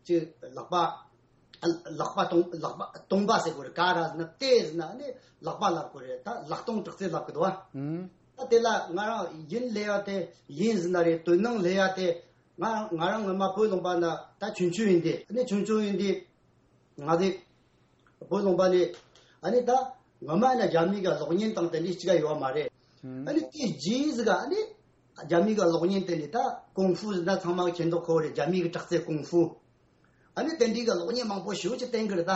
ཅིག་ལག་པ་ཨ་ལག་པ་སྟོང་ལག་པ་སྟོང་པ་ཟེར་དགོས་རེད། ག་ར་ཟེར་ན་ཏེ་ཟེར་ན་ནི་ལག་པ་ལབ་དགོས་རེད། ད་ལག་སྟོང་དྲག་རྩལ་ལབ་ཀྱི་འདུག་བ། ཨུམ། ད་དེ་ལ་ང་རང་ཡིན་ལས་ཡ་དེ་ཡིན་ཟེར་ན་རེད། དོ་སྣང་ལས་ཡ་དེ། ང་ང་རང་ངོ་མ་བོད་ལུང་པ་ན་ད་ཆུང་ཆུང་ཡིན་དུས། ཨ་ནི་ཆུང་ཆུང་ཡིན་དུས་ང་ཚོ་བོད་ལུང་པ་ནས་ཨ་ནི་ད་ངོ་མ་ན་རྒྱ་མི་གི་གློག་བརྙན་དང་དེ་འདྲ་ཅིག་ཡོད་མ་རེད། ཨ་ནི་དེ་རྗེས་ཟིག་ག་ཨ་ནི་རྒྱ་མི་གི་གློག་བརྙན་དེ་ནི་ད་ཀུང་ཧྥུ་ཟེར་ན་ཚང་མ་གི་མཁྱེན་རྟོགས་ཁོ་རེད། རྒྱ་མི་གི་དྲག་རྩལ་ཀུང་ཧྥུ། ཨ་ནི་དེ་འདྲའི་གི་གློག་བརྙན་མང་པོ་ཞེ་པོ་ཅིག་བསྟན་གི་རེད་ད།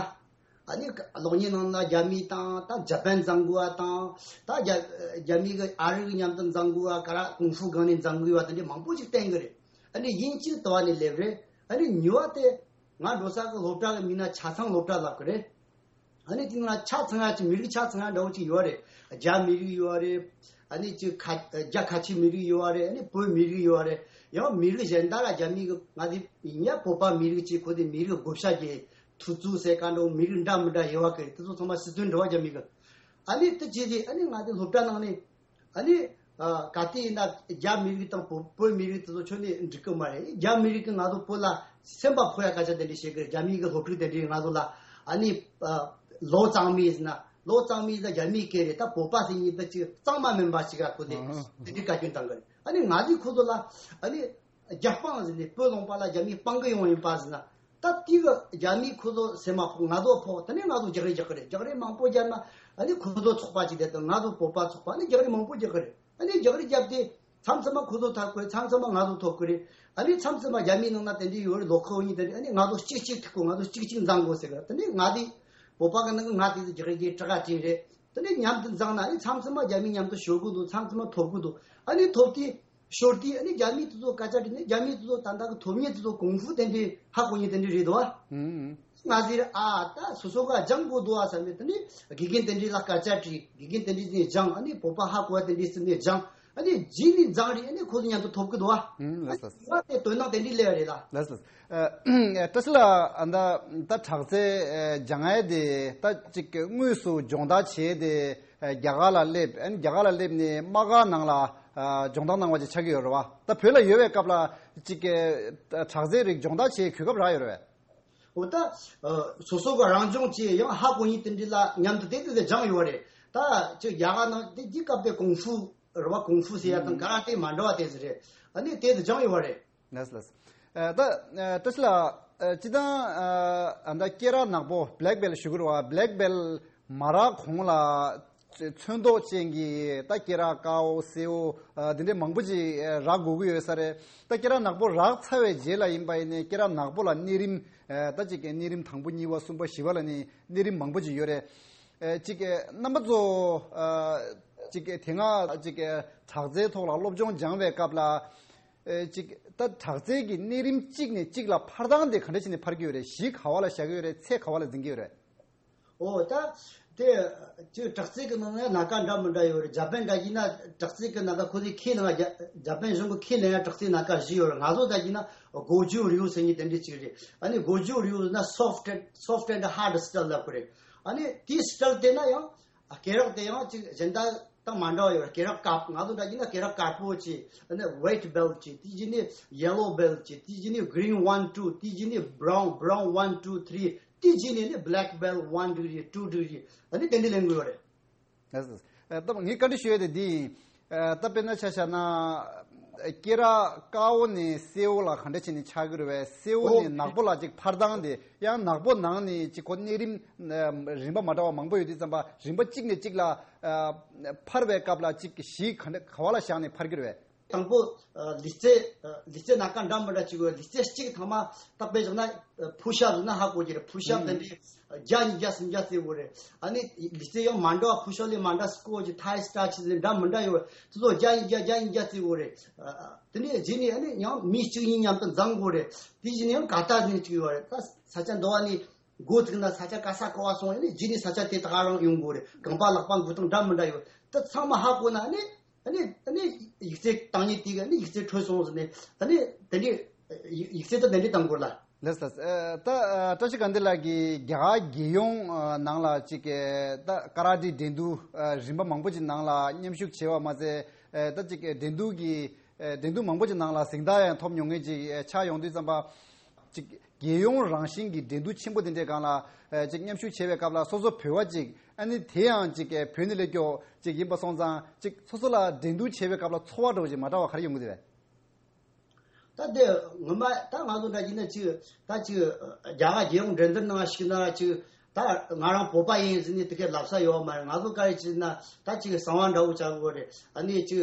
ཨ་ནི་གློག་བརྙན་ནང་ན་རྒྱ་མི་དང་ད་ཇ་པན་མཛངས་དགོས་པ་དང་། ད་རྒྱ་རྒྱ་མི་གི་ཨ་རི་གི་མཉམ་དུ་མཛངས་དགོས་པ། ག་ར་ཀུང་ཧྥུ་སྒང་ནས་མཛངས་དགོས་པ་དེ་འདྲ་མང་པོ་ཅིག་བསྟན་གི་རེད། ཨ་ནི་དབྱིན་ཇི་དུ་བ་ནས་སླེབས་རེད། ཨ་ནི་ཉོ་བ་དེ་ང་འགྲོ་ས་གི་སློབ་གྲྭ་གི་མིང་ན་ཆ་ཚང་སློབ་གྲྭ་ལབ་གི་རེད། ཨ་ནི་དེ་ན་ཆ་ཚང་ཡ་ཅིག་མི་རིགས་ཆ་ཚང་ཡ་འདྲ་བོ་ཅིག་ཡོད་རེད། རྒྱ་མི་རིགས་ཡོད་རེད། ཨ་ནི་ཅིག་ཁ་རྒྱ་ཁ་ཆེ་མི་རིགས་ཡོད་རེད། ཨ་ནི་བོད་མི་རིགས་ཡོད་རེད། ཡང་མི་རིགས་གཞན་དག་ལ་རྒྱ་མི་གི་ང་དེ་ཡིན་ཡ་བོད་པ་མི་རིགས་ཅིག་ཁོ་དེ་མི་རིགས་བགོ་བཤའ་རྒྱག་ཐུབ་ཚུལ་ཟེར་ག་འདྲ་བོ་མི་རིགས་འདྲ་མི་འདྲ་ཡོད་བ་གི་རེད། དེ་ཚོ་ཚང་མ་སྲིད་དོན་འགྲོ་བ་རྒྱ་མི་གི། ཨ་ནི་དེ་ཅི་ཟིག་ཨ་ནི་ང་དེ་སློབ་གྲྭ་ནང་ནས། ཨ་ནི་ཨ་ག་དུས་ཡིན་ན་རྒྱ་མི་རིགས་དང་བོད་བོད་མི་རིགས་དེ་ཚོ་ཁྱོན་ནས་འགྲིག་གི་མ་རེད། རྒྱ་མི་རིགས་ཀྱིས་ང་ཚོ་བོད་ལ་སེམས་པ་ཕོག་ཡ་སྐད་ཆ་དེ་འདྲ་བཤད་གི་རེད། རྒྱ་མི་གི་སློབ་ཕྲུག་དེ་འདྲས་ང་ཚོ་ལ་ཨ་ནི་ཨ་ལོ་གཙང་མའི་ཟེར་ན་ལོ་གཙང་མའི་ཟེར་རྒྱ་མིའི་སྐད་རེད། ད་བོད་པ་ཟེར་མཁན་དེ་ཅིག་གཙང་མ་མིན་པ་ཞིག་ལ་ཁོ་དེ་ཨ་དེ་འདྲའི་བཀའ་བཀྱོན་བཏང་གི་རེད། ཨ་ནི་ང་ཚོས་ཁོ་ཚོ་ལ་ཨ་ནི་རྒྱ་སྤང་ཟེར་ནས་བོད་ལུང་པ་ལ་རྒྱ་མི་སྤང་གི་ཡོང་ཡིན་པ་ཟེར་ན། ད་དེ་གི་རྒྱ་མིས་ཁོ་ཚོ་སེམས་མ་ཕོག་ང་ཚོ་ཕོག་དེ་ནས་ང་ཚོ་རྒྱག་རེས་རྒྱག་གི་རེད། རྒྱག་རེས་མང་པོ་བརྒྱབ་ན་ཨ་ནི་ཁོ་ཚོ་ཚོགས་པ་གཅིག་དེ་དང་ང་ཚོ་བོད་པ་ཚོགས་པ་ཨ་ནི་རྒྱག་རེས་མང་པོ་རྒྱག་གི་རེད། ཨ་ནི་རྒྱག་རེས་བརྒྱབ་སྟེ་མཚམས་མཚམས་མ་ཁོ་ཚོ་ཐོབ་གི་རེད། མཚམས་མཚམས་མ་ང་ཚོ་ཐོབ་གི་རེད། ཨ་ནི་མཚམས་མཚམས་མ་རྒྱ་མིའི་ནང་ན་དེ་འདྲའི་ཡོད་རེད། ལོ་ཁོ་གཉིས་དེ་འདྲ་ཨ་ནི་ང་ཚོ་གཅིག་གཅིག་ཐུག་གོ་ང་ཚོ་གཅིག་གཅིག་མཛངས་དགོ་ཟེར་གི་རེད། དེ་ནས་ང་དེ་བོད་པ་གི་ནང་གི་ང་དེ་ཚོ་རྒྱག་རེས་ཀྱི་དྲི་ག་དྲིན་རེད། དེ་ནས་མཉམ་དུ་མཛངས་ན་ཨ་ནི་མཚམས་མཚམས་མ་རྒྱ་མི་མཉམ་དུ་ཤོར་གི་འདུག་མཚམས་མཚམས་མ་ཐོབ་གི་འདུག་ཨ་ནི་ཐོབ་དུས། ཞོར་དུས་ཨ་ནི་རྒྱ་མི་དེ་ཚོ་སྐད་ཆ་དྲིས་ནས་རྒྱ་མི་དེ་ཚོ་ད་ལྟ་གི་ཐོབ་མཁན་དེ་ཚོ་ཀུང་ཧྥུ་དེ་འདྲའི་ཧ་གོ་མཁན་དེ་འདྲའི་རེད་དོ། ཨུམ། ང་ཟེར་ཨ་ད་སོ་སོ་ག་སྦྱང་དགོས་འདུག་ཨ་བསམ་ནས་དེ་ནས་དགེ་རྒན་དེ་འདྲའི་ལ་སྐད་ཆ་དྲིས། དགེ་རྒན་དེ་འདྲའི་ནས་སྦྱང་། ཨ་ནི་བོད་པ་ཧ་གོ་བ་དེ་འདྲའི་སེམས་ནས་སྦྱང་། ཨ་ནི་རྗེས་ནས་མཛངས་རེད། ཨ་ནི་ཁོ་ཚོ་མཉམ་དུ་ཐོབ་གི་འདུག་ཨ། ཨུམ། ལགས་སོ། ང་དེ་དོན་དག་དེ་འདྲའི་སླེབས་རེད་ལ། ལགས་སོ། ཨ་བཀྲ་ཤིས་ལགས་ཨ་ད་ད་དྲག་རྩལ་ཨ་སྦྱང་ཡས་དེ་ད་ཅིག་དངོས་སུ་སྦྱོང་བརྡར་བྱས་ཏེ། རྒྱ་གར་ལ་སླེབས། ཨ་ནི་རྒྱ་གར་ལ་སླེབས་ནས་དམག་སྒར་ནང་ལ་ཨ་སྦྱོང་བརྡར་གནང་བ་ཅིག་ཆགས་ཀྱི་ཡོད་རེད་བ། ད་བོད་ལ་ཡོད་པའི་སྐབས་ལ་ཅིག་གི་དྲག་རྩལ་རིགས་སྦྱོང་བརྡར་བྱེད་གོ་སྐབས་རག་ཡོད་རེད་བས། འོ་ད་ཨ་སོ་སོ་གི་རང་སྦྱོང་བྱས་ཡང་ཧ་གོ་མཁན་དེ་འདྲ་ལ་མཉམ་དུ་དེ་དེ་དེ་སྦྱངས་ཡོད་རེད། ད་ཅིག་རྒྱ་གར་ནང་དེ་དེ་སྐབས་དེ་ཀུང་ཧྥུ་རེད་བ། ཀུང་ཧྥུ་ཟེར་ཡ་དང་ག་ར་ཏེ་མ་འདྲ་བ་དེ་ཟེར་རེད། ཨ་ནི་དེ་དེ་སྦྱངས་ཡོད་རེད། ལགས་ལགས། ཨ་ད་ཨ་བཀྲ་ཤིས་ལགས་ཨ་སྤྱིར་བཏང་ཨ་ཨ་ད་སྐེད་རགས་ནག་པོ་བྷེ་ལེག་བྷེལ་ཞུ་གི་རེད་བ། བྷེ་ལེག་བྷེལ་མ་རག་གོང་ལ་ཚོན་མདོག་ཅན་གྱི་ད་སྐེད་རགས་དཀར་པོ་སེར་པོ་ཨ་འདི་འདྲའི་མང་པོ་ཅིག་ཨ་རག་དགོས་ཀྱི་ཡོད་ས་རེད། ད་སྐེད་རགས་ནག་པོ་རག་ཚར་བའི་རྗེས་ལ་ཡིན་པ་ཡིན་ནའི་སྐེད་རགས་ནག་པོ་ལ་གནས་རིམ་ཨ་ད་ཅིག་གནས་རིམ་དང་པོ་གཉིས་པ་གསུམ་པ་བཞི་པ་ལ་ནི་གནས་རིམ་མང་པོ་ཅིག་ཡོད་རེད། ཨ་ཅིག་རྣམ་པ་ཚོ་ཨ་ཅིག་དེ་སྔ་ཅིག་དྲག་རྩལ་ཐོག་ལ་སློབ་སྦྱོང་སྦྱང་བའི་སྐབས་ལ། ཨེ་ཅིག་ད་དྲག་རྩལ་གྱི་གནས་རིམ་གཅིག་ནས་གཅིག་ལ་འཕར་སྟངས་དེ་ག་འདྲ་བྱས་ནས་འཕར་གྱི་ཡོད་རེད། གཞི་ག་བ་ལ་བཞག་གི་ཡོད་རེད། ཚད་ག་བ་ལ་འཛིན་གྱི་ཡོད་རེད། ཨོ་ད་དེ་ཅིག་དྲག་རྩལ་གྱི་ནང་ན་སྣ་ཁ་འདྲ་མི་འདྲ་ཡོད་རེད། འཇར་པན་འདྲ་ཡིན་ན་དྲག་རྩལ་གྱི་སྣ་ཁ་ཁོ་ཚོས་ཁས་ལེན་ཡ་འཇར་པན་གཞུང་གིས་ཁས་ལེན་ཡ་དྲག་རྩལ་སྣ་ཁ་བཞི་ཡོད་རེད། ང་ཚོ་འདྲ་ཡིན་ན་གོ་ཇུ་རིའུ་ཟེར་མཁན་དེ་འདྲ་ཅིག་རེད། ཨ་ནི་གོ་ཇུ་རིའུ་ཟེར་ན་soft and soft and hard style ལབ་ཀྱི་རེད། ཨ་ནི་དེའི་style དེ་ན་ཡང་སྐེ་རགས་དེ་ཡང་ཅིག་གཞན་དག་དང་མ་འདྲ་བ་ཡོད་རེད། སྐེ་རགས་དཀར་པོ། ང་ཚོ་འདྲ་ཡིན་ན་སྐེ་རགས་དཀར་པོ་ཅིག་ཨ་ནི་white belt ཅིག་དེའི་རྗེས་ནས་yellow belt ཅིག་དེའི་རྗེས་ནས་green one two དེའི་རྗེས་ནས་brown brown one two three དེའི་རྗེས་ནས་ནི་black belt one degree two degree ཨ་ནི་དེ་འདྲ་ལེན་དགོས་ཡོད་རེད། ལགས་སོ། ཨ་ད་ངས་བཀའ་འདྲི་ཞུ་ཡས་དེ་འདི་ཡིན། ཨ་ད་དཔེར་ན་ཆ་བཞག་ན་སྐེ་རགས་དཀར་པོ་ནས་སེར་པོ་ལ་ག་འདྲ་བྱས་ནས་ཆགས་ཀྱི་རེད་པས། སེར་པོ་ཨོ་ནས་ནག་པོ་ལ་ཅིག་འཕར་སྟངས་དེ། ཡང་ནག་པོ་ནང་ནས་ཅིག་ཁོ་གནས་རིམ་ཨ་རིམ་པ་མ་འདྲ་བ་མང་པོ་ཡོད་དུས་ཙམ་པ་རིམ་པ་གཅིག་ནས་གཅིག་ལ་ཨ་འཕར་བའི་སྐབས་ལ་ཅིག་གཞི་ག་འདྲ་ག་བ་ལ་བཞག་ནས་འཕར་གྱི་རེད་པས། དང་པོ་ལུས་རྩལ། ལུས་རྩལ་སྣ་ཁ་འདྲ་མི་འདྲ་ཅིག་ཡོད། ལུས་རྩལ་གཅིག་ཐ་མ་ད་དཔེ་བཞག་ན་ཕུ་ཤབ་ཟེར་ན་ཧ་གོ་གི་རེད། ཕུ་ཤབ་དེ་འདྲའི་བརྒྱ་ཉིས་བརྒྱ་སུམ་བརྒྱ་རྩེ་དགོས་རེད། ཨ་ནི་ལུས་རྩལ་ཡང་མ་འདྲ་བ། ཕུ་ཤབ་ལས་མ་འདྲ་སྐོར་གྱི་ཐའི་སི་ཊེཆ་ཟེར་འདྲ་མི་འདྲ་ཡོད། དེ་ཚོ་བརྒྱ་ཉིས་བརྒྱ་བརྒྱ་ཉིས་བརྒྱ་རྩེ་དགོས་རེད། དེ་ནས་རྗེས་ནས་ཨ་ནི་ཡང་མི་གཅིག་གཉིས་མཉམ་དུ་འཛོམས་དགོས་རེད། དེ་རྗེས་ནས་ཡང་ག་ཏ་ཟེར་ཅིག་ཡོད་རེད། ད་ས་ཆ་འདྲ་བ་ནས་འགོ་བཙུགས་ན་ས་ཆ་ག་ས་ག་བ་སོང་། ཨ་ནི་རྗེས་ནས་ས་ཆ་དེ་དག་རང་ཡོང་དགོས་རེད། རྐང་པ་ལག་པ་འགུལ་སྟངས་འདྲ་མི་འདྲ་ཡོད། ད་ཚང་མ་ཧ་གོ་ན་ཨ་ནི། ཨ་ནི་ཨ་ནི་ཡིག་ཚད་བཏང་ཉིན་དེ་གི་ཨ་ནི་ཡིག་ཚད་འཕྲོད་སོང་ཟེར་ནས། ཨ་ནི་དེ་འདྲའི་ཡིག་ཡིག་ཚད་ད་དེ་འདྲའི་བཏང་དགོས་ལ། ལགས་སོ། ཨ་ད་ཨ་བཀྲ་ཤིས་དགའ་ལྡན་ལགས་ཀྱིས་རྒྱ་གར་རྒྱལ་ཡོངས་ཨ་ནང་ལ་ཅིག་ཨ་ད་ཀ་ར་ཏེ་འགྲན་བསྡུར་ཨ་རིམ་པ་མང་པོ་ཅིག་ནང་ལ་མཉམ་ཞུགས་བྱས་པ་མ་ཟད། ཨ་ད་ཅིག་འགྲན་བསྡུར་གྱི་ཨ་འགྲན་བསྡུར་མང་པོ་ཅིག་ནང་ལ་གཟེངས་རྟགས་ཡང་ཐོབ་མྱོང་མཁན་ཅིག་ཨ་ཆགས་ཡོང་དུས་ཙམ་པ། ཅིག་རྒྱལ་ཡོངས་རང་བཞིན་གྱི་འགྲན་བསྡུར་ཆེན་པོ་དེ་འདྲའི་སྒང་ལ་ཨ་ཅིག་མཉམ་ཞུགས་བྱེད་པའི་སྐབས་ལ་སོ་སོ་བོད་པ་ཅིག་ཨ་ནི་དེ་ཡང་ཅིག་བོད་ནས་སླེབས་ཀྱོག་ཅིག་ཡིན་པ་སོང་ཙང་། ཅིག་སོ་སོ་ལ་འགྲན་བསྡུར་བྱེད་པའི་སྐབས་ལ་ཚོར་བ་འདྲ་བོ་ཅིག་མ་འདྲ་བ་ག་རེ་ཡོང་གི་འདུག་པས། ད་དེ་ངོ་མ་ད་ང་ཚོ་འདྲ་ཅིག་ན་ཅིག་ད་ཅིག་རྒྱ་གར་རྒྱལ་ཡོངས་འགྲན་བསྡུར་ནང་ཞུགས་ན་ཅིག་ད་ང་རང་བོད་པ་ཡིན་ཟེར་ནས་དེ་གའི་ལབ་ས་ཡོད་མ་རེད། ང་ཚོ་ག་རེ་བྱས་ན་ད་ཅིག་གསང་བ་འདྲ་བོ་བྱ་དགོས་རེད། ཨ་ནི་ཅིག་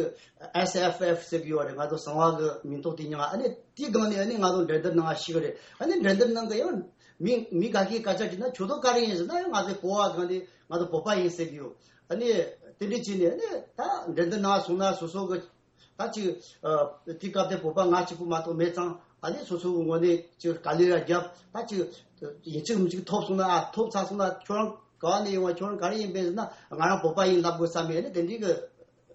ཨེས་ཨེཕ་ཨེཕ་ཟེར་གི་ཡོད་རེད། ང་ཚོ་གསང་བ་གི་མིང་ཐོག་དེ་མྱིང་། ཨ་ནི་དེའི་སྒང་ནས་ཨ་ནི་ང་ཚོ་འགྲན་བསྡུར་ནང་ཞུགས་རེད། ཨ་ནི་འགྲན་བསྡུར་ནང་གི་ཡང་མི་མི་ག་གིས་སྐད་ཆ་དྲིས་ན་ཁྱོད་ཚོ་ག་རེ་ཡིན་ཟེར་ན་ཡང་ང་ཚོའི་གོ་བ་སྒང་ནས་ང་ཚོ་བོད་པ་ཡིན་ཟེར་གི་ཡོད། ཨ་ནི་དེ་འདྲ་བྱས་ནས་ཨ་ནི་ད་འགྲན་བསྡུར་ནང་སོང་ན་སོ་སོ་གི་ད་ཅིག་ཨ་དེ་སྐབས་དེ་བོད་པ་ང་གཅིག་པུ་མ་གཏོགས་མེད་ཙང་། ཨ་ནི་སོ་སོ་གི་ངོས་ནས་ཅིག་དཀའ་ལས་ར་བརྒྱབ། ད་ཅིག་ཡིན་གཅིག་མིན་གཅིག་ཐོབ་སོང་ན། ཨ་ཐོབ་ཚར་སོང་ན་ཁྱོད་རང་ག་བ་ནས་ཡོང་བ། ཁྱོད་རང་ག་རེ་ཡིན་པས་ཟེར་ན་ང་རང་བོད་པ་ཡིན་ལབ་དགོས་བསམ་མེད། ཨ་ནི་དེ་འདྲའི་གི་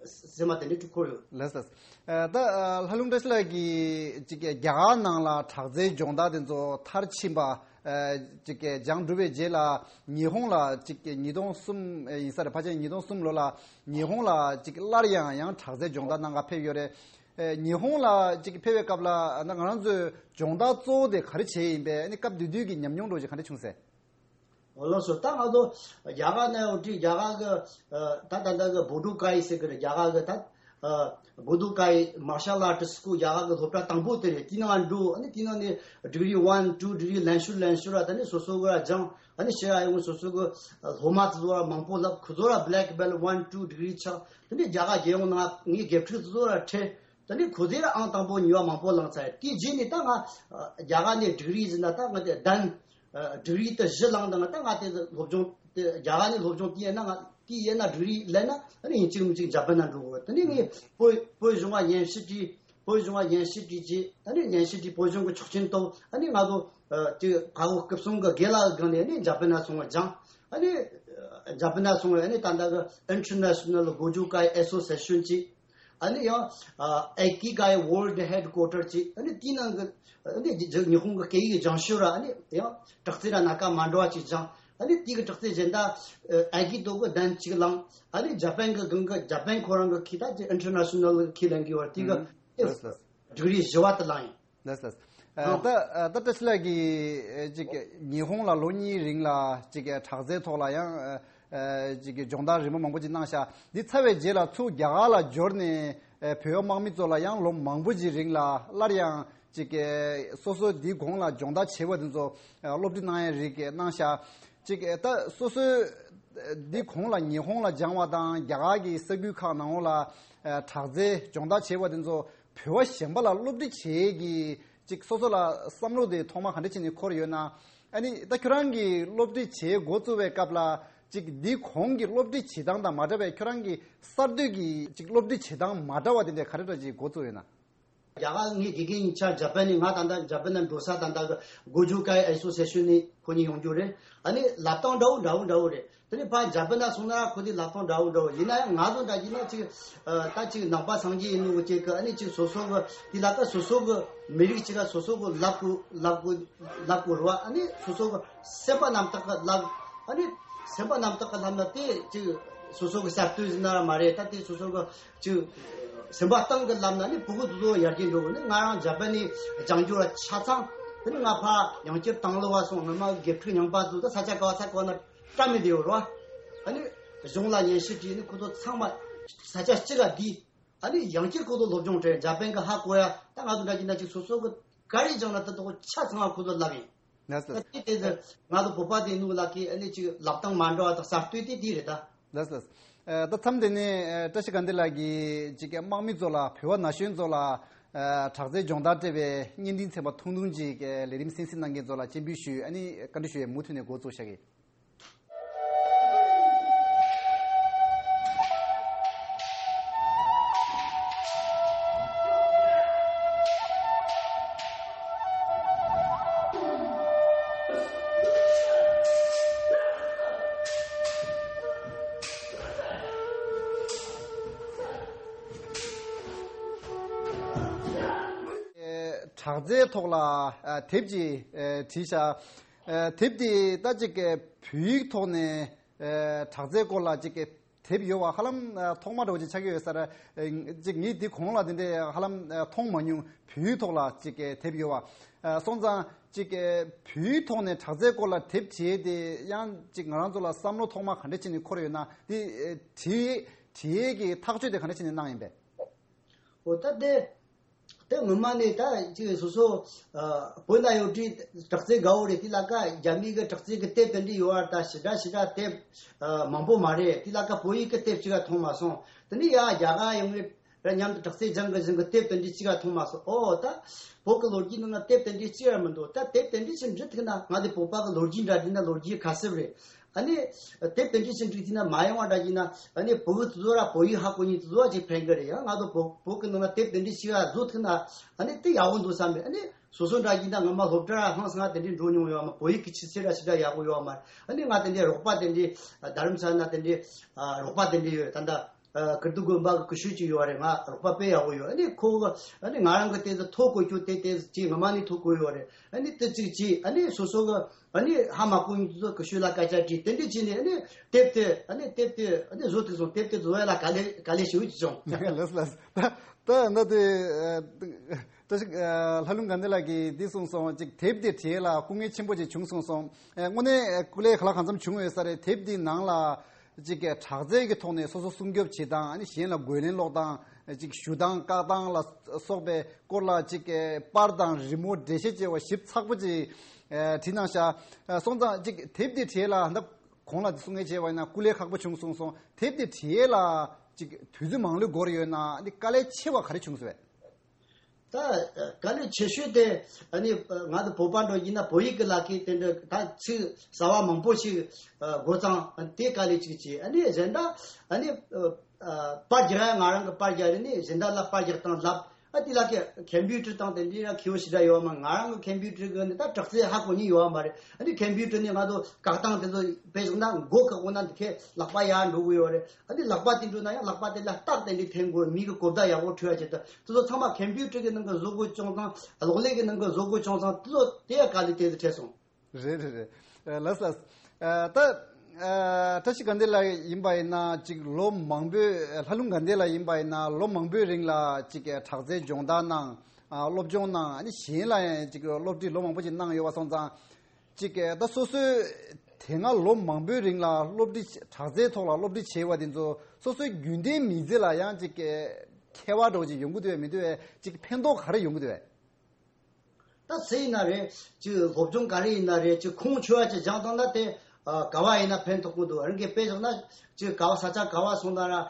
སེམས་པ་དེ་འདྲའི་འཁོར་ཡོད། ལགས་སོ། ཨ་ད་ཨ་ལྷ་ལུང་བཀྲ་ཤིས་ལགས་ཀྱིས་ཅིག་རྒྱ་གར་ནང་ལ་དྲག་རྩལ་སྦྱོང་བརྡར་དེ་ཚོ་མཐར་ཕྱིན་པ། ཨ་ཅིག་སྦྱངས་གྲུབ་པའི་རྗེས་ལ་ཉི་ཧོང་ལ་ཅིག་ཉིས་སྟོང་གསུམ་ཡིན་ས་རེད། ཕལ་ཆེར་ཉིས་སྟོང་གསུམ་ལོ་ལ་ཉི་ཧོང་ལ་ཅིག་སླར་ཡང་ཡང་དྲག་རྩལ་སྦྱོང་བརྡར་གནང་ག་ཕེབས་ཡོད་རེད། ཨ་ཉི་ཧོང་ལ་ཅིག་ཕེབས་པའི་སྐབས་ལ་ང་རང་ཚོས་སྦྱོང་བརྡར་གཙོ་བོ་དེ་ག་རེ་བྱས་ཡིན་པས། ཨ་ནི་སྐབས་དེ་དུས་ཀྱི་ཉམས་མྱོང་འདྲ་བོ་ཅིག་ག་འདྲ་བྱུང་ཟེར། ཨོ་ལགས་སོ། ད་ང་ཚོ་རྒྱ་གར་ནས་འོ་དེ་རྒྱ་གར་གི་ཨ་ད་ད་ལྟ་གི་བོ་དུ་ཀའི་ཟེར་གི་རེད། རྒྱ་གར་གི་ད་ཨ་བོ་དུ་ཀའི་མར་ཤལ་ཨར་ཊི་སི་སྐུལ། རྒྱ་གར་གི་སློབ་གྲྭ་དང་པོ་དེ་རེད། དེའི་ནང་འགྲོ། ཨ་ནི་དེའི་ནང་ནས་ཌི་གི་རི་ཝན་ཊུ་ཌི་གི་རི་ལེན་ཤུལ་ལེན་ཤུལ་ར། ད་ནི་སོ་སོ་གི་ར་སྦྱངས། ཨ་ནི་ཕྱིར་ར་ཡོང་སོ་སོ་གི་སློབ་མ་དེ་ཚོ་ར་མང་པོ་ལབ། ཁོ་ཚོ་ར་བྷེ་ལེག་བྷེལ་ཊི་ཝན་ཊུ་ཌི་གི་རི་ཆགས། དེ་ནས་རྒྱ་གར་རྒྱལ་ཡོངས་ནང་ངའི་དགེ་ཕྲུག་དེ་ཚོ་ར་ཁྲིད། ད་ནི་ཁོ་ཚོས་ར་ཨང་དང་པོ་གཉིས་པ་མང་པོ་བླངས་ཚར། དེའི་རྗེས་ནས་ད་ང་ཨ་རྒྱ་གར་ནས་ཌི་གི་རི་ཟེར་ན་ད་ང་དེ་ལྡན་ཨ་ཌི་གི་རི་དེ་བཞི་བླངས། ད་ང་ད་ང་དེ་སློབ་སྦྱོང་དེ་རྒྱ་གར་ནས་སློབ་སྦྱོང་དེ་ཡིན་ན། ང་དེ་ཡིན་ན་ཌི་གི་རི་ལེན་ན་ཨ་ནི་ཡིན་གཅིག་མིན་གཅིག་འཇར་པན་ན་འགྲོ་དགོས། དེ་ནས་ངས་བོད་བོད་གཞུང་བ་སྙན་ཞུ་བྲིས། བོད་གཞུང་བ་སྙན་ཞུ་བྲིས་རྗེས། ཨ་ནི་སྙན་ཞུ་བྲིས། བོད་གཞུང་གི་ཆོག་མཆན་ཐོབ། ཨ་ནི་ང་ཚོ་ཨ་དེ་ག་གོ་སྐུ་སྲུང་གི་དགེ་ལགས་སྒང་ནས་ཨ་ནི་འཇར་པན་ན་སོང་བ་སྦྱངས། ཨ་ནི་ཨ་འཇར་པན་ན་སོང་བ་ཨ་ནི་ད་ལྟ་གི་ཨིན་ཊར་ནེ་ཤ་ནལ་གོ་ཇུ་ཀའི་ཨེ་སོ་སི་ཨེ་ཤན་ཅིག་ཨ་ནི་ཡང་ཨ་ཨེ་ཀི་ཀའི་ཝོརལ་ཌི་ཧེཌ་ཀོ་ཊར་ཅིག་ཨ་ནི་དེའི་ནང་གི་ཨ་ནི་ཉི་ཉི་ཧོང་གི་སྐད་ཡིག་སྦྱང་ཤོས་ར། ཨ་ནི་ཡང་དྲག་རྩལ་ར་སྣ་ཁ་མ་འདྲ་བ་ཅིག་སྦྱངས། ཨ་ནི་དེའི་གི་དྲག་རྩལ་གཞན་དག་ཨ་ཨའི་ཀི་ཏོ་གི་གདན་གཅིག་བླངས། ཨ་ནི་འཇར་པན་གི་སྒང་གི་འཇར་པན་ཁོ་རང་གི་ཁི་ད་ཅིག་ཨིན་ཊར་ནེ་ཤ་ནལ་གི་ཁི་ལེན་གི་ཡོད་ར། དེ་གི་ལགས་སོ། ཌི་གི་རི་བཞི་བ་དེ་བླངས་ཡིན། ལགས་སོ། ཨ་ཨ་ད་ཨ་ད་བཀྲ་ཤིས་ལགས་ཀྱིས་ཨ་ཅིག་ཉི་ཧོང་ལ་ལོ་གཉིས་རིང་ལ་ཅིག་དྲག་རྩལ་ཐོག་ལ་ཡང་ཨ་ཨ་ཅིག་སྦྱོང་བརྡར་རིམ་པ་མང་པོ་ཅིག་གནང་ཤག་འདི་ཚར་བའི་རྗེས་ལ་ཚུར་རྒྱ་གར་ལ་འབྱོར་ནས་ཨ་བོད་པ་དམག་མི་ཚོ་ལ་ཡང་ལོ་མང་པོ་ཅིག་རིང་ལ་སླར་ཡང་ཅིག་ཨ་སོ་སོ་འདིའི་གོང་ལ་སྦྱོང་བརྡར་བྱས་པ་དེ་ཚོ་ཨ་སློབ་ཁྲིད་གནང་ཡ་རིགས་གནང་ཤག་ཅིག་ཨ་ད་སོ་སོའི་འདིའི་གོང་ལ་ཉི་ཧོང་ལ་སྦྱངས་པ་དང་རྒྱ་གར་གྱི་ས་ཁུལ་ཁག་ནང་ལོགས་ལ་ཨ་དྲག་རྩལ་སྦྱོང་བརྡར་བྱས་པ་དེ་ཚོ་བོད་པ་གཞན་པ་ལ་སློབ་ཁྲིད་བྱེད་ཀྱི་ཅིག་སོ་སོ་ལ་བསམ་བློ་དེ་ཐོག་མ་ག་འདྲ་བྱས་ནས་འཁོར་ཡོད་ན། ཨ་ནི་ད་ཁྱོད་རང་གིས་སློབ་ཁྲིད་བྱེད་འགོ་བཙུགས་པའི་སྐབས་ལ་ཅིག་འདི་གོང་གི་སློབ་ཁྲིད་བྱེད་སྟངས་དང་མ་འདྲ་བའི་ཁྱོད་རང་གི་གསར་གཏོད་ཀྱི་ཅིག་སློབ་ཁྲིད་བྱེད་སྟངས་མ་འདྲ་བ་དེ་འདྲ་ག་རེ་འདྲ་ཅིག་འགོ་བཙུགས་ཡོད་ན། རྒྱ་གར་ངའི་དགེ་རྒན་ཡིན་ཆ་འཇར་པན་ནས། ང་ད་ལྟ་འཇར་པན་ན་འགྲོ་ས། ད་ལྟ་གི་གོ་ཇུ་ཀའི་ཨེ་སོ་སི་ཨེ་ཤན་ནས་ཁོ་གཉིས་ཡོང་རྒྱུ་རེད། ཨ་ནི་ལབ་སྟངས་འདྲ་བོ་འདྲ་བོ་འདྲ་བོ་རེད། དེ་ནས་ཕར་འཇར་པན་ན་སོང་ན་ཁོ་དེ་ལབ་སྟངས་འདྲ་བོ་འདྲ་བོ་ཡིན་ན་ཡང་། ང་ཚོ་འདྲ་ཡིན་ན་ཅིག་ཨ། ད་ཅིག་ནང་པ་སངས་རྒྱས་ཡིན་ནོ་གི་ཅིག་གི། ཨ་ནི་ཅིག་སོ་སོ་གི་དེ་ལ་ཀ་སོ་སོ་གི་མི་རིགས་ཅིག་ག་སོ་སོ་གི་ལབ་དགོས་ལབ་དགོས་ལབ་དགོས་རེད་བ། ཨ་ནི་སོ་སོ་གི་སེམས་པ་རྣམ་དག་གི་ལབ། ཨ་ནི་སེམས་པ་རྣམ་དག་གི་ལབ་ན་དེ་ཅིག་སོ་སོ་གི་གསར་གཏོད་ཟེར་ན་ར་མ་རེད། ད་དེ་སོ་སོ་གི་ཅིག་སེམས་པ་གཏིང་གི་ལབ་ན་ནི་ཕྲུ་གུ་དེ་ཚོ་ཡར་རྒྱས་འགྲོ་གི། ནི་ང་རང་འཇར་པན་ནས་སྦྱང་རྒྱུ་ལ་ཆ་ཚང་། དེ་ནི་ང་ཕར་ཡང་བསྐྱར་དང་ལོ་བ་སོང་། ངོ་མ་དགེ་ཕྲུག་རྙིང་པ་ཚོ་ད་ས་ཆ་ག་བ་ས་ག་བ་ན་བཀྲ་མི་བདེ་བ་རེད་བ། ཨ་ནི་གཞུང་ལ་སྙན་ཞུ་བྲིས་ནི་ཁོ་ཚོ་ཚང་མ་ས་ཆ་གཅིག་ག་བསྡུས། ཨ་ནི་ཡང་བསྐྱར་ཁོ་ཚོ་སློབ་སྦྱོང་སྤྲད། འཇར་པན་གི་ཧ་གོ་ཡ། ད་ང་ཚོ་འདྲ་གྱི་ན་ཅིག་སོ་སོ་གི་ག་རེ་སྦྱངས་ན་དེ་དག་ཆ་ཚང་བ་ཁོ་ཚོ་ལབ་ཡིན། ལགས་སོ། ད་དེ་དེ་ཚོ་ང་ཚོ་བོད་པ་དེ་ནུ་ལག་གི་ཨ་ནི་ཅིག་ལབ་སྟངས་མ་འདྲ་བ་དང་གསར་གཏོད་དེ་དེ་རེད་ད། ལགས་སོ། ཨ། ད་མཚམས་འདི་ནས་ཨ། བཀྲ་ཤིས་དགའ་ལྡན་ལགས་ཀྱིས་ཅིག་དམག་མི་ཚོ་ལ། བོད་པ་ན་གཞོན་ཚོ་ལ་ཨ། དྲག་རྩལ་སྦྱོང་བརྡར་སྤྲད་པའི་བརྙན་འཕྲིན་ཚན་པ་ཐུང་ཐུང་ཅིག་ལས་རིམ་གསན་གཟིགས་གནང་མཁན་ཚོ་ལ་སྤྱན་འབུལ་ཞུས། ཨ་ནི་བཀའ་འདྲི་ཞུ་ཡས་མུ་མཐུད་ནས་འགོ་བཙུགས་བཞག་གི། དྲག་རྩལ་ཐོག་ལ་ཨ། དེབ་ཅིག་ཨ། བྲིས་བཞག་ཨ། དེབ་འདི་ད་ཅིག་བོད་ཡིག་ཐོག་ནས་ཨ། དྲག་རྩལ་སྐོར་ལ་ཅིག་དེབ་ཡོད་པ་ཧ་ལམ་ཨ། ཐོག་མ་འདྲ་བོ་ཅིག་ཆགས་ཀྱི་ཡོད་ས་རེད། ཨ། ཅིག་ངས་འདི་གོང་ལ་དེ་འདྲས་ཧ་ལམ་ཨ། མཐོང་མ་མྱོང་། བོད་ཡིག་ཐོག་ལ་ཅིག་དེབ་ཡོད་པ། ཨ། སོང་ཙང་ཅིག་བོད་ཡིག་ཐོག་ནས་དྲག་རྩལ་སྐོར་ལ་དེབ་བྲིས་ཏེ་ཡང་ཅིག་ང་རང་ཚོ་ལ་བསམ་བློ་ཐོག་མ་ག་འདྲ་བྱས་ནས་འཁོར་ཡོད་ན། འདི་ཨ། བྲིས་བྲིས་ཀྱི་ཐག་གཅོད་དེ་ག་འདྲ་བྱས་ནས་གནང་ཡིན་པས། འོ་ད་དེ། དེ་ངོ་མ་ནས་ད་ཅིག་སོ་སོ་ཨ། བོད་ན་ཡོད་དུས་དྲག་རྩལ་དགའ་བོ་རེད། དེ་ལ་ཀ་རྒྱ་མི་གི་དྲག་རྩལ་གི་དེབ་དེ་འདྲ་ཡོད་པ་ད་ཞེ་དྲག་ཞེ་དྲག་དེབ་ཨ། མང་པོ་མ་རེད། དེ་ལ་ཀ་བོད་ཡིག་གི་དེབ་ཅིག་ག་མཐོང་མ་སོང་། དེ་ནས་ཡ་རྒྱ་གར་ཡོང་ངེ་ར་མཉམ་དུ་དྲག་རྩལ་སྦྱང་གི་ཟིན་གི་དེབ་དེ་འདྲ་ཅིག་ག་མཐོང་མ་སོང་། ཨོ་ད་བོད་གི་ལོ་རྒྱུས་ནང་ན་དེབ་དེ་འདྲ་ཅིག་ཡང་མི་འདུག་ད་དེབ་དེ་འདྲ་ཞིག་འབྲི་ཐུབ་ན། ང་དེ་བོད་པ་གི་ལོ་རྒྱུས་འདྲ་འདྲི་ན་ལོ་རྒྱུས་ག་ཚོད་རེད། ཨ་ནི་དེབ་དེ་འདྲ་ཞིག་འབྲི་ཐུབ་ན་མ་ཡོང་བ་འདྲ་ཡིན་ན། ཨ་ནི་བོད་གི་དེ་ཚོ་ར་བོད་ཡིག་ཧ་གོ་མཁན་དེ་ཚོ་ཅིག་ཕན་གི་རེད། ཡང་ང་ཚོ་བོད་བོད་གི་ནང་ན་དེབ་དེ་འདྲ་ཞིག་ཡ་བཟོ་ཐུབ་ན། ཨ་ནི་དེ་ཡག་པོ་འདུག་བསམ་རེད། ཨ་ནི་སོ་སོ་འདྲ་ཡིན་ན་ངོ་མ་སློབ་གྲྭ་ར་ཧང་སང་དེ་འདྲ་འགྲོ་མྱོང་ཡོད་མ། བོད་ཡིག་གི་ཆུ་ཚད་ར་ཞེ་དྲག་ཡག་པོ་ཡོད་མ་རེད། ཨ་ནི་ང་དེ་འདྲའི་རོགས་པ་དེ་འདྲའི་དྷ་རམ་ས་ལ་ན་དེ་འདྲའི་རོགས་པ་དེ་འདྲ་ཡོད། ད་ལྟ་ཀིརྟི་དགོན་པ་གི་སྐུ་ཞབས་ཅིག་ཡོད་རེད། ང་རོགས་པ་དཔེ་ཡག་པོ་ཡོད། ཨ་ནི་ཁོ་གི་ཨ་ནི་ང་རང་གི་དེ་ཚོ་ཐོ་བཀོད་རྒྱུ་དེ་དེ་ཅིག་ངོ་མ་ནི་ཐོ་བཀོད་ཡོད་རེད། ཨ་ནི་དེ་ཅིག་ཅིག་ཨ་ནི་སོ་སོ་གི་ཨ་ནི་ཧ་མ་གོ་མཁན་དེ་ཚོ་སྐུ་ཞབས་ལ་སྐད་ཆ་དྲིས། དེ་འདྲ་བྱས་ནས་ཨ་ནི་དེབ་དེ་ཨ་ནི་དེབ་དེ་ཨ་ནི་བཟོ་ཐུབ་སོང་། དེབ་དེ་བཟོ་ཡ་ལ་དཀའ་ལས་དཀའ་ལས་ཞེ་པོ་ཅིག་བྱུང་། ལགས་ལགས། ད་ད་ན་དེ་ད་ཅིག་ཨ། ལྷ་ལུང་དགའ་ལྡན་ལགས་ཀྱིས་འདི་གསུངས་སོང་། ཅིག་དེབ་དེ་བྲིས་ལ་སྐུ་ངལ་ཆེན་པོ་ཅིག་བྱུང་གསུངས་སོང་། ཨ། དངོས་གནས་སྐུ་ལས་ག་ལ་གང་འཚམ་བྱུང་ཡོད་ས་རེད། དེབ་འདི་ནང་ལ་ཅིག་དྲག་རྩལ་གྱི་ཐོག་ནས་སོ་སོ་སྲུང་སྐྱོབ་བྱེད་སྟངས། ཨ་ནི་གཞན་ལ་རྒོལ་ལན་སློག་སྟངས། ཅིག་ཞུ་སྟངས་བཀག་སྟངས་ལ་སོགས་པའི་སྐོར་ལ་ཅིག་པར་དང་རི་མོ་འགྲེལ་བཤད་བྱས་པ་ཞིབ་ཚགས་པོ་ཅིག་ཨ། བྲིས་གནང་ཤག་ཨ། སོང་ཙང་ཅིག་དེབ་འདི་བྲིས་ལ་ད་གོང་ལ་གསུང་མཁན་བྱས་པ་ཡིན་ན་སྐུ་ལས་ཁག་པོ་བྱུང་གསུངས་སོང་། དེབ་འདི་བྲིས་ལ་ཅིག་དུས་ཚོད་མང་ལོས་འགོར་ཡོད་ན། ཨ་ནི་དཀའ་ལས་ཆེ་བ་ག་རེ་བྱུང་སོང་བས། ད་དཀའ་ལས་ཆེ་ཤོས་དེ་ཨ་ནི་ང་ཚོ་བོད་པ་འདྲ་ཡིན་ན་བོད་ཡིག་གི་ལག་ཁྱེར་དེ་འདྲ་ད་ཚིག་གསར་བ་མང་པོ་ཞིག་དགོས་ཙང་དེ་དཀའ་ལས་ཅིག་བྱས། ཨ་ནི་གཞན་དག་ཨ་ནི་པར་རྒྱག་ཡ་ང་རང་གི་པར་རྒྱག་རེད། ནི་གཞན་དག་ལ་པར་རྒྱག་སྟངས་ལབ། ཨ་དེ་ལ་ཁེ་ཁམ་པུ་ཊར་དང་དེ་འདྲའི་ཡང་མཁས་པོ་ཞེ་དྲག་ཡོད་མ། ང་རང་གི་ཁམ་པུ་ཊར་གི་ནི་ད་དྲག་རྩལ་ཧ་གོ་མཁན་ཡོད་མ་རེད། ཨ་ནི་ཁམ་པུ་ཊར་ནི་ང་ཚོ་བཀག་སྟངས་དེ་ཚོ་དཔེ་བཞག་ན་མགོ་བཀག་འོང་ན་འདི་ཁའི་ལག་པ་ཡར་འགྲོ་གི་ཡོད་རེད། ཨ་ནི་ལག་པ་དེ་འགྲོ་ན་ཡང་ལག་པ་དེ་ལ་རྟགས་དེ་འདྲའི་འཐེན་དགོས། མི་གི་གོ་བརྡ་ཡག་པོ་འཕྲོད་ཡ་ཆེད་དུ་དེ་ཚོ་ཚང་མ་ཁམ་པུ་ཊར་གི་ནང་གི་བཟོ་དགོས་བྱུང་ཙང་། གློག་ཀླད་གི་ནང་གི་བཟོ་དགོས་བྱུང་ཙང་། དེ་ཚོ་དེ་ཡང་དཀའ་ལས་དེ་ཚོ་འཕྲད་སོང་། རེད་རེད་རེད། ཨ། ལགས་ལགས། ཨ། ད་ཨ། བཀྲ་ཤིས་དགའ་ལྡན་ལགས་ཡིན་པ་ཡིན་ན་ཅིག་ལོ་མང་པོའི། ལྷ་ལུང་དགའ་ལྡན་ལགས་ཡིན་པ་ཡིན་ན་ལོ་མང་པོའི་རིང་ལ་ཅིག་དྲག་རྩལ་སྦྱོང་བརྡར་གནང་། ཨ། སློབ་སྦྱོང་གནང་། ཨ་ནི་གཞན་ལ་ཡང་ཅིག་སློབ་ཁྲིད་ལོ་མང་པོ་ཅིག་གནང་ཡོད་པ་སོང་ཙང་། ཅིག་ད་སོ་སོའི་དེ་སྔ་ལོ་མང་པོའི་རིང་ལ་སློབ་ཁྲིད། དྲག་རྩལ་ཐོག་ལ་སློབ་ཁྲིད་བྱས་པ་དེ་ཚོ་སོ་སོའི་རྒྱུན་ལྡན་མི་ཚེ་ལ་ཡང་ཅིག་ཁྱད་པར་འདྲ་བོ་ཅིག་ཡོང་གི་འདུག་བས་མི་འདུག་བས། ཅིག་ཕན་ཐོགས་ག་རེ་ཡོང་གི་འདུག་བས། ད་སུ་ཡིན་ན་རེད། ཅིག་སློབ་སྦྱོང་ག་རེ་ཡིན་ན་རེད། ཅིག་ཁུངས་འཁྱོལ་བ་ཅིག་སྦྱངས་བཏང་ན་དེ་ཨ། ག་བ་ཡིན་ན་ཕན་ཐོགས་ཀྱི་འདུག་རང་གིས་དཔེ་བཞག་ན་ཅིག་ག་བ་ས་ཆ་ག་བ་སོང་ན་ར། ཨ།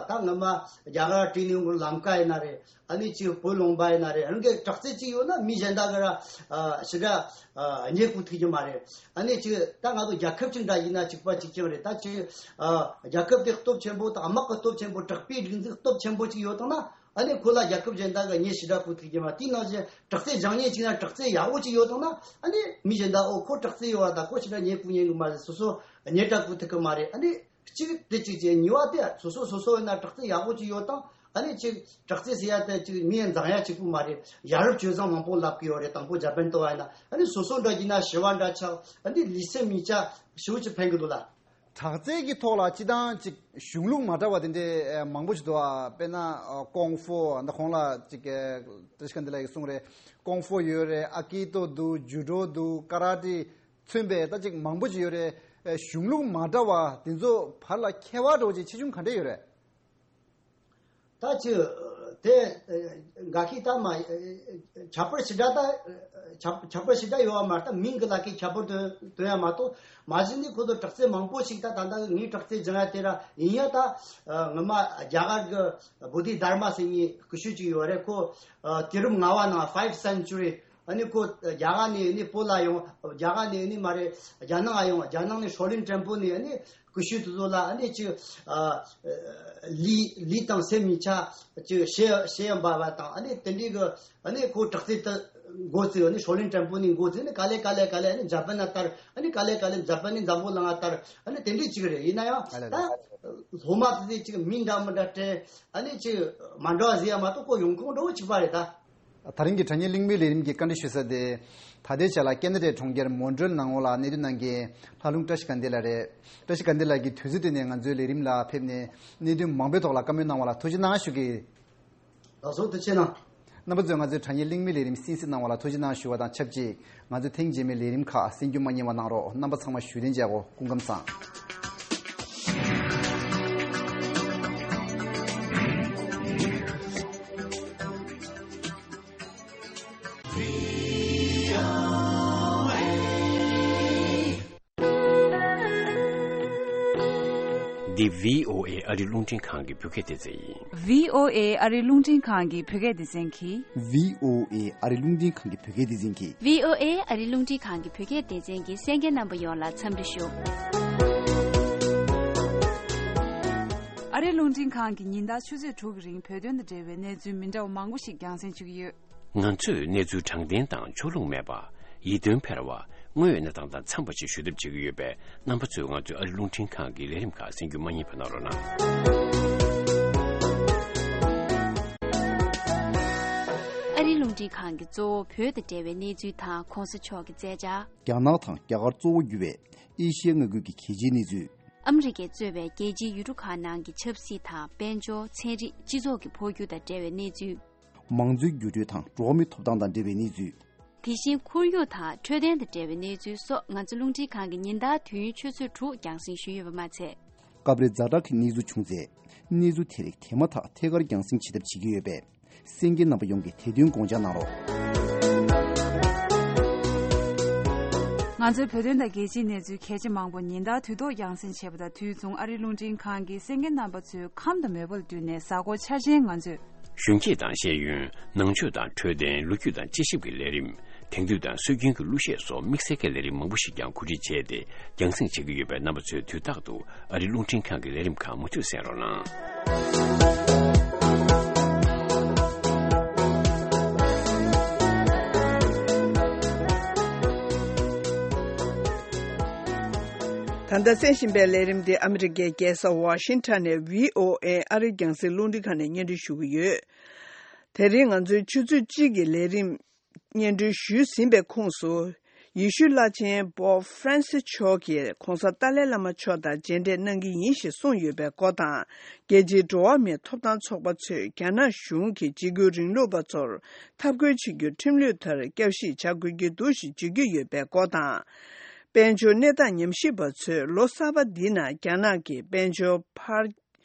ད་ངོ་མ་རྒྱ་གར་བྲིས་ནས་ཡོང་གི་ལམ་ཀ་ཡིན་ན་རེད། ཨ་ནི་ཅིག་བོད་ལུང་པ་ཡིན་ན་རེད། རང་གི་དྲག་རྩལ་ཅིག་ཡོད་ན་མི་གཞན་དག་གི་ར། ཨ། ཞེ་དྲག་ཨ། བརྙས་བཀུར་ཐུབ་ཀྱི་མ་རེད། ཨ་ནི་ཅིག་ད་ང་ཚོ་རྒྱལ་ཁབ་ཅིག་འདྲ་ཡིན་ན་གཅིག་པ་གཅིག་རྐྱང་རེད། ད་ཅིག་ཨ། རྒྱལ་ཁབ་དེ་སྟོབས་ཆེན་པོ་དང་། དམག་གི་སྟོབས་ཆེན་པོ། དྲག་པོའི་སྒྲིག་འཛུགས་སྟོབས་ཆེན་པོ་ཅིག་ཡོད་བཏང་ན། ཨ་ནི་ཁོ་ལ་རྒྱལ་ཁབ་གཞན་དག་གི་མྱི་ཞེ་དྲག་བཀུག་ཐུབ་ཀྱི་མ་རེད། དེའི་ནང་བཞིན་དྲག་རྩལ་སྦྱང་མཁན་ཅིག་ན་དྲག་རྩལ་ཡག་པོ་ཅིག་ཡོད་དང་ན། ཨ་ནི་མི་གཞན་དག་ཨོ་ཁོ་དྲག་རྩལ་ཡོད་པ་དང་ཁོ་ཞེ་དྲག་མྱི་བཀུག་ཉན་གི་མ་རེད། སོ་སོ་མྱི་དྲག་བཀུག་ཐུབ་ཀྱི་མ་རེད། ཨ་ནི་གཅིག་དེ་གཅིག་བྱས། གཉིས་པ་དེ་སོ་སོ་སོ་སོ་ཡིན་ན་དྲག་རྩལ་ཡག་པོ་ཅིག་ཡོད་དང་། ཨ་ནི་གཅིག་དྲག་རྩལ་ཟེར་ཡ་དེ་གཅིག་མི་ཡང་འཛིང་ཡ་གཅིག་པུ་མ་རེད། ཡ་རབས་སྤྱོད་བཟང་མང་པོ་ལབ་ཀྱི་ཡོད་རེད། དང་པོ་ཇ་པན་ལྟ་བ་ཡིན་ན། ཨ་ནི་སོ་སོ་འདྲ་བགྱིས་ན་ཞི་བ་འདྲ་ཆགས། ཨ་ནི་ལུས་སེམས་གཉིས་ཆ་ཞེ་པོ་ཅིག་ཕན་གི་འདུག་ལ། དྲག་རྩལ་གྱི་ཐོག་ལ་སྤྱི་བཏང་ཅིག་གཞུང་ལུགས་མ་འདྲ་བ་དེ་འདྲའི་མང་པོ་ཞིག་འདུག་ཨ། དཔེར་ན་ཀོང་ཧྥུ་འདི་གོང་ལ་ཅིག་བཀྲ་ཤིས་དགའ་ལྡན་ལགས་ཀྱིས་གསུངས་རེད། ཀོང་ཧྥུ་ཡོད་རེད། ཨ་ཀི་ཏོ་འདུག་ཇུ་ཌོ་འདུག་ཀ་ར་ཏེ། མཚོན་པའི་ད་ཅིག་མང་པོ་ཅིག་ཡོད་རེད། ཨེ། གཞུང་ལུགས་མ་འདྲ་བ་དེ་ཚོ་བར་ལ་ཁྱད་པར་འདྲ་བོ་ཅིག་ཆེ་ཆུང་ག་འདྲ་ཡོད་རེད། ད་ཅིག་དེ་ཨེ། འགའ་ཤས་ད་མ་ཨེ། ཁྱད་པར་ཞེ་དྲག་ད་ཨེ། ཁྱད་ཁྱད་པར་ཞེ་དྲག་ཡོད་པ་མ་རེད། ད་མིང་གི་ལ་ཁའི་ཁྱད་པར་སྟོན་སྟོན་ཡ་མ་གཏོགས། མ་གཞི་ནས་ཁོ་ཚོ་དྲག་རྩལ་མང་པོ་ཞིག་ད་ད་ལྟ་ངའི་དྲག་རྩལ་སྦྱང་ཡ་དེ་ར་ཡིན་ཡ། ད་ཨེ། ངོ་མ་རྒྱ་གར་གི་བོ་དྷི་དྷར་མ་ཟེར་མཁན་སྐུ་ཞབས་ཅིག་ཡོད་རེད། ཁོ་ཨེ། དུས་རབས་ལྔ་པ་ནང་five century། ཨ་ནི་ཁོ་རྒྱ་གར་ནས་ཨ་ནི་བོད་ལ་ཡོང་། རྒྱ་གར་ནས་ཨ་ནི་མ་རེད། རྒྱ་ནག་ལ་ཡོང་། རྒྱ་ནག་ནས་ཧྲོ་ལིན་ཀྲན་པུ་ནས་ཨ་ནི་སྐུ་ཞབས་དེ་ཚོ་ལ་ཨ་ནི་ཅིག་ཨ། ལུས་ལུས་དང་སེམས་གཉིས་ཆ་ཅིག་ཤེས་ཤེས་ཡོན་པ་བ་དང་། ཨ་ནི་དེ་འདྲའི་གི་ཨ་ནི་ཁོ་དྲག་རྩལ་དེ་འགོ་བཙུགས། ཨ་ནི་ཧྲོ་ལིན་ཀྲན་པུ་ནས་འགོ་བཙུགས། ཨ་ནི་ག་ལེ་ག་ལེ་ག་ལེ་ཨ་ནི་ཇ་པན་ལ་དར། ཨ་ནི་ག་ལེ་ག་ལེ་ཇ་པན་ནས་འཛམ་བུ་གླིང་ལ་དར། ཨ་ནི་དེ་འདྲའི་ཅིག་རེད། ཡིན་ན་ཡང་ཨ་ལེ་ད་ལེ། སློབ་མ་དེ་ཚོས་ཅིག་མིང་འདྲ་མི་འདྲ་སྤྲད། ཨ་ནི་ཅིག་མ་འདྲ་བ་ཟེར་ཡ་མ་གཏོགས་ཁོ་ཡོང་ཁུངས་འདྲ་བོ་གཅིག་པ་རེད་ད། ད་རིང་གི་དྲ་བརྙན་གླེང་མོལ་ལས་རིམ་གྱི་བཀའ་འདྲི་ཞུ་ས་དེ། ད་ལྟའི་ཆ་ལ་ཁེ་ན་ཌའི་གྲོང་ཁྱེར་མོན་ཊི་རེལ་ནང་ལ་གནས་སྡོད་གནང་མཁན་ལྷ་ལུང་བཀྲ་ཤིས་དགའ་ལྡན་ལགས་རེད། བཀྲ་ཤིས་དགའ་ལྡན་ལགས་ཀྱིས་དུས་ཚོད་བཏོན་ནས་ང་ཚོའི་ལས་རིམ་ལ་ཕེབས་ནས་གནད་དོན་མང་པོའི་ཐོག་ལ་བཀའ་མོལ་གནང་བ་ལ་ཐུགས་རྗེ་གནང་ཞུ་གི། ལགས་སོ། ཐུགས་རྗེ་གནང་། རྣམ་པ་ཚོས་ང་ཚོའི་དྲ་བརྙན་གླེང་མོལ་ལས་རིམ་གསན་གཟིགས་གནང་བ་ལ་ཐུགས་རྗེ་གནང་ཞུ་བ་དང་ཆབས་ཅིག་ང་ཚོའི་ཐེངས་རྗེས་མའི་ལས་རིམ་ཁག་གསན་རྒྱུ་མ་བསྙེལ་བ་གནང་རོགས། རྣམ་པ་ཚང་མ་བཞུགས་གདན་འཇགས་གོ། སྐུ་ཁམས་བཟང་། འདི་བྷི་ཨོ་ཨེ་ཨ་རི་རླུང་འཕྲིན་ཁང་གི་བོད་སྐད་སྡེ་ཚན་ཡིན། བྷི་ཨོ་ཨེ་ཨ་རི་རླུང་འཕྲིན་ཁང་གི་བོད་སྐད་སྡེ་ཚན་གྱིས། བྷི་ཨོ་ཨེ་ཨ་རི་རླུང་འཕྲིན་ཁང་གི་བོད་སྐད་སྡེ་ཚན་གྱིས། བྷི་ཨོ་ཨེ་ཨ་རི་རླུང་འཕྲིན་ཁང་གི་བོད་སྐད་སྡེ་ཚན་གྱི་གསན་མཁན་རྣམ་པ་ཡོངས་ལ་འཚམས་འདྲི་ཞུ། ཨ་རི་རླུང་འཕྲིན་ཁང་གིས་ཉིན་ལྟར་ཆུ་ཚོད་དྲུག་གི་རིང་བོད་དོན་དང་འབྲེལ་བའི་གནས་ཚུལ་མི་འདྲ་བ་མང་པོ་ཞིག་རྒྱང་སྲིང་ཞུ་གི་ཡོད། ང་ཚོས་གནས་ཚུལ་དྲང་བདེན་དང་ཕྱོགས་ལྷུང་མེད་པ། ཡིད་རྟོན་འཕེར་བ། དངོས་ཡོད་གནས་སྟངས་དང་འཚམས་པ་ཞིག་ཞུ་ཐབས་བྱེད་ཀྱི་ཡོད་པས། རྣམ་པ་ཚོས་ང་ཚོའི་ཨ་རི་རླུང་འཕྲིན་ཁང་གི་ལས་རིམ་ཁག་གསན་རྒྱུ་མ་བསྙེལ་བ་གནང་རོགས་གནང་། ཨ་རི་རླུང་འཕྲིན་ཁང་གིས་གཙོ་བོ་བོད་དང་འབྲེལ་བའི་གནས་ཚུལ་དང་གོང་ས་མཆོག་གི་མཛད་འཆར། རྒྱ་ནག་དང་རྒྱ་གར་གཙོ་བོ་གྱུར་བའི་ཨེ་ཤི་ཡའི་མངའ་ཁུལ་གྱི་གལ་ཆེའི་གནས་ཚུལ། ཨ་མི་རི་ཀས་གཙོས་པའི་རྒྱལ་སྤྱིའི་ཡུལ་གྲུ་ཁག་ནང་གི་ཆབ་སྲིད་དང་དཔལ་འབྱོར། ཚན་རིག་སྤྱི་ཚོགས་ཀྱི་འཕོ་འགྱུར་དང་འབྲེལ་བའི་གནས་ཚུལ། མང་གཙོའི་འགྱུར་འགྲོས་དང་འགྲོ་བ་མིའི་ཐོབ་ཐང་དང་འབྲེལ་བའི་གནས་ཚུལ། དེ་བཞིན་ཁོར་ཡུག་དང་འཕྲོད་བསྟེན་དང་འབྲེལ་བའི་གནས་ཚུལ་སོགས་ང་ཚོ་རླུང་འཕྲིན་ཁང་གིས་ཉིན་ལྟར་དུས་ཡུན་ཆུ་ཚོད་དྲུག་རྒྱང་སྲིང་ཞུས་ཡོད་པ་མ་ཚད། སྐབས་རེ་ཛ་དྲག་གི་གནས་ཚུལ་བྱུང་ཚེ། གནས་ཚུལ་དེ་རིགས་དེ་མ་ཐག་ཐད་ཀར་རྒྱང་སྲིང་བྱེད་ཐབས་བྱེད་ཀྱི་ཡོད་པས། གསན་མཁན་རྣམ་པ་ཡོངས་ཀྱིས་དེ་དོན་དགོངས་འཇགས་གནང་རོགས། ང་ཚོའི་བོད་དོན་དང་རྒྱལ་སྤྱིའི་གནས་ཚུལ་གལ་ཆེ་མང་པོ་ཉིན་ལྟར་དུས་ཐོག་རྒྱང་སྲིང་བྱེད་པ་དང་དུས་མཚུངས། ཨ་རིའི་རླུང་འཕྲིན་ཁང་གིས་གསན་མཁན་རྣམ་པ་ཚོའི་ཁམས་དང་མོས་པ་ལ་བསྟུན་ནས་གཟའ་འཁོར་འཆར་ཅན་ང་ཚོས། གཞོན་སྐྱེས་དང་ཤེས་ཡོན། ནང་ཆོས་དང་འཕྲོད་བསྟེན། ལོ་རྒྱུས་དང་དཔྱད་ཞིབ་ཀྱི་ལས་རིམ། དེང་དུས་དང་སྲོལ་རྒྱུན་གྱི་གླུ་གཞས་སོགས་དམིགས་བསལ་གྱི་ལས་རིམ་མང་པོ་ཞིག་ཀྱང་གོ་སྒྲིག་བྱས་ཏེ་རྒྱང་སྲིང་བྱེད་ཀྱི་ཡོད་པས། རྣམ་པ་ཚོས་དུས་རྟག་ཏུ་ཨ་རིའི་རླུང་འཕྲིན་ཁང་གི་ལས་རིམ་ཁག་མུ་མཐུད་གསན་རོགས་གནང་། ད་ལྟ་གསན་བཞིན་པའི་ལས་རིམ་འདི་ཨ་མི་རི་ཀའི་རྒྱལ་ས་ཝ་ཤིང་ཊོན་ནས་བྷི་ཨོ་ཨེ་ཨ་རིའི་རྒྱང་སྲིང་རླུང་འཕྲིན་ཁང་ནས་སྙན་སྒྲོན་ཞུ་གི་ཡོད། དེ་རིང་ང་ཚོའི་ཆུ་ཚོད་གཅིག་གི་ལས་རིམ་སྙན་སྒྲོན་ཞུས་ཟིན་པའི་ཁོངས་སུ། ཡེ་ཤུ་བླ་ཆེན་པོབ་ཧྥ་རན་སི་མཆོག་གིས་གོང་ས་ཏཱ་ལའི་བླ་མ་མཆོག་དང་མཇལ་འཕྲད་གནང་གི་ཡིན་ཞེས་གསུངས་ཡོད་པའི་སྐོར་དང་། རྒྱལ་སྤྱིའི་འགྲོ་བ་མིའི་ཐོབ་ཐང་ཚོགས་པ་ཚོས་རྒྱ་ནག་གཞུང་གིས་འཇིགས་སྐུལ་རིང་ལུགས་པ་ཚོར་འཐབ་རྒོལ་བྱེད་རྒྱུར་ཁྲིམས་ལུགས་ལྟར་བསྐྱར་ཞིབ་བྱ་དགོས་ཀྱི་འདུག་ཞེས་བརྗོད་ཀྱི་ཡོད་པའི་སྐོར་དང་། དཔལ་འབྱོར་གནས་སྟངས་ཉམས་ཞིབ་པ་ཚོས་ལོ་གསར་པ་འདི་ན་རྒྱ་ནག་གི་དཔལ་འབྱོར་འཕར།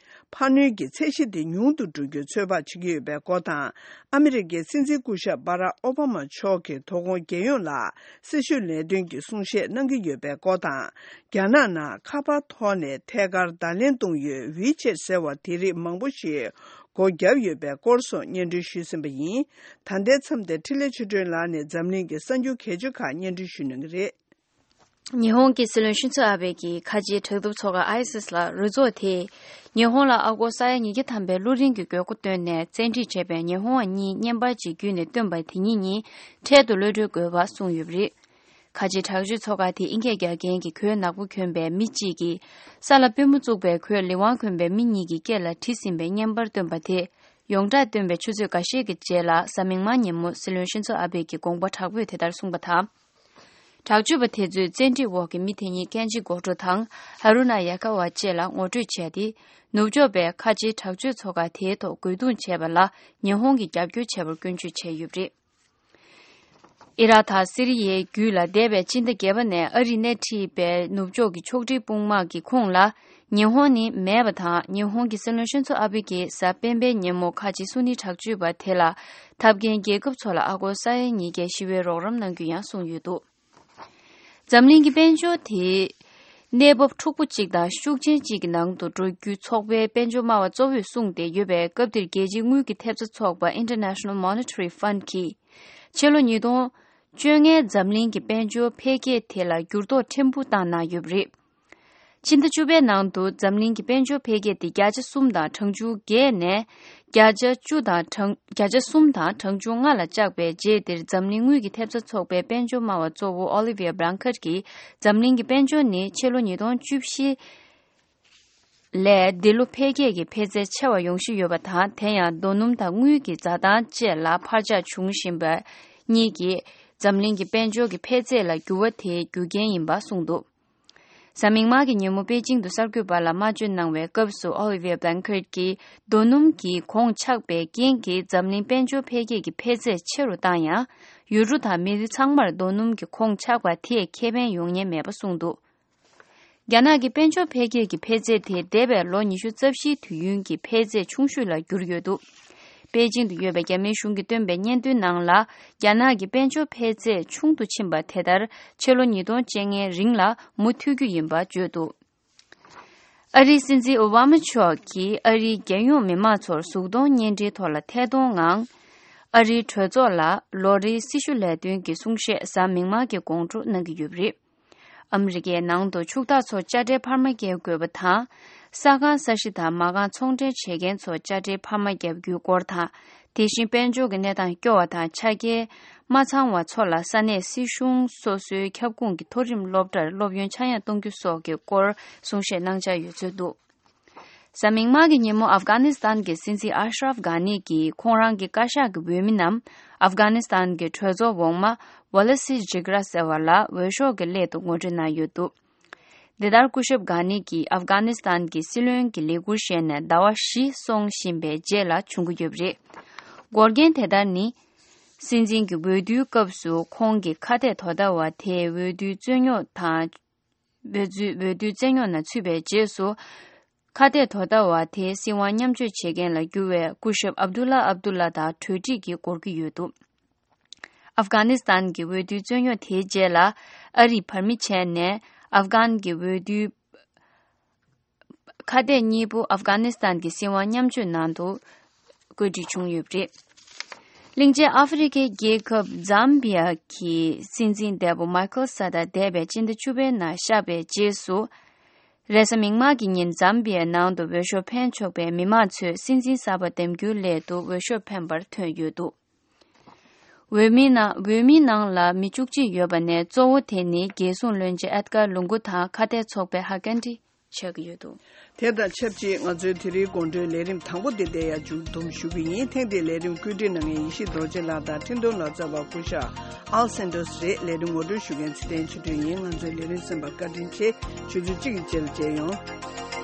འཕར་སྣོན་གྱི་ཚད་གཞི་དེ་ཉུང་དུ་འགྲོ་རྒྱུའི་ཚོད་དཔག་བྱེད་ཀྱི་ཡོད་པའི་སྐོར་དང་། ཨ་མི་རི་ཀའི་སྲིད་འཛིན་སྐུ་ཞབས་བྷ་རག་ཨོ་བྷ་མ་མཆོག་གིས་དོ་དགོང་རྒྱལ་ཡོངས་ལ་སྲི་ཞུ་ལས་དོན་གྱི་གསུང་བཤད་གནང་གི་ཡོད་པའི་སྐོར་དང་། རྒྱ་ནག་ནང་ཁ་པར་ཐོག་ནས་ཐད་ཀར་བརྡ་ལན་གཏོང་ཡུལ་ཝི་ཆེད་ཟེར་བ་དེ་རིགས་མང་པོ་ཞིག་སྒོ་བརྒྱབ་ཡོད་པའི་སྐོར་སོགས་སྙན་སྒྲོན་ཞུས་ཟིན་པ་ཡིན། ད་ལྟའི་མཚམས་དེར་འཕྲིན་ལས་ཆོས་སྒྲོན་ལགས་ནས་འཛམ་གླིང་གི་གསར་འགྱུར་གལ་ཆེ་ཁག་སྙན་སྒྲོན་ཞུ་གནང་གི་རེད། ཉི་ཧོང་གི་སྲིད་བློན་ཤིན་ཚོ་ཨ་བྷེ་གིས་ཁ་ཆེའི་དྲག་འཐབ་ཚོགས་ཁག་ཨའི་སིས་ལ་རུ་ཚོགས་དེས་ཉི་ཧོང་ལ་ཨ་སྒོར་ས་ཡ་ཉིས་བརྒྱ་ཐམ་པའི་གློག་རིན་གྱི་དགོས་མཁོ་བཏོན་ནས་བཙན་ཁྲིད་བྱས་པའི་ཉི་ཧོང་བ་གཉིས་བརྙན་པར་ཅིག་བརྒྱུད་ནས་བཏོན་པ་དེ་གཉིས་གཉིས་འཕྲལ་དུ་གློད་གྲོལ་དགོས་པ་གསུངས་ཡོད་པ་རེད། ཁ་ཆེའི་དྲག་སྤྱོད་ཚོགས་ཁག་དེ་ཨིན་སྐད་རྒྱག་མཁན་གྱི་གོས་ནག་པོ་གྱོན་པའི་མི་གཅིག་གིས་ས་ལ་པུས་མོ་བཙུགས་པའི་གོས་ལི་ཝང་གྱོན་པའི་མི་གཉིས་ཀྱི་སྐེ་ལ་བྲིས་ཟིན་པའི་བརྙན་པར་བཏོན་པ་དེ་ཡོངས་གྲགས་བཏོན་པའི་ཆུ་ཚོད་འགའ་ཤས་ཀྱི་རྗེས་ལ་གཟའ་མིག་དམར་ཉིན་མོ་སྲིད་བློན་ཤིན་ཚོ་ཨ་བྷེ་གི་དགོངས་པ་དྲག་པོས་དེ་ལྟར་གསུངས་པ་དང་། དྲག་སྤྱོད་པ་དེ་ཚོས་བཙན་ཁྲིད་འོག་གི་མི་དེ་གཉིས་ཀན་ཇི་གྷོ་ཊོ་དང་ཧ་རུ་ན་ཡ་ཀ་ཝ་བཅས་ལ་ངོ་སྤྲོད་བྱས་ཏེ། ནུབ་ཕྱོགས་པས་ཁ་ཆེའི་དྲག་སྤྱོད་ཚོགས་ཁག་དེའི་ཐོག་རྒོལ་རྡུང་བྱས་པ་ལ་ཉི་ཧོང་གིས་རྒྱབ་སྐྱོར་བྱས་པར་སྐྱོན་བརྗོད་བྱས་ཡོད་པ་རེད། ཨི་རག་དང་སི་རི་ཡའི་རྒྱུད་ལ་འདས་པའི་ཕྱི་ཟླ་བརྒྱད་པ་ནས་ཨ་རིས་སྣེ་ཁྲིད་པའི་ནུབ་ཕྱོགས་ཀྱི་ཕྱོགས་སྒྲིག་དཔུང་དམག་གི་ཁོངས་ལ་ཉི་ཧོང་ནི་མེད་པ་དང་། ཉི་ཧོང་གི་སྲིད་བློན་ཤིན་ཚོ་ཨ་བྷེ་གིས་གཟའ་སྤེན་པའི་ཉིན་མོ་ཁ་ཆེ་སུ་ནི་དྲག་སྤྱོད་པ་དེ་ལ་འཐབ་མཁན་རྒྱལ་ཁབ་ཚོ་ལ་ཨ་སྒོར་ས་ཡ་ཉིས་བརྒྱ་ཞི་བའི་རོགས་རམ་གནང་རྒྱུ་ཡང་གསུངས་ཡོད་འདུག་འཛམ་གླིང་གི་དཔལ་འབྱོར་དེ་གནས་བབ་འཁྲུག་པོ་གཅིག་དང་ཤུགས་ཆེན་གཅིག་གི་ནང་དུ་འགྲོ་རྒྱུ་ཚོགས་པའི་དཔལ་འབྱོར་སྨྲ་བ་གཙོ་བོས་གསུངས་ཏེ་ཡོད་པའི་སྐབས་འདིར། རྒྱལ་སྤྱིའི་དངུལ་གྱི་ཐེབས་རྩ་ཚོགས་པ་International Monetary Fund གིས་ཕྱི་ལོ་ཉིས་སྟོང་བཅོ་ལྔའི་འཛམ་གླིང་གི་དཔལ་འབྱོར་འཕེལ་རྒྱས་དེ་ལ་འགྱུར་ལྡོག་ཕྲན་བུ་བཏང་གནང་ཡོད་པ་རེད། ཕྱི་ཟླ་བཅུ་པའི་ནང་དུ་འཛམ་གླིང་གི་དཔལ་འབྱོར་འཕེལ་རྒྱས་དེ་བརྒྱ་ཆ་གསུམ་དང་གྲངས་ཆུང་བརྒྱད་ནས་བརྒྱ་ཆ་བཅུ་དང་གྲངས་བརྒྱ་ཆ་གསུམ་དང་གྲངས་ཆུང་ལྔ་ལ་བཅག་པའི་རྗེས་དེར། འཛམ་གླིང་དངུལ་གྱི་ཐེབས་རྩ་ཚོགས་པའི་དཔལ་འབྱོར་སྨྲ་བ་གཙོ་བོ་Olivier Blanchard གྱིས། འཛམ་གླིང་གི་དཔལ་འབྱོར་ནི་ཕྱི་ལོ་ཉིས་སྟོང་བཅུ་བཞི་ལས་འདི་ལོ་འཕེལ་རྒྱས་ཀྱི་འཕེལ་ཚད་ཆེ་བ་ཡོང་བཞིན་ཡོད་པ་དང་། དེ་ཡང་རྡོ་སྣུམ་དང་དངུལ་གྱི་འཛའ་ཐང་བཅས་ལ་འཕར་ཆག་འབྱུང་བཞིན་པ་གཉིས་ཀྱིས་འཛམ་གླིང་གི་དཔལ་འབྱོར་གྱི་འཕེལ་ཚད་ལ་འགྱུར་བ་དེའི་རྒྱུ་རྐྱེན་ཡིན་པ་གསུངས་འདུག་གཟའ་མིག་དམར་གྱི་ཉིན་མོ་པེ་ཅིང་དུ་གསར་འགོད་པ་ལ་སྨྲ་བརྗོད་གནང་བའི་སྐབས་སུ། Olivier Blanchard གྱིས་རྡོ་སྣུམ་གྱི་གོང་ཆག་པའི་རྐྱེན་གྱིས་འཛམ་གླིང་དཔལ་འབྱོར་འཕེལ་རྒྱས་ཀྱི་འཕེལ་ཚད་ཆེ་རུ་བཏང་ཡང་། ཡུལ་གྲུ་དང་མི་རིགས་ཚང་མར་རྡོ་སྣུམ་གྱི་གོང་ཆག་པ་དེས་ཁེ་ཕན་ཡོང་ཉེན་མེད་པ་གསུངས་འདུག་རྒྱ་ནག་གི་དཔལ་འབྱོར་འཕེལ་རྒྱས་ཀྱི་འཕེལ་ཚད་དེ་འདས་པའི་ལོ་ཉི་ཤུ་རྩ་བཞིའི་དུས་ཡུན་གྱི་འཕེལ་ཚད་ཆུང་ཤོས་ལ་གྱུར་ཡོད་འདུག་པེ་ཅིང་དུ་ཡོད་པའི་རྒྱ་མིའི་གཞུང་གིས་བཏོན་པའི་སྙན་ཐོའི་ནང་ལ། རྒྱ་ནག་གི་དཔལ་འབྱོར་འཕེལ་ཚད་ཆུང་དུ་ཕྱིན་པ་དེ་ལྟར་ཕྱི་ལོ་ཉིས་སྟོང་བཅོ་ལྔའི་རིང་ལ་མུ་མཐུད་རྒྱུ་ཡིན་པ་བརྗོད་འདུག་ཨ་རིའི་སྲིད་འཛིན་ཨོ་བྷ་མ་མཆོག་གིས་ཨ་རིའི་རྒྱལ་ཡོངས་མི་མང་ཚོར་གཟུགས་མཐོང་བརྙན་འཕྲིན་ཐོག་ལ་ཐད་གཏོང་ངང་། ཨ་རིའི་གྲོས་ཚོགས་ལ་ལོ་རེའི་སྲི་ཞུ་ལས་དོན་གྱི་གསུང་བཤད་གཟའ་མིག་དམར་གྱི་དགོང་དྲོ་གནང་གི་ཡོད་པ་རེད། ཨ་མི་རི་ཀའི་ནང་དུ་ཕྱུག་བདག་ཚོ་དཔྱ་ཁྲལ་འཕར་མ་བརྒྱབ་དགོས་པ་དང་། ས་ཁང་ས་གཞི་དང་མ་རྐང་ཚོང་འབྲེལ་བྱེད་མཁན་ཚོ་དཔྱ་ཁྲལ་འཕར་མ་བརྒྱབ་རྒྱུའི་སྐོར་དང་། དེ་བཞིན་དཔལ་འབྱོར་གྱི་གནས་སྟངས་སྐྱོ་བ་དང་ཆ་རྐྱེན་མ་ཚང་བ་ཚོ་ལ་ས་གནས་སྲིད་གཞུང་སོ་སོའི་ཁྱབ་ཁོངས་ཀྱི་མཐོ་རིམ་སློབ་གྲྭར་སློབ་ཡོན་ཆག་ཡང་གཏོང་རྒྱུ་སོགས་ཀྱི་སྐོར་གསུང་བཤད་གནང་འཆར་ཡོད་ཚུལ་འདུག་གཟའ་མིག་དམར་གྱི་ཉིན་མོ་ཨབ་གྷ་ནི་སི་ཐན་གྱི་སྲིད་འཛིན་ཨ་ཤ་རབ་གྷ་ནི་གིས་ཁོང་རང་གི་བཀའ་ཤག་གི་འོས་མི་རྣམས་ཨབ་གྷ་ནི་སི་ཐན་གྱི་གྲོས་ཚོགས་འོག་མ་ཝ་ལ་སི་ཇི་ག་ར་ཟེར་བ་ལ་འོས་ཤོག་གི་སླད་དུ་ངོ་སྤྲོད་གནང་ཡོད་འདུག་འདི་ལྟར་སྐུ་ཞབས་གྷ་ནི་གིས་ཨབ་གྷ་ནི་སི་ཐན་གྱི་སྲིད་བློན་གྱི་ལས་འཁུར་བཞེས་ནས་ཟླ་བ་བཞི་སོང་བཞིན་པའི་རྗེས་ལ་བྱུང་གི་ཡོད་པ་རེད། འགོག་རྐྱེན་དེ་ལྟར་ནི། སྲིད་འཛིན་གྱི་འོས་བསྡུའི་སྐབས་སུ་ཁོང་གི་ཁ་གཏད་དོ་ཟླ་བ་དེ་འོས་བསྡུའི་རྩོད་རྙོག་དང་། འོས་བསྡུ་འོས་བསྡུའི་རྩོད་རྙོག་ནང་ཚུད་པའི་རྗེས་སུ། ཁ་གཏད་དོ་ཟླ་བ་དེའི་སྲིད་དབང་མཉམ་སྤྱོད་བྱེད་མཁན་ལ་གྱུར་བའི་སྐུ་ཞབས་ཨབ་དུ་ལ་ཨབ་དུ་ལ་དང་གྲོས་འགྲིག་གིས་འགོར་གྱི་ཡོད་འདུག་ཨབ་གྷ་ནི་སི་ཐན་གྱི་འོས་བསྡུའི་རྩོད་རྙོག་དེའི་རྗེས་ལ་ཨ་རིས་བར་མི་བྱས་ནས་ཨབ་གྷན་གྱི་འོས་བསྡུའི་ཁ་གཏད་གཉིས་པོ་ཨབ་གྷ་ནི་སི་ཐན་གྱི་སྲིད་དབང་མཉམ་སྤྱོད་ནང་དུ་བཀོད་སྒྲིག་བྱུང་ཡོད་པ་རེད། གླིང་ཆེན་ཨ་ཧྥེ་རི་ཁའི་རྒྱལ་ཁབ་ཛམ་བི་ཡ་གི་སྲིད་འཛིན་འདས་པོ་མཱི་ཁལ་ས་ཏཱ་འདས་པའི་སྤྱི་ཟླ་བཅུ་པའི་ནང་གཤེགས་པའི་རྗེས་སུ། རེས་གཟའ་མིག་དམར་གྱི་ཉིན་ཛམ་བི་ཡའི་ནང་དུ་འོས་ཤོག་འཕེན་ཆོག་པའི་མི་མང་ཚོས་སྲིད་འཛིན་གསར་པ་འདེམས་རྒྱུའི་སླད་དུ་འོས་ཤོག་འཕེན་པར་ཐོན་ཡོད་འདུག་འོས་མིའི་ནང་འོས་མིའི་ནང་ལ་མི་བཅུ་གཅིག་ཡོད་པ་ནས་གཙོ་བོ་དེ་ནི་རྒྱལ་སྲུང་བློན་ཆེན་ཨེད་གར་ལུང་གུ་དང་ཁ་གཏད་ཚོགས་པའི་ཧ་ཀན་ཏི་ཆགས་ཀྱི་ཡོད་འདུག་དེ་དང་ཆབས་ཅིག་ང་ཚོའི་དེ་རིང་དགོང་དྲོའི་ལས་རིམ་དང་པོ་འདི་འདིར་ཡང་མཇུག་བསྡོམས་ཞུ་གི་ཡིན། ཐེངས་འདིའི་ལས་རིམ་བཀོད་སྒྲིག་གནང་མཁན་ཡེ་ཤེས་རྡོ་རྗེ་ལགས་དང་འཕྲིན་གཏོང་ལག་རྩལ་བ་སྐུ་ཞབས་ཨལ་སན་ཏོས་རེད། ལས་རིམ་ངོ་སྤྲོད་ཞུ་མཁན་ཚེ་བརྟན་ཆོས་སྒྲོན་ཡིན། ང་ཚོའི་ལས་རིམ་གསན་པར་བཀའ་དྲིན་ཆེ། ཆུ་ཚོད་གཅིག་གི་རྗེས་ལ་མཇལ་ཡོང་།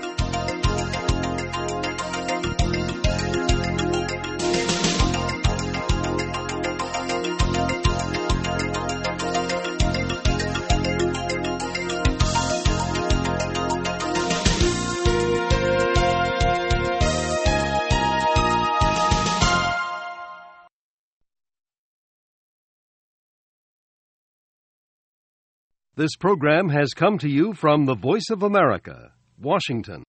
This program has come to you from the Voice of America, Washington.